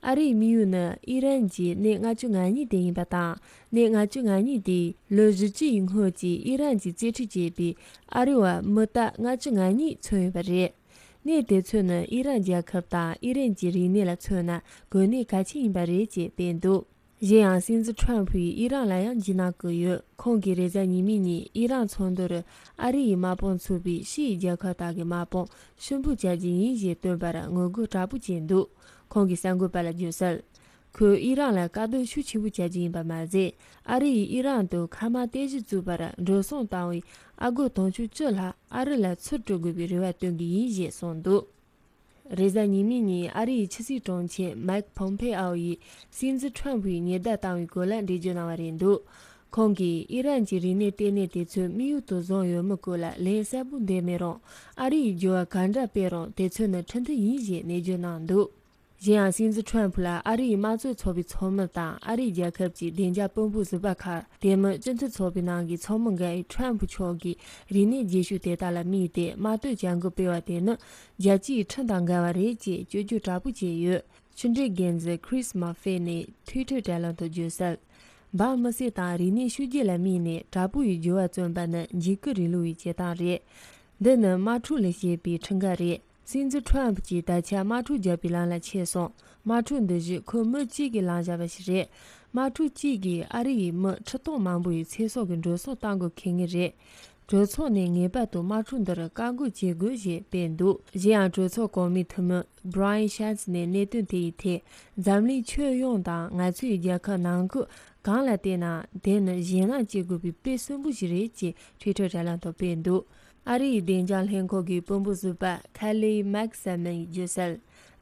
ཨ་རིའི་དམིགས་ཡུལ་ནི་ཨི་རན་གྱི་གནས་ལྔ་བཅུ་ང་གཉིས་དེ་ཡིན་པ་དང་། གནས་ལྔ་བཅུ་ང་གཉིས་དེས་ལོ་བཞི་བཅུ་ཡི་སྔོན་གྱི་ཨི་རན་གྱིས་རྩིས་ཁྲིམས་བཅད་པའི་ཨ་རི་བ་མི་རྟག་ལྔ་བཅུ་ང་གཉིས་མཚོན་ཡོད་པ་རེད། གནས་དེ་ཚོ་ནི་ཨི་རན་རྒྱལ་ཁབ་དང་ཨི་རན་གྱི་རིག་གནས་ལ་མཚོན་ན་དགོས་གནས་གལ་ཆེན་ཡིན་པ་རེད་ཅེས་སྤེལ་འདུག། གཞན་ཡང་སྲིད་འཛིན་ཁྲོམ་ཕུ་ཡིས་ཨི་རན་ལ་ཡང་འཇིགས་སྣང་བསྐུལ་ཡོད། ཁོང་གིས་རེས་གཟའ་ཉི་མའི་ཉིན་ཨི་རན་ཚོགས་འདུ་རུ་ཨ་རི་ཡི་དམག་དཔུང་ཚུད་པའི་ཕྱིའི་རྒྱལ་ཁབ་དག་གི་དམག་དཔུང་ཕྱིར་འབུད་བྱ་རྒྱུ་ཡིན་ཞེས་བཏོན་པར་ངོ་རྒོལ་དྲག་པོ་བྱས་འདུག། ཁོང་གིས་གསར་འགོད་པ་ལ་བརྗོད་གསལ། ཁོས་ཨི་རན་ལ་དཀའ་སྡུག་ཤུགས་ཆེན་པོ་བྱ་རྒྱུ་ཡིན་པ་མ་ཟད། ཨ་རི་ཡིས་ཨི་རན་དུ་མཁའ་དམག་རྟེན་གཞི་བཙུགས་པར་འགྲོ་སོང་བཏང་བའི་ཨ་སྒོར་དུང་ཕྱུར་བཅུ་ལྷག་ཨ་རི་ལ་ཚུར་སྤྲོད་དགོས་པའི་རེ་བ་བཏོན་གྱི་ཡིན་ཞེས་གསུངས་འདུག། རེས་གཟའ་ཉི་མའི་ཉིན་ཨ་རིའི་ཕྱི་སྲིད་དྲུང་ཆེ་མེག་ཕོམ་ཕེ་ཨོ་ཡིས་སྲིད་འཛིན་ཁྲོམ་ཕུའི་ཉེན་བརྡ་བཏང་བའི་སྐོར་ལ་འགྲེལ་བརྗོད་གནང་བ་རེད་འདུག་ཁོང་གིས་ཨི་རན་གྱི་རིག་གནས་ལྟེ་གནས་དེ་ཚོས་དམིགས་ཡུལ་དུ་བཟུང་ཡོད་མེད་སྐོར་ལ་ལན་གསལ་པོ་འདེབས་མེད་རུང་། ཨ་རིའི་འགྱུར་བ་ག་འདྲ་སྤེལ་རུང་དེ་ཚོ་ནི་ཁྲིམས་མཐུན་ཡིན་ཞེས་ནན་བརྗོད་གནང་འདུག་གཞན་ཡང་སྲིད་འཛིན་ཁྲོམ་ཕུ་ལ་ཨ་རིའི་དམངས་གཙོའི་ཚོགས་པའི་ཚོགས་མི་དང་ཨ་རིའི་རྒྱལ་ཁབ་ཀྱི་བདེ་འཇགས་དཔོན་པོ་ཟུར་པ་ཁག་དེ་མིན་སྤྱི་མཐུན་ཚོགས་པའི་ནང་གི་ཚོགས་མི་འགའ་ཡིས་ཁྲོམ་ཕུ་མཆོག་གི་རིག་གནས་རྗེས་ཤུལ་དེ་དག་ལ་དམིགས་ཏེ་དམར་གཏོར་བྱ་འགུལ་སྤེལ་བ་དེ་ནི་རྒྱལ་སྤྱིའི་ཁྲིམས་དང་འགལ་བ་རེད་ཅེས་སྐྱོན་བརྗོད་དྲག་པོ་བྱས་ཡོད། ཕྱི་འབྲེལ་འགན་འཛིན་Chris Murphy ནས་Twitter་དྲ་ལམ་དུ་བརྗོད་གསལ། འབངས་མི་སེར་དང་རིག་གནས་ཤུལ་རྗེས་ལ་དམིགས་ནས་དྲག་པོ་ཡི་འགྱུར་བ་བརྩོན་པ་ནི་འཇིགས་སྐུལ་རིང་ལུགས་ཡི་བྱེད་སྟངས་རེད། འདི་ནི་དམག་འཁྲུག་ལས་བྱེད་པའི་ཁྲིམས་འགལ་རེད། སྲིད་འཛིན་ཁྲོམ་ཕུ་གྱིས་ད་ཆ་དམག་འཁྲུག་བརྒྱབ་པའི་ལམ་ལ་ཆས་སོང་། དམག་འཁྲུག་འདི་བཞིན་ཁོ་མི་གཅིག་གིས་ལངས་བཞག་པ་ཞིག་རེད། དམག་འཁྲུག་གཅིག་གིས་ཨ་རི་ཡི་མི་ཁྲི་སྟོང་མང་པོ་ཡི་ཚེ་སྲོག་གི་འགྲོ་སོང་གཏང་དགོས་ཁེལ་ངེས་རེད། གྲོས་ཚོགས་ནས་ངེས་པར་དུ་དམག་འཁྲུག་འདིར་བཀག་འགོག་བྱེད་དགོས་ཞེས་སྤེལ་འདུག་གཞན་ཡང་གྲོས་ཚོགས་གོང་མའི་འཐུས་མི་Brian Schatz ནས་གནད་དོན་དེ་ཡི་ཐད། འཛམ་གླིང་ཁྱོན་ཡོངས་དང་ང་ཚོའི་རྒྱལ་ཁབ་ནང་ཁུལ་གང་ལ་བལྟས་ན་དེ་ནི་ཞེད་སྣང་སྐྱེ་དགོས་པའི་དཔེ་གསོན་པོ་ཞིག་རེད་ཅེས་Twitter་དྲ་ལམ་དུ་སྤེལ་འདུག་ཨ་རི་ཡི་བདེ་འཇགས་ལྷན་ཁང་གི་དཔོན་པོ་ཟུར་པ་Kayleigh McFadden་ཡིས་བརྗོད་གསལ།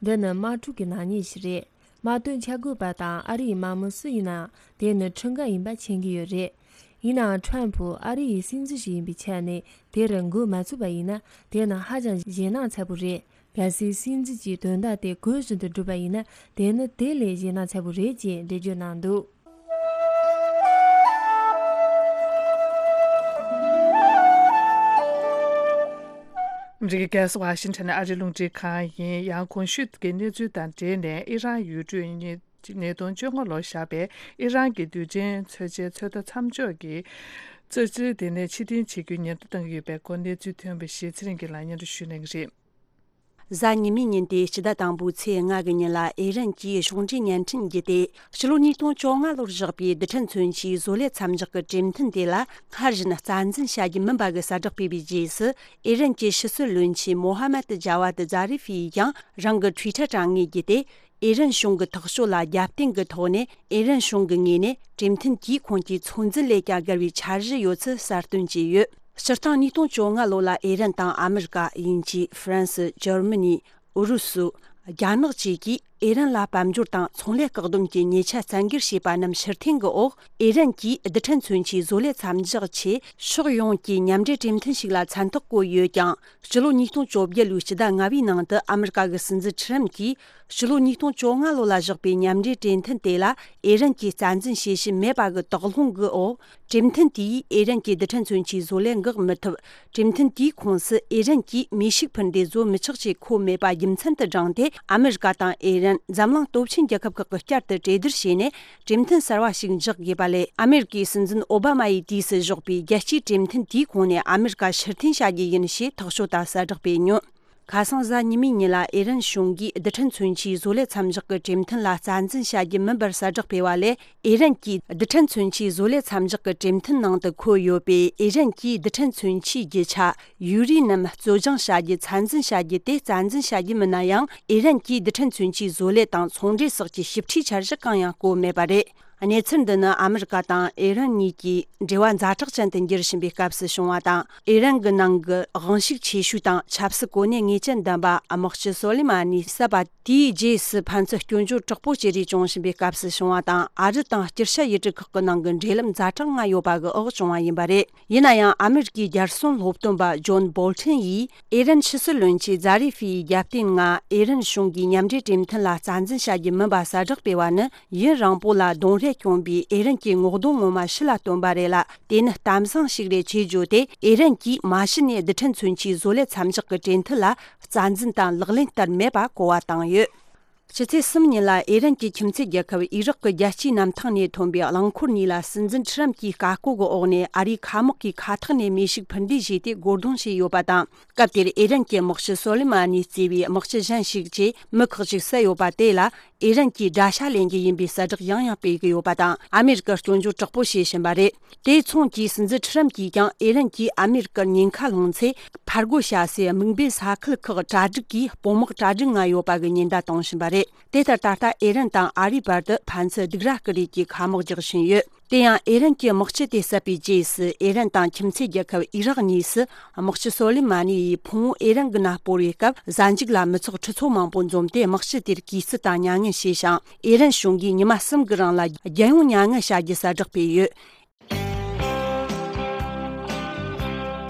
འདི་ནི་དམག་འཁྲུག་གི་ནག་ཉེས་ཤིག་རེད། དམག་དོན་འཆར་འགོད་པ་དང་ཨ་རིའི་དམག་མི་སུ་ཡིན་ནའང་དེ་ནི་ཁྲིམས་འགལ་ཡིན་པ་མཁྱེན་གྱི་ཡོད་རེད། ཡིན་ནའང་ཁྲོམ་ཕུ་ཨ་རི་ཡི་སྲིད་འཛིན་ཞིག་ཡིན་པའི་ཆ་ནས་དེར་འགོ་མ་ཚུགས་པ་ཡིན་ན་དེ་ནི་ཧ་ཅང་ཞེད་སྣང་ཚ་པོ་རེད། གལ་སྲིད་སྲིད་འཛིན་གྱིས་དོན་དག་དེ་གོ་བཞིན་དུ་བསྒྲུབས་པ་ཡིན་ན་དེ་ནི་དེ་ལས་ཞེད་སྣང་ཚ་པོ་རེད་ཅེས་འགྲེལ་བརྗོད་གནང་འདུག་ཨ་མི་རི་ཀའི་རྒྱལ་ས་ཝ་ཤིང་ཊོན་ནས་ཨ་རིའི་རླུང་འཕྲིན་ཁང་ཡིན། ཡང་གོང་ཞུས་ཀྱི་གནས་ཚུལ་དང་འབྲེལ་ནས་ཨི་རན་ཡུལ་གྲུའི་ཉིས་ཉིས་སྟོང་བཅོ་ལྔ་ལོར་བཞག་པའི་ཨི་རན་གྱི་རྡུལ་ཕྲན་མཚོན་ཆའི་ཚོད་ལྟ་མཚམས་འཇོག་གི་རྩིས་ཁྲ་དེ་ནས་ཕྱིར་འཐེན་བྱེད་རྒྱུའི་ཉེན་བརྡ་བཏང་གི་ཡོད་པའི་སྐོར་གནས་ཚུལ་ཐོན་པ་ཞིག་ཚེ་རིང་གིས་ལག་བསྟར་ཞུ་གནང་གི་རེད། གཟའ་ཉི་མའི་ཉིན་ཏེ་སྤྱི་ཟླ་དང་པོའི་ཚེས་ལྔ་གི་ཉིན་ལ་ཨི་རན་གྱིས་གཞུང་འབྲེལ་བརྙན་འཕྲིན་བརྒྱུད་དེ་ཕྱི་ལོ་ཉིས་སྟོང་བཅོ་ལྔ་ལོར་བཞག་པའི་རྡུལ་ཕྲན་མཚོན་ཆའི་བཟོ་ལས་མཚམས་འཇོག་གི་གྲོས་མཐུན་དེ་ལ་སྔར་བཞིན་རྩ་འཛིན་བྱ་རྒྱུ་མིན་པ་གི་གསལ་བསྒྲགས་སྤེལ་བའི་རྗེས་སུ། ཨི་རན་གྱི་ཕྱི་སྲིད་བློན་ཆེན་མོ་ཧ་མད་ཇ་ཝད་ཛཱ་རི་ཧྥི་ཡིས་ཀྱང་རང་གི་ཊུའི་ཊར་དྲ་ངོས་བརྒྱུད་དེ། ཨི་རན་གཞུང་གི་ཐག་གཅོད་ལ་རྒྱབ་རྟེན་གྱི་ཐོག་ནས་ཨི་རན་གཞུང་གི་ངོས་ནས་གྲོས་མཐུན་དེས་ཁོང་གི་ཚོད་འཛིན་ལས་ཀྱང་བརྒལ་བའི་འཆར་གཞི་ཡོད་ཚུལ་གསལ་སྟོན་བྱས་ཡོད། སྤྱིར་བཏང་ཉིས་སྟོང་བཅོ་ལྔ་ལོ་ལ་ཨི་རན་དང་ཨ་མི་རི་ཀ། དབྱིན་ཇི། ཧྥ་རན་སི། འཇར་མ་ནི། ཨུ་རུ་སུ། རྒྱ་ནག་བཅས་ཀྱིས་ཨི་རན་ལ་དཔལ་འབྱོར་དང་ཚོང་ལས་བཀག་སྡོམ་གྱི་ཉེས་ཆད་བཙན་འགེལ་བྱས་པ་རྣམས་ཕྱིར་འཐེན་གྱི་འོག་ཨི་རན་གྱིས་རྡུལ་ཕྲན་མཚོན་ཆའི་བཟོ་ལས་མཚམས་འཇོག་ཆེད་ཕྱོགས་ཡོངས་ཀྱི་མཉམ་འབྲེལ་གྲོས་མཐུན་ཞིག་ལ་མཚན་རྟགས་བཀོད་ཡོད་ཀྱང་། སྤྱི་ལོ་ཉིས་སྟོང་བཅོ་བརྒྱད་ལོའི་སྤྱི་ཟླ་ལྔ་པའི་ནང་དུ་ཨ་མི་རི་ཀ་གི་སྲིད་འཛིན་ཁྲི་རམ་གྱིས་སྤྱི་ལོ་ཉིས་སྟོང་བཅོ་ལྔ་ལོ་ལ་བཞག་པའི་མཉམ་འབྲེལ་གྲོས་མཐུན་དེ་ལ་ཨི་རན་གྱིས་རྩ་འཛིན་བྱེད་བཞིན་མེད་པ་གི་དོགས་སློང་གི་འོག་གྲོས་མཐུན་དེས་ཨི་རན་གྱི་རྡུལ་ཕྲན་མཚོན་ཆའི་བཟོ་ལས་འགག་མི་ཐུབ། གྲོས་མཐུན་དེའི་ཁོངས་སུ་ཨི་རན་གྱིས་མེ་ཤུགས་འཕུར་མདེལ་བཟོ་མི་ཆོག་ཅེས་འཁོད་མེད་པ་རྒྱུ་མཚན་དུ་བགྲངས་ཏེ། ཨ་མི་རི་ཀ་དང་ཨི་རན་འཛམ་གླིང་སྟོབས་ཆེན་རྒྱལ་ཁབ་ཁག་གིས་བསྐྱར་དུ་གྲོས་བསྡུར་བྱས་ནས། གྲོས་མཐུན་གསར་བ་ཞིག་འཇོག་དགོས་པ་ལས། ཨ་མེ་རི་ཀའི་སྲིད་འཛིན་ཨོ་བྷ་མ་ཡི་དུས་སུ་བཞག་པའི་རྒྱལ་སྤྱིའི་གྲོས་མཐུན་དེའི་ཁོངས་ནས་ཨ་མེ་རི་ཀ་ཕྱིར་འཐེན་བྱ་རྒྱུ་ཡིན་ཞེས་ཐག་གཅོད་དང་གསལ་བསྒྲགས་སྤེལ་མྱོང་། ཁ་སང་གཟའ་ཉི་མའི་ཉིན་ལ་ཨི་རན་གཞུང་གིས་རྡུལ་ཕྲན་མཚོན་ཆའི་བཟོ་ལས་མཚམས་འཇོག་གི་གྲོས་མཐུན་ལ་རྩ་འཛིན་བྱ་རྒྱུ་མིན་པར་གསལ་བསྒྲགས་སྤེལ་བ་ལས། ཨི་རན་གྱིས་རྡུལ་ཕྲན་མཚོན་ཆའི་བཟོ་ལས་མཚམས་འཇོག་གི་གྲོས་མཐུན་ནང་དུ་འཁོད་ཡོད་པའི་ཨི་རན་གྱིས་རྡུལ་ཕྲན་མཚོན་ཆའི་རྒྱུ་ཆ། ཡུ་རི་ནམ་བཙོ་སྦྱང་བྱ་རྒྱུ་ཚད་འཛིན་བྱ་རྒྱུ་དེ་རྩ་འཛིན་བྱ་རྒྱུ་མིན་ན་ཡང་། ཨི་རན་གྱིས་རྡུལ་ཕྲན་མཚོན་ཆའི་བཟོ་ལས་དང་ཚོང་འབྲེལ་སོགས་ཀྱི་ཞིབ་ཕྲའི་འཆར་གཞི་གང་ཡང་བཀོད་མེད་པ་རེད། གནས་ཚུལ་འདི་ནི་ཨ་མི་རི་ཀ་དང་ཨི་རན་གཉིས་ཀྱི་འབྲེལ་བ་ཛ་དྲག་ཅན་དུ་འགྱུར་བཞིན་པའི་སྐབས་སུ་བྱུང་བ་དང་། ཨི་རན་གྱི་ནང་གི་དབང་ཤུགས་ཆེ་ཤོས་དང་ཆབ་སྲིད་གོ་གནས་ངེས་ཅན་ལྡན་པ་དམག་སྤྱི་སོ་ལེ་མ་ནི་བསད་པ་དེའི་རྗེས་སུ་ཕན་ཚུན་སྐྱོན་བརྗོད་དྲག་པོ་བྱེད་རེས་བྱུང་བཞིན་པའི་སྐབས་སུ་བྱུང་བ་དང་། ཨ་རི་དང་སྤྱི་བྱ་ཡུལ་གྲུ་ཁག་གི་ནང་གི་འབྲེལ་ལམ་ཛ་དྲག་ང་ཡོད་པ་གི་འོག་བྱུང་བ་ཡིན་པ་རེད། ཡིན་ན་ཡང་ཨ་མེ་རི་ཀའི་རྒྱལ་སྲུང་སློབ་སྟོན་པ་ཇོན་བོལ་ཊན་ཡིས་ཨི་རན་ཕྱི་སྲིད་བློན་ཆེན་ཛ་རི་ཧྥིའི་རྒྱབ་རྟེན་ལྔ་ཨི་རན་གཞུང་གིས་མཉམ་འབྲེལ་གྲོས་མཐུན་ལ་རྩ་འཛིན་བྱ་རྒྱུ་མིན་པ་གསལ་བསྒྲགས་སྤེལ་བ་ནི་ཡུན་རིང་པོ་ལ་གདོང་རས་བསྐྱོན་པའི་ཨི་རན་གྱི་ངོ་གདོང་ངོ་མ་ཕྱི་ལ་སྟོན་པ་རེད་ལ། དེ་ནི་གཏམ་བཟང་ཞིག་རེད་ཅེས་བརྗོད་དེ། ཨི་རན་གྱིས་མ་གཞི་ནས་རྡུལ་ཕྲན་མཚོན་ཆའི་བཟོ་ལས་མཚམས་འཇོག་གི་གྲོས་མཐུན་ལ་རྩ་འཛིན་དང་ལག་ལེན་བསྟར་མེད་པ་གོ་བ་བཏང་ཡོད། ཕྱི་ཚེས་གསུམ་ཉིན་ལ་ཨི་རན་གྱི་ཁྱིམ་མཚེས་རྒྱལ་ཁབ་ཨི་རག་གི་རྒྱལ་སྤྱིའི་གནམ་ཐང་ནས་ཐོན་པའི་རླངས་འཁོར་གཉིས་ལ་སྲིད་འཛིན་ཁྲི་རམ་གྱིས་བཀའ་བཀོད་ཀྱི་འོག་ནས་ཨ་རིའི་མཁའ་དམག་གིས་མཁའ་ཐོག་ནས་མེ་ཤུགས་འཕུར་མདེལ་བཞེས་ཏེ་རྒོལ་རྡུང་བྱས་ཡོད་པ་དང་། སྐབས་དེར་ཨི་རན་གྱི་དམག་སྤྱི་སོ་ལེ་མ་ནི་གཙོས་པའི་དམག་སྤྱི་གཞན་ཞིག་བཅས་མི་ཁག་ཅིག་བསད་ཡོད་པ་དེ་ལ། ཨི་རན་གྱིས་དགྲ་ཤ་ལེན་རྒྱུ་ཡིན་པའི་གསལ་བསྒྲགས་ཡང་ཡང་སྤེལ་གྱི་ཡོད་པ་དང་། ཨ་མེ་རི་ཀར་སྐྱོན་བརྗོད་དྲག་པོ་བྱེད་བཞིན་པ་རེད། དེའི་མཚུངས་ཀྱིས་སྲིད་འཛིན་ཁྲི་རམ་གྱིས་ཀྱང་ཨི་རན་གྱིས་ཨ་མེ་རི་ཀར་ཉེན་ཁ་སློང་ཚེ། ཕར་རྒོལ་བྱ་སའི་དམིགས་འབེན་ས་ཁུལ་ཁག་གྲ་སྒྲིག་གིས་དཔུང་དམག་གྲ་སྒྲིག་ང་ཡོད་པ་གི་ཉེན་བརྡ་བཏང་བཞིན་པ་རེད། དེ་ལྟར་ད་ལྟ་ཨི་རན་དང་ཨ་རིའི་བར་དུ་ཕན་ཚུན་སྡུག་ར་སྐུལ་རེས་ཀྱི་ཁ་དམག་རྒྱག་བཞིན་ཡོད། དེ་ཡང་ཨི་རན་གྱི་དམག་སྤྱི་དེ་བསད་པའི་རྗེས་སུ་ཨི་རན་དང་ཁྱིམ་མཚེས་རྒྱལ་ཁབ་ཨི་རག་གཉིས་སུ་དམག་སྤྱི་སོ་ལེ་མ་ནི་ཡིས་ཕུང་བོ་ཨི་རན་གྱི་ནང་སྤོ་བའི་སྐབས་གཟའ་མཇུག་ལ་མི་ཚོགས་ཁྲི་ཚོ་མང་པོ་འཛོམས་ཏེ་དམག་སྤྱི་དེར་གུས་བརྩི་དང་མྱ་ངན་བྱས་ཤིང་། ཨི་རན་གཞུང་གིས་ཉི་མ་གསུམ་གྱི་རིང་ལ་རྒྱལ་ཡོངས་མྱ་ངན་བྱ་རྒྱུ་གསལ་བསྒྲགས་སྤེལ་ཡོད།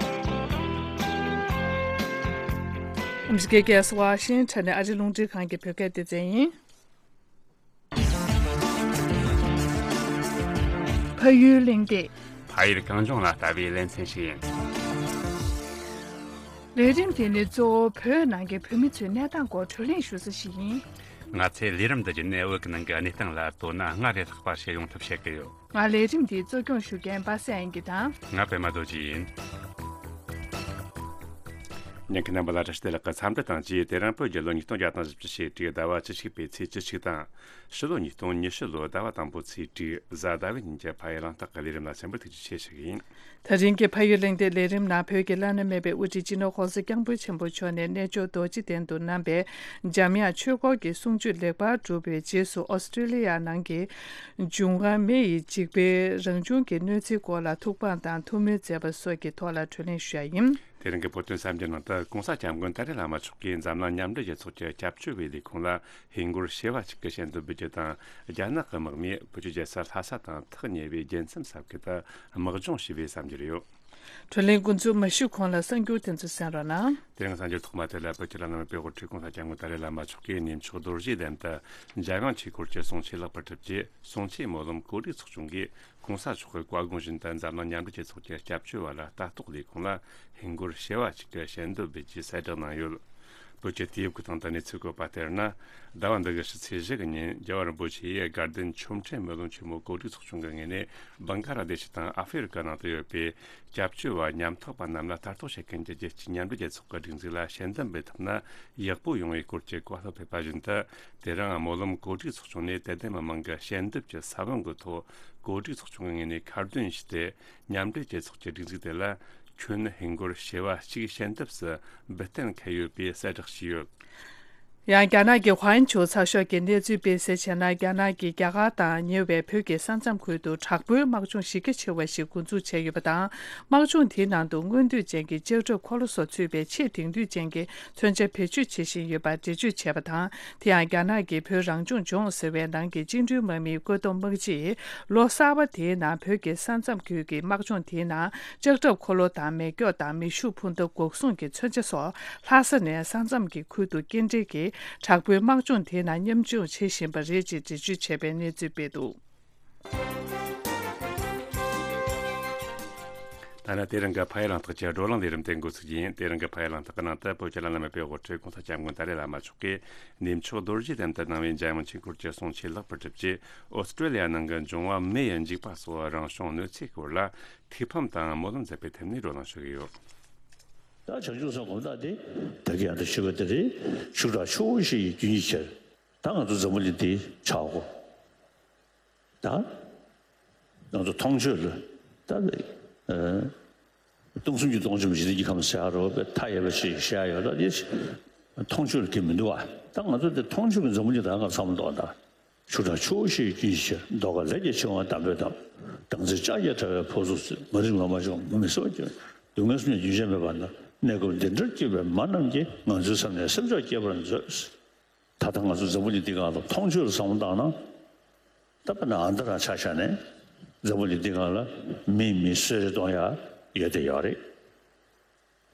ཨ་མི་རི་ཀའི་རྒྱལ་ས་ཝ་ཤིང་ཊོན་ནས་ཨ་རིའི་རླུང་འཕྲིན་ཁང་གི་བོད་སྐད་སྡེ་ཚན་ཡིན། ཕ་ཡུལ་གླེང་སྟེགས། ཕ་ཡུལ་གངས་ལྗོངས་ལ་ལྟ་བའི་ལེ་ཚན་ཞིག་ཡིན། ལས་རིམ་དེ་ནི་གཙོ་བོ་བོད་ནང་གི་བོད་མི་ཚོའི་གནས་སྟངས་སྐོར་བགྲོ་གླེང་ཞུ་ས་ཞིག་ཡིན། ང་ཚོས་ལས་རིམ་འདི་བརྒྱུད་ནས་བོད་ཀྱི་ནང་གི་གནས་སྟངས་ལ་དོ་སྣང་སྔར་ལས་ལྷག་པ་བྱེད་ཡོང་ཐབས་བྱེད་ཀྱི་ཡོད། ང་ལས་རིམ་འདི་གཙོ་སྐྱོང་ཞུ་མཁན་པ་སངས་དབྱངས་སྐྱིད་དང་། ང་པད་མ་རྡོ་རྗེ་ཡིན། ཉན་མཁན་རྣམ་པ་ལ་བཀྲ་ཤིས་བདེ་ལེགས་ཀྱི་འཚམས་འདྲི་དང་བཅས། དེ་རིང་བོད་རྒྱལ་ལོ་ཉིས་སྟོང་བརྒྱ་དང་བཞི་བཅུ་ཞེ་དྲུག་ཟླ་བ་བཅུ་གཅིག་པའི་ཚེས་བཅུ་གཅིག་དང་། ཕྱི་ལོ་ཉིས་སྟོང་ཉི་ཤུ་ལོའི་ཟླ་བ་དང་པོའི་ཚེས་དྲུག་གཟའ་ཟླ་བའི་ཉིན་གྱི་ཕ་ཡུལ་གླེང་སྟེགས་ཀྱི་ལས་རིམ་ལ་སྙན་པར་ཐུགས་རྗེ་ཆེ་ཞུ་གི་ཡིན། དེ་རིང་གི་ཕ་ཡུལ་གླེང་སྟེགས་ལས་རིམ་ནང་བོད་ཀྱི་བླ་ན་མེད་པའི་དབུ་ཁྲིད་སྤྱི་ནོར་༸གོང་ས་༸སྐྱབས་མགོན་ཆེན་པོ་མཆོག་ནས་རྣལ་འབྱོར་རྡོ་རྗེ་གདན་དུ་གནང་བའི་འཇམ་དབྱངས་ཆོས་འཁོར་གྱི་གསུང་ཆོས་ལེགས་པར་གྲུབ་པའི་རྗེས་སུ། ཨོ་སི་ཀྲི་ལི་ཡ་ནང་གི་འབྱུང་བ་མེ་ཡི་འཇིགས་པའི་རང་བྱུང་གི་གནོད་འཚེའི་སྐོར་ལ་ཐུགས་ཕམ་དང་ཐུགས་སྨོན་མཛད་པ་སོགས་ཀྱི་ཐོག་ལ་བགྲོ་གླེང་ཞུ་ཡ་ཡིན། དེ་རིང་གི་བོད་དོན་གསར་འགྱུར་ནང་དུ། ༸གོང་ས་༸སྐྱབས་མགོན་ཏཱ་ལའི་བླ་མ་མཆོག་གིས་འཛམ་གླིང་མཉམ་འབྲེལ་རྒྱལ་ཚོགས་ཀྱི་སྐྱབས་བཅོལ་བའི་ལས་ཁུངས་ལ་ཧིན་སྒོར་བྱེ་བ་གཅིག་གི་ཞལ་འདེབས་འབུལ་རྒྱུ་དང་། རྒྱ་ནག་གི་དམག་མིས་བོད་ཀྱི་རྒྱལ་ས་ལྷ་ས་དང་ཐག་ཉེ་བའི་རྒྱལ་མཚམས་ས་ཁུལ་དུ་དམག་སྦྱོང་བྱས་པའི་གསར་འགྱུར་ཡོད། བགྲོ་གླེང་འགོ་འཛུགས་མ་ཞུས་གོང་ལ་གསར་འགྱུར་དེ་ཚོ་གསན་རོགས་གནང་། དེ་རིང་གསར་འགྱུར་ཐོག་མ་དེ་ལ། བོད་ཀྱི་བླ་ན་མེད་པའི་དབུ་ཁྲིད་༸གོང་ས་༸སྐྱབས་མགོན་ཏཱ་ལའི་བླ་མ་མཆོག་གིས་གནས་མཆོག་རྡོ་རྗེ་གདན་དུ་འཇམ་དབྱངས་ཆོས་འཁོར་གྱི་གསུང་ཆོས་ལེགས་པར་གྲུབ་རྗེས། གསུང་ཆོས་སྨོན་ལམ་གོ་སྒྲིག་ཚོགས་ཆུང་གིས་༸གོང་ས་མཆོག་གི་བཀའ་དགོངས་བཞིན་དུ། འཛམ་གླིང་མཉམ་འབྲེལ་རྒྱལ་ཚོགས་ཀྱི་སྐྱབས་བཅོལ་བ་ལ་ལྟ་རྟོག་ལས་ཁུངས་ལ་ཧིན་སྒོར་བྱེ་བ་གཅིག་གི་ཞལ་འདེབས་འབུལ་རྒྱུའི་གསལ་བསྒྲགས་གནང་ཡོད། བོད་ཀྱི་དུས་བབ་ཀྱི་སྟེང་དུ་གནས་ཚུལ་བཀོད་པ་ལྟར་ན། ཟླ་བ་འདི་གི་ཕྱི་ཚེས་བཞི་གི་ཉིན། རྒྱལ་བ་རིན་པོ་ཆེ་ཡིས་དགའ་ལྡན་ཆོ་འཕྲུལ་སྨོན་ལམ་ཆེན་མོ་གོ་སྒྲིག་ཚོགས་ཆུང་གི་ངོས་ནས། བང་ཀ་ལ་དེ་ཤི་དང་ཨ་ཧྥེ་རི་ཀ་ནང་དུ་ཡོད་པའི་སྐྱབས་བཅོལ་བ་ཉམ་ཐག་པ་རྣམས་ལ་ལྟ་རྟོག་བྱེད་མཁན་གྱི་རྒྱལ་སྤྱིའི་མཉམ་འབྲེལ་རྒྱལ་ཚོགས་ཀྱི་སྒྲིག་འཛུགས་ལ་ཞལ་འདེབས་འབུལ་ཐུབ་ན་ཡག་པོ་ཡོང་བའི་སྐོར་གྱི་བཀའ་སློབ་ཕེབས་པ་བཞིན་དུ། དེ་རིང་སྨོན་ལམ་གོ་སྒྲིག་ཚོགས་ཆུང་ནས་དད་ལྡན་མི་མང་གི་ཞལ་འདེབས་ཀྱི་ས་བོན་གྱི་ཐོག་གོ་སྒྲིག་ཚོགས་ཆུང་གི་ངོས་ནས་ཁ་འདོན་ཞུས་ཏེ། མཉམ་འབྲེལ་རྒྱལ་ཚོགས་ཀྱི་སྒྲིག་འཛུགས་དེ་ལ་ཁྱོན་ཧིན་སྒོར་བྱེ་བ་གཅིག་ཞལ་འདེབས་སུ་འབུལ་གཏན་འཁེལ་ཡོད་པའི་གསལ་བསྒྲགས་བྱས་ཡོད། ཡང་རྒྱ་ནག་གི་ཧྭ་ཅོ་ཚགས་ཤོག་གིས་གནས་ཚུལ་སྤེལ་གསལ་བྱས་ན། རྒྱ་ནག་གིས་རྒྱ་གར་དང་ཉེ་བའི་བོད་ཀྱི་ས་མཚམས་ཁུལ་དུ་དྲག་པོའི་དམག་སྦྱོང་གཞི་རྒྱ་ཆེ་བ་ཞིག་འགོ་འཛུགས་བྱས་ཡོད་པ་དང་། དམག་སྦྱོང་དེའི་ནང་དུ་མངོན་འདོད་ཅན་གྱི་ལྕགས་ཁྲབ་འཁོར་ལོ་སོགས་ཚུད་པའི་ཆེས་དེང་དུས་ཅན་གྱི་མཚོན་ཆ་བེད་སྤྱོད་བྱེད་བཞིན་ཡོད་པར་འགྲེལ་བརྗོད་བྱས་པ་དང་། དེ་ཡང་རྒྱ་ནག་གི་བོད་རང་སྐྱོང་ལྗོངས་ཟེར་བའི་ནང་གི་བཅིངས་འགྲོལ་དམག་མིའི་བཀོད་འདོམས་དམག་སྤྱིས་ལོ་གསར་པ་དེའི་ནང་བོད་ཀྱི་ས་མཚམས་ཁུལ་གྱི་དམག་སྦྱོང་དེའི་ནང་ལྕགས་ཁྲབ་འཁོར་ལོ་དང་མེ་སྒྱོགས་དང་མེ་ཤུགས་འཕུར་མདའ་འགོག་སྲུང་གི་མཚོན་ཆ་སོགས་ལྷ་ས་ནས་ས་མཚམས་ཀྱི་ཁུལ་དུ་སྐྱེལ་འདྲེན་གྱིས་དྲག་པོའི་དམག་སྦྱོང་དེའི་ནང་མཉམ་ཞུགས་བྱེད་བཞིན་པ་རེད་ཅེས་འགྲེལ་བརྗོད་བྱས་པའི་གནས་ཚུལ་སྤེལ་འདུག། ད་ནི་དེ་རིང་གི་ཕ་ཡུལ་གླེང་སྟེགས་ཀྱི་བགྲོ་གླེང་ལས་རིམ་དེ་འགོ་ཚུགས་རྒྱུ་ཡིན། དེ་རིང་གི་ཕ་ཡུལ་གླེང་སྟེགས་ཀྱི་ནང་དུ། བོད་ཀྱི་བླ་ན་མེད་པའི་དབུ་ཁྲིད་༸གོང་ས་༸སྐྱབས་མགོན་ཏཱ་ལའི་བླ་མ་མཆོག་གིས་གནས་མཆོག་རྡོ་རྗེ་གདན་དུ་གནང་བའི་འཇམ་དབྱངས་ཆོས་འཁོར་གྱི་གསུང་ཆོས་ལེགས་པར་གྲུབ་རྗེས། ཨོ་སི་ཀྲོ་ལི་ཡ་ནང་གི་འབྱུང་བ་མེ་ཡི་འཇིགས་པ་སོགས་རང་བྱུང་གནོད་འཚེའི་སྐོར་ལ་ཐུགས་ཕམ་དང་སྨོན་ལམ་མཛད་པའི་ཐད་ནས་བགྲོ་གླེང་ཞུ་གི་ཡོད། ད་བྱང་ཆུབ་སེམས་དགོངས་དག་སྟེ། བདག་གིས་ཡང་དག་ཞུས་པ་འདི་རེད། ཤུགས་དྲག་ཆུ་བོ་བཞི་ཡི་རྒྱུན་གྱི་ཆེད། ད་ང་ཚོ་འཛམ་བུ་གླིང་འདི་ཆགས་གོ། ད་ང་ཚོ་མཐོང་ཆོས་ལ་ད་ཨ་སྟོང་གསུམ་གྱི་སྟོང་ཆེན་པོ་འཇིག་རྟེན་གྱི་ཁམས་ཟེར་ཡ་རོ་པའི་མཐའ་ཡས་པ་ཞིག་བཤད་ཡ་ཡོད། ད་འདི་མཐོང་ཆོས་ལ་དེ་མི་འདུག་བ། ད་ང་ཚོ་འདི་མཐོང་ཆོས་ཀྱི་འཛམ་བུ་གླིང་ད་ང་བསམ་བློ་གཏོང་ད། ཆུ་དྲག་ཆུ་བོ་བཞི་ཡི་རྒྱུན་གྱི་ཆེད། མདོ་ཁ་ལས་ཀྱང་ཆེ་བ་དམ་པའི་དོན། བདག་འཛིན་ལྕགས་ཀྱུས་བྲལ་བའི་ཕོ་གཟུགས་སུ། མ་རིག་ལོ་མ་བྱུང་མུ་མེད་སོགས་ཀྱི། སྡུག་བསྔལ་གསུམ་ཀྱང་རྒྱུན་ཆད་མེད་པ་ན། གནས་སྐབས་འདི་འདྲར་སྐྱེས་པའི་མ་རྣམས་ཀྱིས། ང་ཚོའི་སེམས་ནི་སེམས་མཆོག་སྐྱེད་པར་མཛོད། ད་ལྟ་ང་ཚོ་འཛམ་བུ་གླིང་འདི་སྒང་ལ་མཐོང་ཆོས་ལ་བསམ་བློ་བཏང་ན། ད་དཔེར་ན་ཨ་མདོ་རང་ཆ་བཞག་ནས་འཛམ་བུ་གླིང་འདི་སྒང་ལ་མིས་མི་གསོད་རེས་གཏོང་ཡ་ཡོད་དེ་ཡོད་རེད།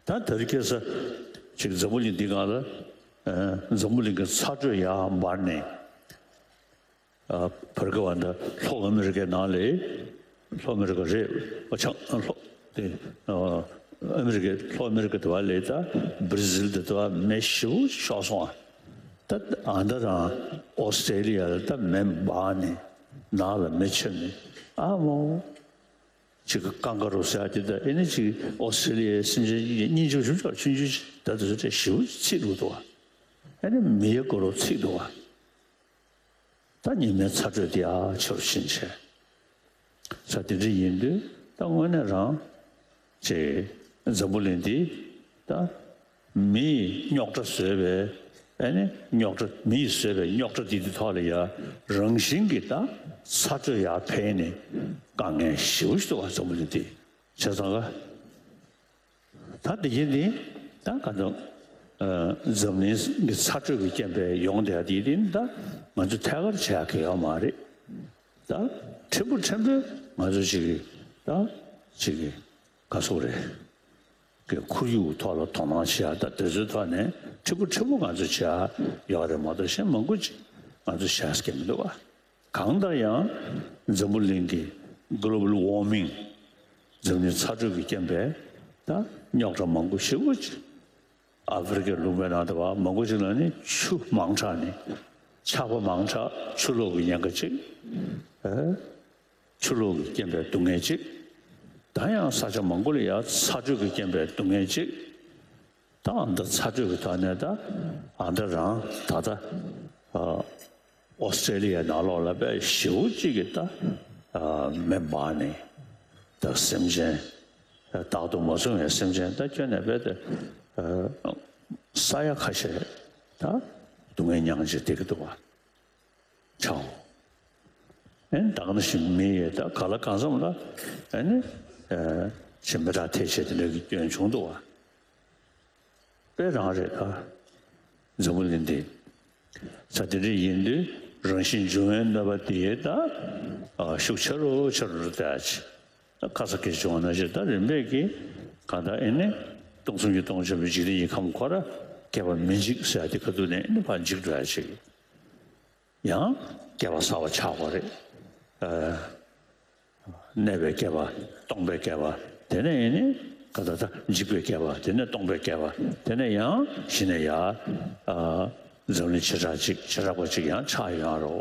ད་དེ་རིང་ཁ་སང་ཅིག་འཛམ་བུ་གླིང་འདི་སྒང་ལ་ཨ་འཛམ་བུ་གླིང་གི་ཚ་དྲོད་ཡར་འབར་ནས། ཨ་བར་སྐབས་ཨ་མདའ་ལྷོ་ཨ་མི་རི་ཀའི་ནང་ལ། ལྷོ་ཨ་མི་རི་ཀ་རེད། ཨ་ཆ་ལྷོ་དེ་ཨ་ཨ་མི་རི་ཀའི་ལྷོ་ཨ་མི་རི་ཀ་དེ་བ་ལས་ད་བྷར་ཛིལ་དེ་དེ་བ་མེ་ཞེ་པོ་ཤོར་སོང་ཨ། ད་ཨ་མདའ་རང་ཨོ་སི་ཀྲེ་ལི་ཡ་ལ་ད་མེ་འབར་ནས་ནང་ལ་མེ་མཆེད་ནས་ཨ་མོ། ཅིག་གི་ཀང་ཀ་རུ་ཟེར་ཡ་དེ་ད་ཨེ་ནི་ཅིག་ཨོ་སི་ཀྲེ་ལི་ཡའི་སེམས་ཅན་གཉིས་ཀྱི་ཞུ་ཆོག་ཆུང་ཆུང་ད་དེ་ཚོ་ཏྲེ་ཞེ་པོ་ཚིག་འདུག་དོ། ཨེ་ནི་མེ་ཡི་སྐོར་རུ་ཚིག་འདུག་བ། ད་ཉི་མའི་ཚ་དྲོད་དེ་ཨ་ཆེ་རུ་ཕྱིན་བྱས། ས་དེ་འདྲ་ཡིན་དུས་ད་དངོས་གནས་རང་ཅེ་འཛམ་བུ་གླིང་འདི་ད་མིས་རྙོག་དྲ་བཟོས་པའི་ ཨེ་ནི་རྙོག་དྲ། མི་ཡིས་བཟོས་པའི་རྙོག་དྲ་འདི་འདི་ཐོག་ལ་ཡ་རང་བཞིན་གྱིས་ད་ཚ་དྲོད་ཡར་འཕེལ་ནས་དཀའ་ངལ་ཞེ་པོ་ཞིག་འདུག་བ། འཛམ་བུ་གླིང་འདི་བྱས་ཙང་ག་ད་འདི་གྱད་འདི་ད་ག་ཚོད་འཛམ་གླིང་གི་ཚ་དྲོད་ཀྱི་རྐྱེན་པས་ཡོང་བསྡད་ཡ་འདི་འདི་ད་ང་ཚོས་ཐད་ཀར་བྱེད་ཡ་གི་ཡོད་མ་རེད། ད་ཕྲན་བུ་ཕྲན་བུ་ང་ཚོ་ཅིག་གི་ད་ཅིག་གི་ག་སོག་རེད། གི་ཁོར་ཡུག་ཐོག་ལ་དོ་སྣང་བྱེད་ཡ། ད་དེ་ཚོའི་ཐོག་ནས་ཕྲན་བུ་ཕྲན་བུ་ང་ཚོས་བྱེད་ཡ་ཡོད་རེད་མ་གཏོགས་གཞན་མང་པོ་ཅིག་ང་ཚོས་བྱེད་ཡ་མི་འདུག་བ། གང་ལྟར་ཡང་འཛམ་བུ་གླིང་གི་གློ་བལ་ཝར་མིང་། འཛམ་གླིང་ཚ་དྲོད་ཀྱི་རྐྱེན་པས་ད་རྙོག་དྲ་མང་པོ་ཞེ་པོ་ཅིག་ཨ་ཧྥེ་རི་ཁའི་ལུང་པའི་ནང་དུ་བ་མང་པོ་ཅིག་ལ་ནི་ཆུ་མང་དྲགས་ནས་ཆར་པ་མང་དྲགས། ཆུ་ལོག་གི་ཉེན་ཁ་ཅིག་ཨེ། ཆུ་ལོག་གི་རྐྱེན་པས་སྡུག་བསྔལ་ཅིག་ད་ཡང་ས་ཆ་མང་པོ་ལ་ཡང་ཚ་དྲོད་ཀྱི་རྐྱེན་པས་སྡུག་བསྔལ་ཅིག་ད་ཨ་མདའ་ཚ་དྲོད་ཀྱི་ཐོག་ནས་ད་ཨ་མདའ་རང་ད་ལྟ་ཨ་ཨོ་སི་ཀྲེ་ལི་ཡའི་ནང་ལོགས་ལ་དཔེ་ཞེ་པོ་ཅིག་གི་ད་ཨ་མེ་འབར་ནས་ད་སེམས་ཅན་བདག་ཏུ་མ་བཟུང་བའི་སེམས་ཅན་ད་ཁྱོན་ནས་དཔེ་ད་ཨ་ས་ཡ་ཁ་ཤས་ད་སྡུག་བསྔལ་མྱངས་བྱས་བསྡད་ཀྱི་འདུག་བ། ཆའོ། ཨེ་ནི་ད་ག་ནང་བཞིན་མི་ཡི་ད་ག་ལ་གང་འཚམ་ལ་ཨེ་ནི་ཨེ་ཅིག་མི་དྲག་ཐལ་ཆེ་དེ་འདྲ་གི་སྐྱོན་བྱུང་འདུག་བ། དཔེ་རང་རེད་ད། འཛམ་བུ་གླིང་འདི་ས་དེ་འདྲ་ཡིན་དུས་རང་བཞིན་འབྱུང་བའི་གནོད་པ་དེ་ད་ཨ་ཤུགས་ཆེ་རུ་ཆེ་རུ་འགྲོ་བསྡད་ཅིག་ད་ཁ་ས་སྐད་ཆ་བྱུང་བ་ནང་བཞིན་ད་རིམ་པས་ཀྱིས་གང་ལྟར་ཨེ་ནི་སྟོང་གསུམ་གྱི་སྟོང་ཆེན་པོའི་འཇིག་རྟེན་གྱི་ཁམས་ཁོ་ར་བསྐལ་པ་མི་འཇིག་ཟེར་ཡ་དེ་ག་དུས་ནས་ཨེ་ནི་ཕར་འཇིག་འགྲོ་ཡ་ཅིག་ཡང་བསྐལ་པ་གསར་པ་ཆགས་པ་རེད། ཨ་གནས་པའི་བསྐལ་པ། སྟོང་པའི་བསྐལ་པ། དེ་ནས་ཡིན་ནི་ག་ད་ད་འཇིག་པའི་བསྐལ་པ། དེ་ནས་སྟོང་པའི་བསྐལ་པ། དེ་ནས་ཡང་གཞི་ནས་ཡར་ཨ་འཛམ་གླིང་བྱེ་བྲག་ཅིག་བྱེ་བྲག་པ་ཅིག་ཡང་ཆགས་ཡོང་ཡ་རོ།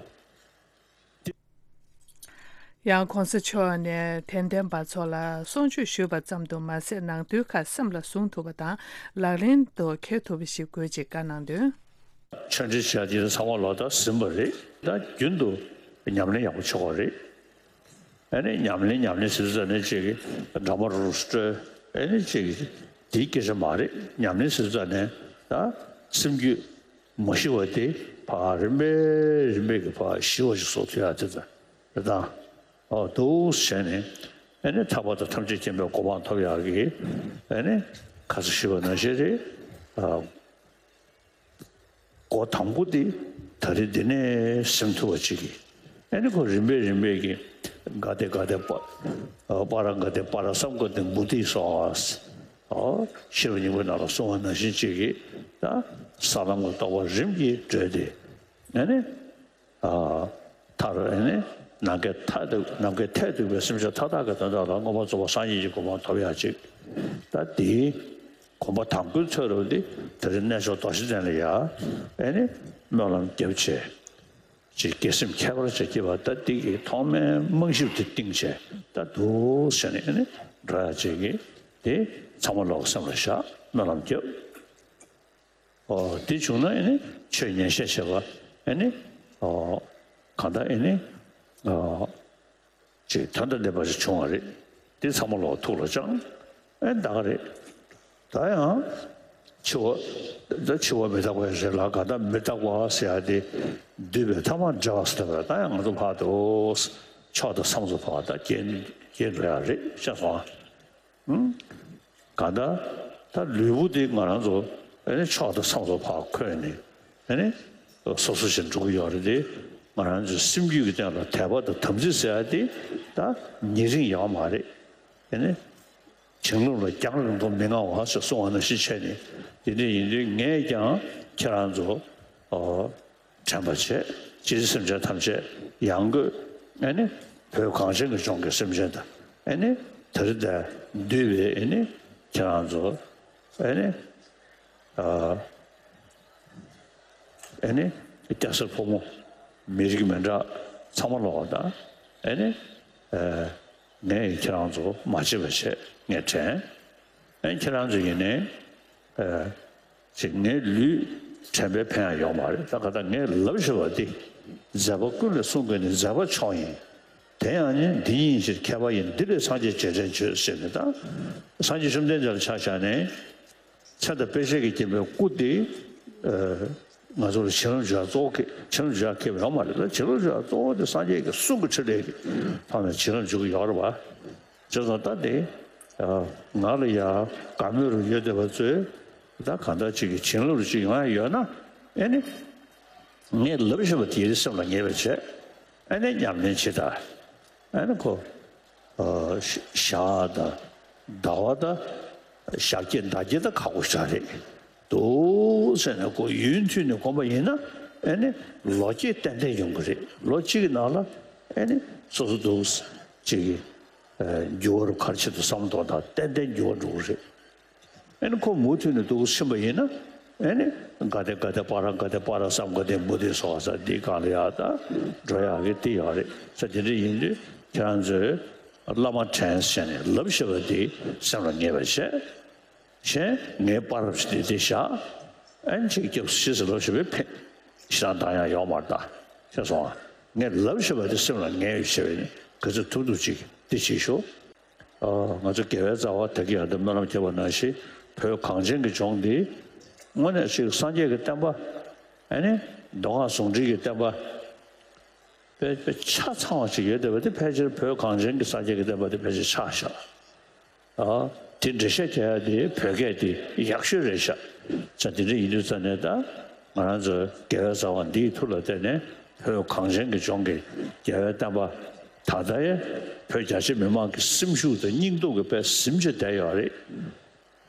ཡང་གོང་ས་མཆོག་ནས་དད་ལྡན་པ་ཚོ་ལ་གསུང་ཆོས་ཞུས་པ་ཙམ་དུ་མ་ཟད། ནང་དོན་ཁག་སེམས་ལ་ཟུངས་ཐུབ་པ་དང་ལག་ལེན་དུ་འཁེལ་ཐུབ་པ་ཞིག་དགོས་ཅེས་བཀའ་གནང་དོན། ཆོས་འབྲེལ་བྱས་དེ་ཚང་མ་ལོག་ད་ཟིན་པ་རེད། ད་རྒྱུན་དུ་ཉམས་ལེན་ཡག་པོ་བྱེད་དགོས་རེད། ཨ་ནི་ཉམས་ལེན་ཉམས་ལེན་ཟེར་ཙ་ནས་ཅིག་འདྲ་མ་རུ་སྤྲོད། ཨ་ནི་ཅིག་དེའི་སྐད་ཆ་མ་རེད། ཉམས་ལེན་ཟེར་ཙ་ནས་ད་སེམས་རྒྱུད་མ་ཤི་བ་དེ་ཕར་རིམ་པས་རིམ་པས་ཀྱི་ཕར་ཤི་བ་ཞིག་བཟོ་ཐུབ་ཡ་དེ་ད་རེད་ད། ཨོ་འདུག་བྱས་ནས་ཨ་ནི་ཐར་པ་དང་ཐམས་ཅད་མཁྱེན་པའི་གོ་འཕང་ཐོབ་ཡག་གི་ཨ་ནི་ཁ་ས་ཞུས་པ་ནང་བཞིན་རེད། ཨ་འགོ་དང་པོ་དེ་ད་རེས་འདི་ནས་ཟིན་ཐུབ་པ་ཅིག་གིས་ཨ་ནི་ཁོ་རིམ་པས་རིམ་པས་ཀྱི་ག་དེ་ག་དེ་པ་པ་ར་ག་དེ་པ་ར་སཾ་ག་དེ་མུ་ཏི་སྭཱ་ཧཱ། ཨོ་ཤེས་རབ་སྙིང་པོའི་ནང་ལ་གསུངས་པ་ནང་བཞིན་ཅིག་གིས་ད་ས་ལམ་གྱི་རྟོགས་པ་རིམ་གྱིས་བགྲོད་དེ་ཨ་ནི། ཨ་མཐར་ཨེ་ནི་ནམ་མཁའི་མཐས་གཏུགས། ནམ་མཁའི་མཐས་གཏུགས་པའི་སེམས་ཅན་མཐའ་དག་གི་དོན་དག་ལ་མངོན་པར་རྫོགས་པ་སངས་རྒྱས་ཀྱི་གོ་འཕང་ཐོབ་ཡག་ཅིག་ད་དེའི་གོམ་པ་དང་པོའི་ཚོད་རུ་འདི་ད་རེས་གནས་མཆོག་རྡོ་རྗེ་གདན་ལ་ཡ་ཨེ་ནི་སྨོན་ལམ་བརྒྱབ་བྱས་ཅིག་དགེ་སེམས་ཁྱད་པར་ཅན་སྐྱེས་པ་ད་འདི་གི་ཐོག་མའི་རྨང་གཞི་དེ་བཏིང་བྱས་ད་འདུག་བྱས་ནས་ཨེ་ནི་འགྲོ་ཡག་ཅིག་གི་དེ་ཚང་མ་ལོག་སེམས་ལ་བཞག་སྨོན་ལམ་བརྒྱབ། ཨོ་དེ་བྱུང་ན་ཨེ་ནི་ཆོས་ཉན་བཤད་བྱེད་པ་ཨེ་ནི་ཨོ་གང་ལྟར་ཨེ་ནི་ཨོ་ཅིག་དོན་དང་ལྡན་པ་ཞིག་བྱུང་བ་རེད། དེ་ཚང་མ་ལོག་ཐུགས་ལ་བཅངས། ཨེ་ད་ག་རེད། ད་ཡང་འཆི་བ་ད་འཆི་བ་མི་རྟག་པ་རེད་ལ་གང་ལྟར་མི་རྟག་པ་ཟེར་ཡ་དེ་འདུས་པའི་ཐ་མ་བྲལ་བ་ཟེར་བ་ད་ཡང་ང་ཚོ་ཕར་དུ་ཕྱོགས་དང་མཚམས་སུ་ཕར་ད་སྐྱེ་སྐྱེ་འགྲོ་ཡ་རེད་ཤེས་སོང་ཨ། གང་ལྟར་ད་ལུས་པོ་འདི་ང་རང་ཚོ་ཨེ་ནི་ཕྱོགས་དང་མཚམས་སུ་ཕར་འཁོད་ནས་ཨེ་ནི་སོ་སོ་བཞིན་འགྲོ་གི་ཡོད་རེད་དེ། ང་རང་ཚོའི་སེམས་རྒྱུད་ཀྱི་སྟེང་ལ་དད་པ་དང་དམ་ཚིག་ཟེར་ཡ་དེ་ད་ཉེ་རིང་ཡོད་མ་རེད། ཨེ་ནི་བྱིང་རླུང་ལ་རྒྱང་རིང་པོ་མི་མངའ་བ་ཞེས་གསུངས་པ་ནང་བཞིན་བྱས་ནས་དེ་འདྲ་ཡིན་དུས་ངས་ཀྱང་ཁྱེད་རང་ཚོ་ཨོ། དྲན་པར་བྱས། ཅི་སྟེ་སེམས་ཅན་ཐམས་ཅད་ཡང་སྒོས་ཨེ་ནི་བོད་གངས་ཅན་གྱི་ལྗོངས་ཀྱི་སེམས་ཅན་དང་ཨེ་ནི་ད་རེས་འདིར་འདུས་པའི་ཨེ་ནི་ཁྱེད་རང་ཚོ་ཨེ་ནི་ཨ་ཨེ་ནི་སྐྱ་སེར་ཕོ་མོ་མི་རིགས་མི་འདྲ་ཚང་མ་ལོག་དང་ཨེ་ནི་ཨ་ངས་ཁྱེད་རང་ཚོ་མ་བརྗེད་པར་བྱས་ངས་དྲན། ཨེ་ཁྱེད་རང་ཚོ་ཡིན་ནའི་ཨེ་ཅིག་ངའི་ལུས་དྲན་པའི་ཕན་ཡང་ཡོད་མ་རེད། ད་ག་ད་ངས་ལབ་བཞག་པ་འདི་མཛད་པ་ཀུན་ལས་གསུང་དགོས་ནི་མཛད་པ་མཆོག་ཡིན། དེ་ཡང་ནི་འདི་ཉིད་ཕྱིར་མཁས་པ་ཡིན། འདི་ལས་སངས་རྒྱས་རྗེས་དྲན་བྱོས་ཟེར་ནས་ད་སངས་རྒྱས་བཅོམ་ལྡན་འདས་ལ་ཆ་བཞག་ནས་མཚན་དང་དཔེ་བྱད་ཀྱིས་བརྒྱན་པའི་སྐུ་དེ་ཨེ་ ང་ཚོ་ལ་བྱིན་རླབས་འཇུག་ཡ་གཙོ་བོ་ཁེ་བྱིན་རླབས་འཇུག་ཡ་ཁེ་ཡོད་མ་རེད། ད་བྱིན་རླབས་འཇུག་ཡ་གཙོ་བོ་དེ་སངས་རྒྱས་ཀྱི་གསུང་གི་ཕྲིན་ལས་ཀྱི་ཐོག་ནས་བྱིན་རླབས་འཇུག་གི་ཡོད་རེད་བ། བྱས་ཙང་ད་དེ་ང་ལ་ཡ་དགའ་མོས་རུ་ཡོད་བསྡད་པ་ཚོས་ད་གང་ལྟར་ཅིག་གི་བྱིན་རླབས་རུ་ཅིག་ཡོང་ཡ་ཡོད་ན། ཨེ་ནི་ངས་ལབ་བཞིན་པ་དེ་སེམས་ལ་ངེས་པ་བྱས། ཨེ་ནི་ཉམས་ལེན་བྱེད་ད། ཨ་ནི་ཁོ། ཨ། ཞག་དང་ཟླ་བ་དང་ཞག་བརྒྱད་ཟླ་བརྒྱད་དང་ཁག་པོ་ཞིག་རེད་འདུག་ཟེར་ནས་ཁོ་ཡུན་མཐུད་ནས་གོམས་པ་ཡིན་ན། ཨ་ནི་ལོ་བརྒྱད་ཏན་ཏན་ཡོང་གི་རེད། ལོ་གཅིག་གི་ནང་ལ་ཨ་ནི་སོ་སོ་འདུག་ཅིག་གི་འགྱུར་བ་རུ་ག་རེ་བྱེད་དུ་བསམ་བློ་གཏོང་དང་ཏན་ཏན་འགྱུར་བ་འགྲོ་གི་རེད། ཨ་ནི་ཁོ་མུ་མཐུད་ནས་འདུག་ཕྱིན་པ་ཡིན་ན། ཨ་ནི་ག་དེ་ག་དེ་པ་ར་ག་དེ་པ་ར་བསམ་ག་དེ་མུ་དེ་སོགས་ས་འདི་གང་ལ་ཡག་ད་འགྲོ་ཡག་གི་དེ་ཡག་རེད་ས། དེ་འདྲ་ཡིན་དུས་ཁྱེད་རང་ཚོས་བླ་མ་དྲན་བྱས་ནས་ལབ་བཞག་པ་དེ་སེམས་ལ་ངེས་པ་བྱས། གཞན་ངའི་པ་རབས་ཞིག་དེ་དེ་བཞག་ཨ་ནི་ཅིག་སྐྱབས་སུ་མཆི་ཟེར་ལབ་བཞག་པས་ཕན་ཞེ་དྲག་འདང་ཡག་ཡོད་མ་རེད་ད། ཤེས་སོང་ཨ། ངས་ལབ་བཞག་པ་དེ་སེམས་ལ་ངེས་བྱས་པས་ནི་ག་ཚོད་ཐུབ་ཐུབ་ཅིག་དེ་བྱེད་ཤོག་ཨ། ང་ཚོ་དགེ་བའི་རྩ་བ་དག་གི་ཡང་དུ་སྨོན་ལམ་བརྒྱབ་པ་ནང་བཞིན་བོད་གངས་ཅན་གྱི་ལྗོངས་འདི་དངོས་གནས་ཅིག་སངས་རྒྱས་ཀྱི་བསྟན་པ། ཨ་ནི་མདོ་སྔགས་ཟུང་འབྲེལ་གྱི་བསྟན་པ་དཔེ་དཔེ་ཆ་ཚང་བ་ཅིག་ཡོད་བསྡད་པ་དེ་ཕལ་ཆེར་བོད་གངས་ཅན་གྱི་སངས་རྒྱས་ཀྱི་བསྟན་པ་དེ་ཕལ་ཆེར་ཆགས་བཞག་ཨ། དེ་འགྲེལ་བཤད་རྒྱག་ཡ་དེ་བོད་སྐད་དེ་ཡག་ཤོས་རེད་ཤག་ཙང་དེ་འདྲ་ཡིན་དུས་ཙང་ནས་ད་ང་རང་ཚོ་དགེ་བའི་རྩ་བ་འདིའི་མཐུ་ལ་བརྟེན་ནས་བོད་གངས་ཅན་གྱི་ལྗོངས་ཀྱི་རྒྱལ་བའི་བསྟན་པ་ད་ལྟ་ཡང་བོད་རྒྱ་ཆེ་མི་མང་གི་སེམས་ཤུགས་དང་སྙིང་སྟོབས་ཀྱི་དཔེ་ཟིན་བྱས་བསྡད་ཡོད་རེད།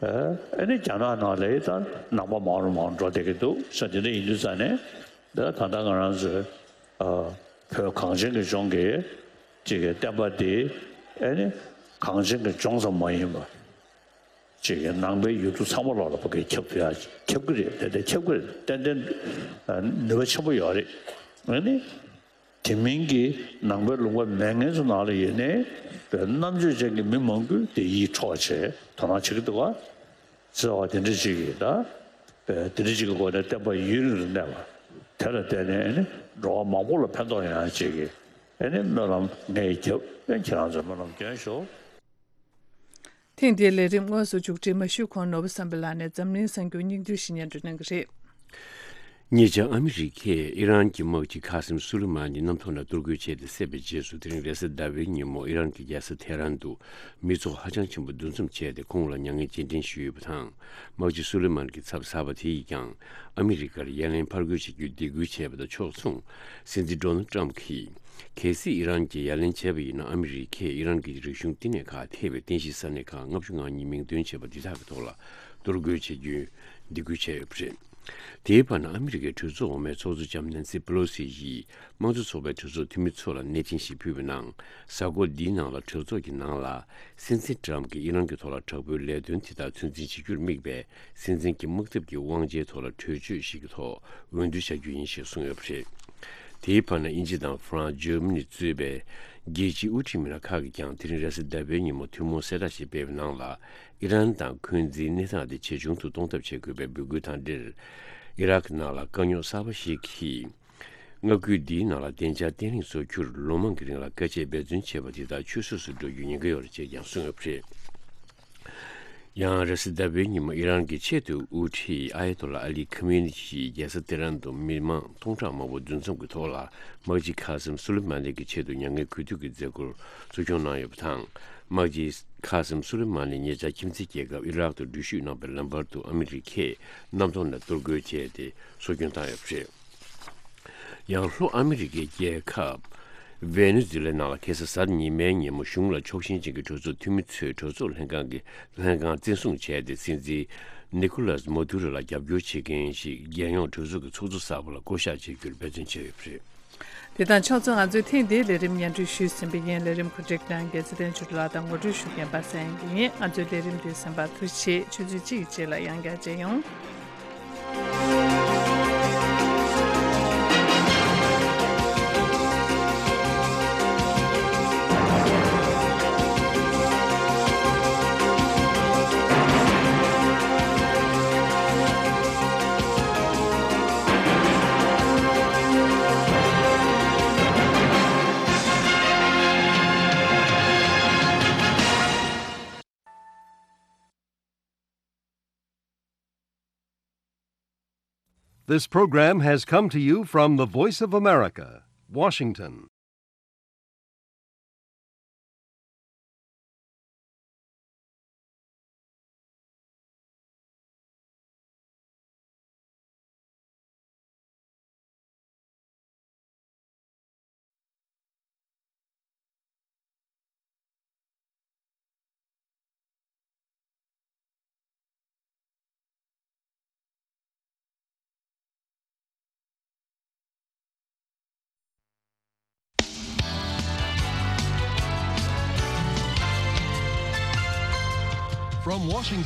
ཨ་ནི་རྒྱ་ནག་ནང་ལ་ད་ནང་པ་མང་རུ་མང་རུ་འགྲོ་བསྡད་ཀྱི་འདུག་ས། དེ་འདྲ་ཡིན་དུས་ཙང་ནས་ད་ད་ལྟ་ང་རང་ཚོའི་ཨ་བོད་གངས་ཅན་གྱི་ལྗོངས་ཀྱི་ཅིག་གི་བསྟན་པ་འདི་ཨ་ནི་གངས་ཅན་གྱི་ལྗོངས་ཙམ་མ་ཡིན་པ། ཅིག་གི་ནང་པའི་ཡུལ་གྲུ་ཚང་མ་ལོག་ལ་ཕ་གིར་ཁྱབ་ཐུབ་ཡ་ཁྱབ་ཀྱི་རེད། ཏན་ཏན་ཁྱབ་ཀྱི་རེད། ཏན་ཏན་ནུས་པ་ཆེན་པོ་ཡོད་རེད། ཨ་ནི་དེ་མིན་གྱི་ནང་པའི་ལུང་པ་མེད་མཁན་ཚོ་ནང་ལ་ཡོད་ནའི་བོད་རྣམ་དཔྱོད་ཅན་གྱི་མི་མང་པོས་དེ་ཡིད་འཕྲོག་བྱས་དོ་སྣང་བྱེད་ཀྱི་འདུག་ག་ཟེར་བ་དེ་འདྲ་ཅིག་གིས་ད་བོད་དེ་འདྲ་ཅིག་གི་སྒོ་ནས་བསྟན་པ་ཡུན་རིང་དུ་གནས་པ་དེ་ལ་བརྟེན་ནས་ཨ་ནི་འགྲོ་བ་མང་པོ་ལ་ཕན་ཐོགས་ཡོང་ཡ་ཅིག་གི་ཨ་ནི་སྨོན་ལམ་ངས་བརྒྱབ། ཨ་ནི་ཁྱེད་རང་ཚོས་སྨོན་ལམ་སྐྱོན་ཤོག་ཐེངས་འདིའི་ལས་རིམ་དངོས་སུ་མཇུག་སྒྲིལ་མ་ཞུས་གོང་ནོར་བུ་བསམ་འཕེལ་ལགས་ནས་འཛམ་གླིང་གསར་འགྱུར་སྙིང་བསྡུས་ཤིག་སྙན་སྒྲོན་གནང་གི་རེད། ཉེ་ཆར་ཨ་མི་རི་ཀས་ཨི་རན་གྱི་དམག་སྤྱི་ཁ་སིམ་སུ་ལི་མ་ནི་གནམ་ཐོག་ནས་གཏོར་རྒོལ་བྱས་ཏེ་བསད་པའི་རྗེས་སུ། དེ་རིང་རེས་གཟའ་ཟླ་བའི་ཉིན་མོ་ཨི་རན་གྱི་རྒྱལ་ས་ཐེ་རན་དུ་མི་ཚོགས་ཧ་ཅང་ཆེན་པོ་འདུ་འཛོམས་བྱས་ཏེ། ཁོང་ལ་མྱ་ངན་རྗེས་དྲན་ཞུས་ཡོད་པ་དང་། དམག་སྤྱི་སུ་ལི་མན་གྱི་ཚབ་གསར་པ་དེ་ཡིས་ཀྱང་ཨ་མི་རི་ཀར་ཡ་ལན་ཕར་རྒོལ་བྱེད་རྒྱུའི་སྡིགས་སྐུལ་བྱས་པ་དང་ཕྱོགས་མཚུངས། སྲིད་འཛིན་ཌོ་ནལ་ཊམ་གྱིས། གལ་སྲིད་ཨི་རན་གྱིས་ཡ་ལན་བྱས་པ་ཡིན་ན། ཨ་མི་རི་ཀས་ཨི་རན་གྱི་རིག་གཞུང་བསྟི་གནས་ཁག་ཐེ་བའི་རྟེན་གཞིའི་ས་གནས་ཁག་ལྔ་བཅུ་ང་གཉིས་མིང་འདོན་བྱས་པ་འདི་དག་གི་ཐོག་ལ་གཏོར་རྒོལ་བྱེད་རྒྱུའི་སྡིགས་སྐུལ་བྱས་ཡོད་པ་རེད། དེའི་བར་ན་ཨ་མི་རི་ཀའི་གྲོས་ཚོགས་འོག་མའི་ཚོགས་གཙོ་ལྕམ་ནན་སི་པེ་ལོ་སི་ཡིས་དམངས་གཙོ་ཚོགས་པའི་གྲོས་ཚོགས་འཐུས་མི་ཚོ་ལ་གནས་ཆེན་ཞིག་ཕུལ་བའི་ནང་། གཟའ་འཁོར་འདིའི་ནང་ལ་གྲོས་ཚོགས་ཀྱི་ནང་ལ་སྲིད་འཛིན་ཊམ་གྱིས་ཨི་རན་གྱི་ཐོག་ལ་དྲག་པོའི་ལས་དོན་དེ་དག་ཚོད་འཛིན་བྱེད་རྒྱུར་དམིགས་པའི་སྲིད་འཛིན་གྱི་དམག་འཐབ་ཀྱི་དབང་ཆའི་ཐོག་ལ་གྲོས་ཆོད་ཞིག་གི་ཐོག་འོས་བསྡུ་བྱ་རྒྱུ་ཡིན་ཞེས་གསུངས་ཡོད་པ་རེད། དེའི་བར་ན་དབྱིན་ཇི་དང་ཧྥ་རན་སི། ཇར་མ་ནི་གཙོས་པའི་རྒྱལ་སྤྱིའི་དབུ་ཁྲིད་མི་སྣ་ཁག་གིས་ཀྱང་དེ་རིང་རེས་གཟའ་ཟླ་བའི་ཉིན་མོ་ཐུན་མོང་གསལ་བསྒྲགས་ཤིག་སྤེལ་བའི་ནང་ལ། ཨི་རན་དང་འཁོན་འཛིན་གནས་སྟངས་དེ་ཇེ་ཆུང་དུ་གཏོང་ཐབས་བྱེད་དགོས་པའི་འབོད་སྐུལ་དང་འབྲེལ། ཨི་རག་ནང་ལ་དཀའ་རྙོག་གསར་པ་ཞིག་གིས། མངའ་ཁུལ་འདིའི་ནང་ལ་བདེ་འཇགས་བརྟན་ལྷིང་བཟོ་རྒྱུར་ལོ་མང་གི་རིང་ལ་དཀའ་སྤྱད་འབད་བརྩོན་བྱས་པ་དེ་དག་ཆུད་ཟོས་སུ་འགྲོ་རྒྱུའི་ཉེན་ཁ་ཡོད་རེད་ཅེས་ཀྱང་གསུངས་ཡོད་པ་རེད། ཡང་རེས་གཟའ་ཟླ་བའི་ཉིན་མོ་ཨི་རན་གྱི་ཆེས་མཐོའི་དབུ་ཁྲིད་ཨ་ཡ་ཏོ་ལ་ཨ་ལི་ཁ་མེ་ནི་ཡིས་རྒྱལ་ས་ཏེ་རན་དུ་མི་མང་སྟོང་ཕྲག་མང་པོ་འདུ་འཛོམས་ཀྱི་ཐོག་ལ་དམག་སྤྱི་ཁ་སིམ་སུ་ལི་མ་ནི་གི་ཆེད་དུ་མྱ་ངན་གུས་འདུད་ཀྱི་མཛད་སྒོར་གཙོ་སྐྱོང་གནང་ཡོད་པ་དང་། དམག་སྤྱི་ཁ་སིམ་སུ་ལི་མ་ནི་ཉེ་ཆར་ཁྱིམ་མཚེས་རྒྱལ་ཁབ་ཨི་རག་ཏུ་འགྲུལ་བཞུད་གནང་བའི་ལམ་བར་དུ་ཨ་མི་རི་ཀས་གནམ་ཐོག་ནས་གཏོར་རྒོལ་བྱས་ཏེ་གསོ་སྐྱོང་བཏང་ཡོད་པ་རེད། ཡང་ལྷོ་ཨ་མི་རི་ཀའི་རྒྱལ་ཁབ་ཝེ་ནེ་ཛུ་ལའི་ནང་ལ་ཁ་སང་གཟའ་ཉི་མའི་ཉིན་མོ་གཞུང་ལ་ཕྱོགས་ཞེན་ཅན་གྱི་གྲོས་ཚོགས་འཐུས་མི་ཚོས་གྲོས་ཚོགས་ལྷན་ཁང་གི་ལྷན་ཁང་བཙན་བཟུང་བྱས་ཏེ། སྲིད་འཛིན་ནི་ཀོ་ལཱས་མ་དུ་རོ་ལ་རྒྱབ་སྐྱོར་བྱེད་མཁན་ཞིག་རྒྱལ་ཡོངས་གྲོས་ཚོགས་ཀྱི་ཚོགས་གཙོ་གསར་པ་ལ་བསྐོ་གཞག་བྱེད་རྒྱུར་འབད་བརྩོན་བྱས་ཡོད་པ་རེད། དེ་དང་ཕྱོགས་མཚུངས། ང་ཚོས་ཐེངས་འདིའི་ལས་རིམ་སྙན་སྒྲོན་ཞུས་ཟིན་པ་ཡིན། ལས་རིམ་གོ་སྒྲིག་གནང་མཁན་ཚེ་བརྟན་ཆོས་སྒྲོན་ལགས་དང་ངོ་སྤྲོད་ཞུ་མཁན་པ་སངས་དབྱངས་སྐྱིད་ཡིན། ང་ཚོའི་ལས་རིམ་འདི་གསན་པར་ཐུགས་རྗེ་ཆེ། ཆུ་ཚོད་གཅིག་གི་རྗེས་ལ་ཡང་བསྐྱར་མཇལ་ཡོང་། This program has come to you from the Voice of America, Washington. From Washington.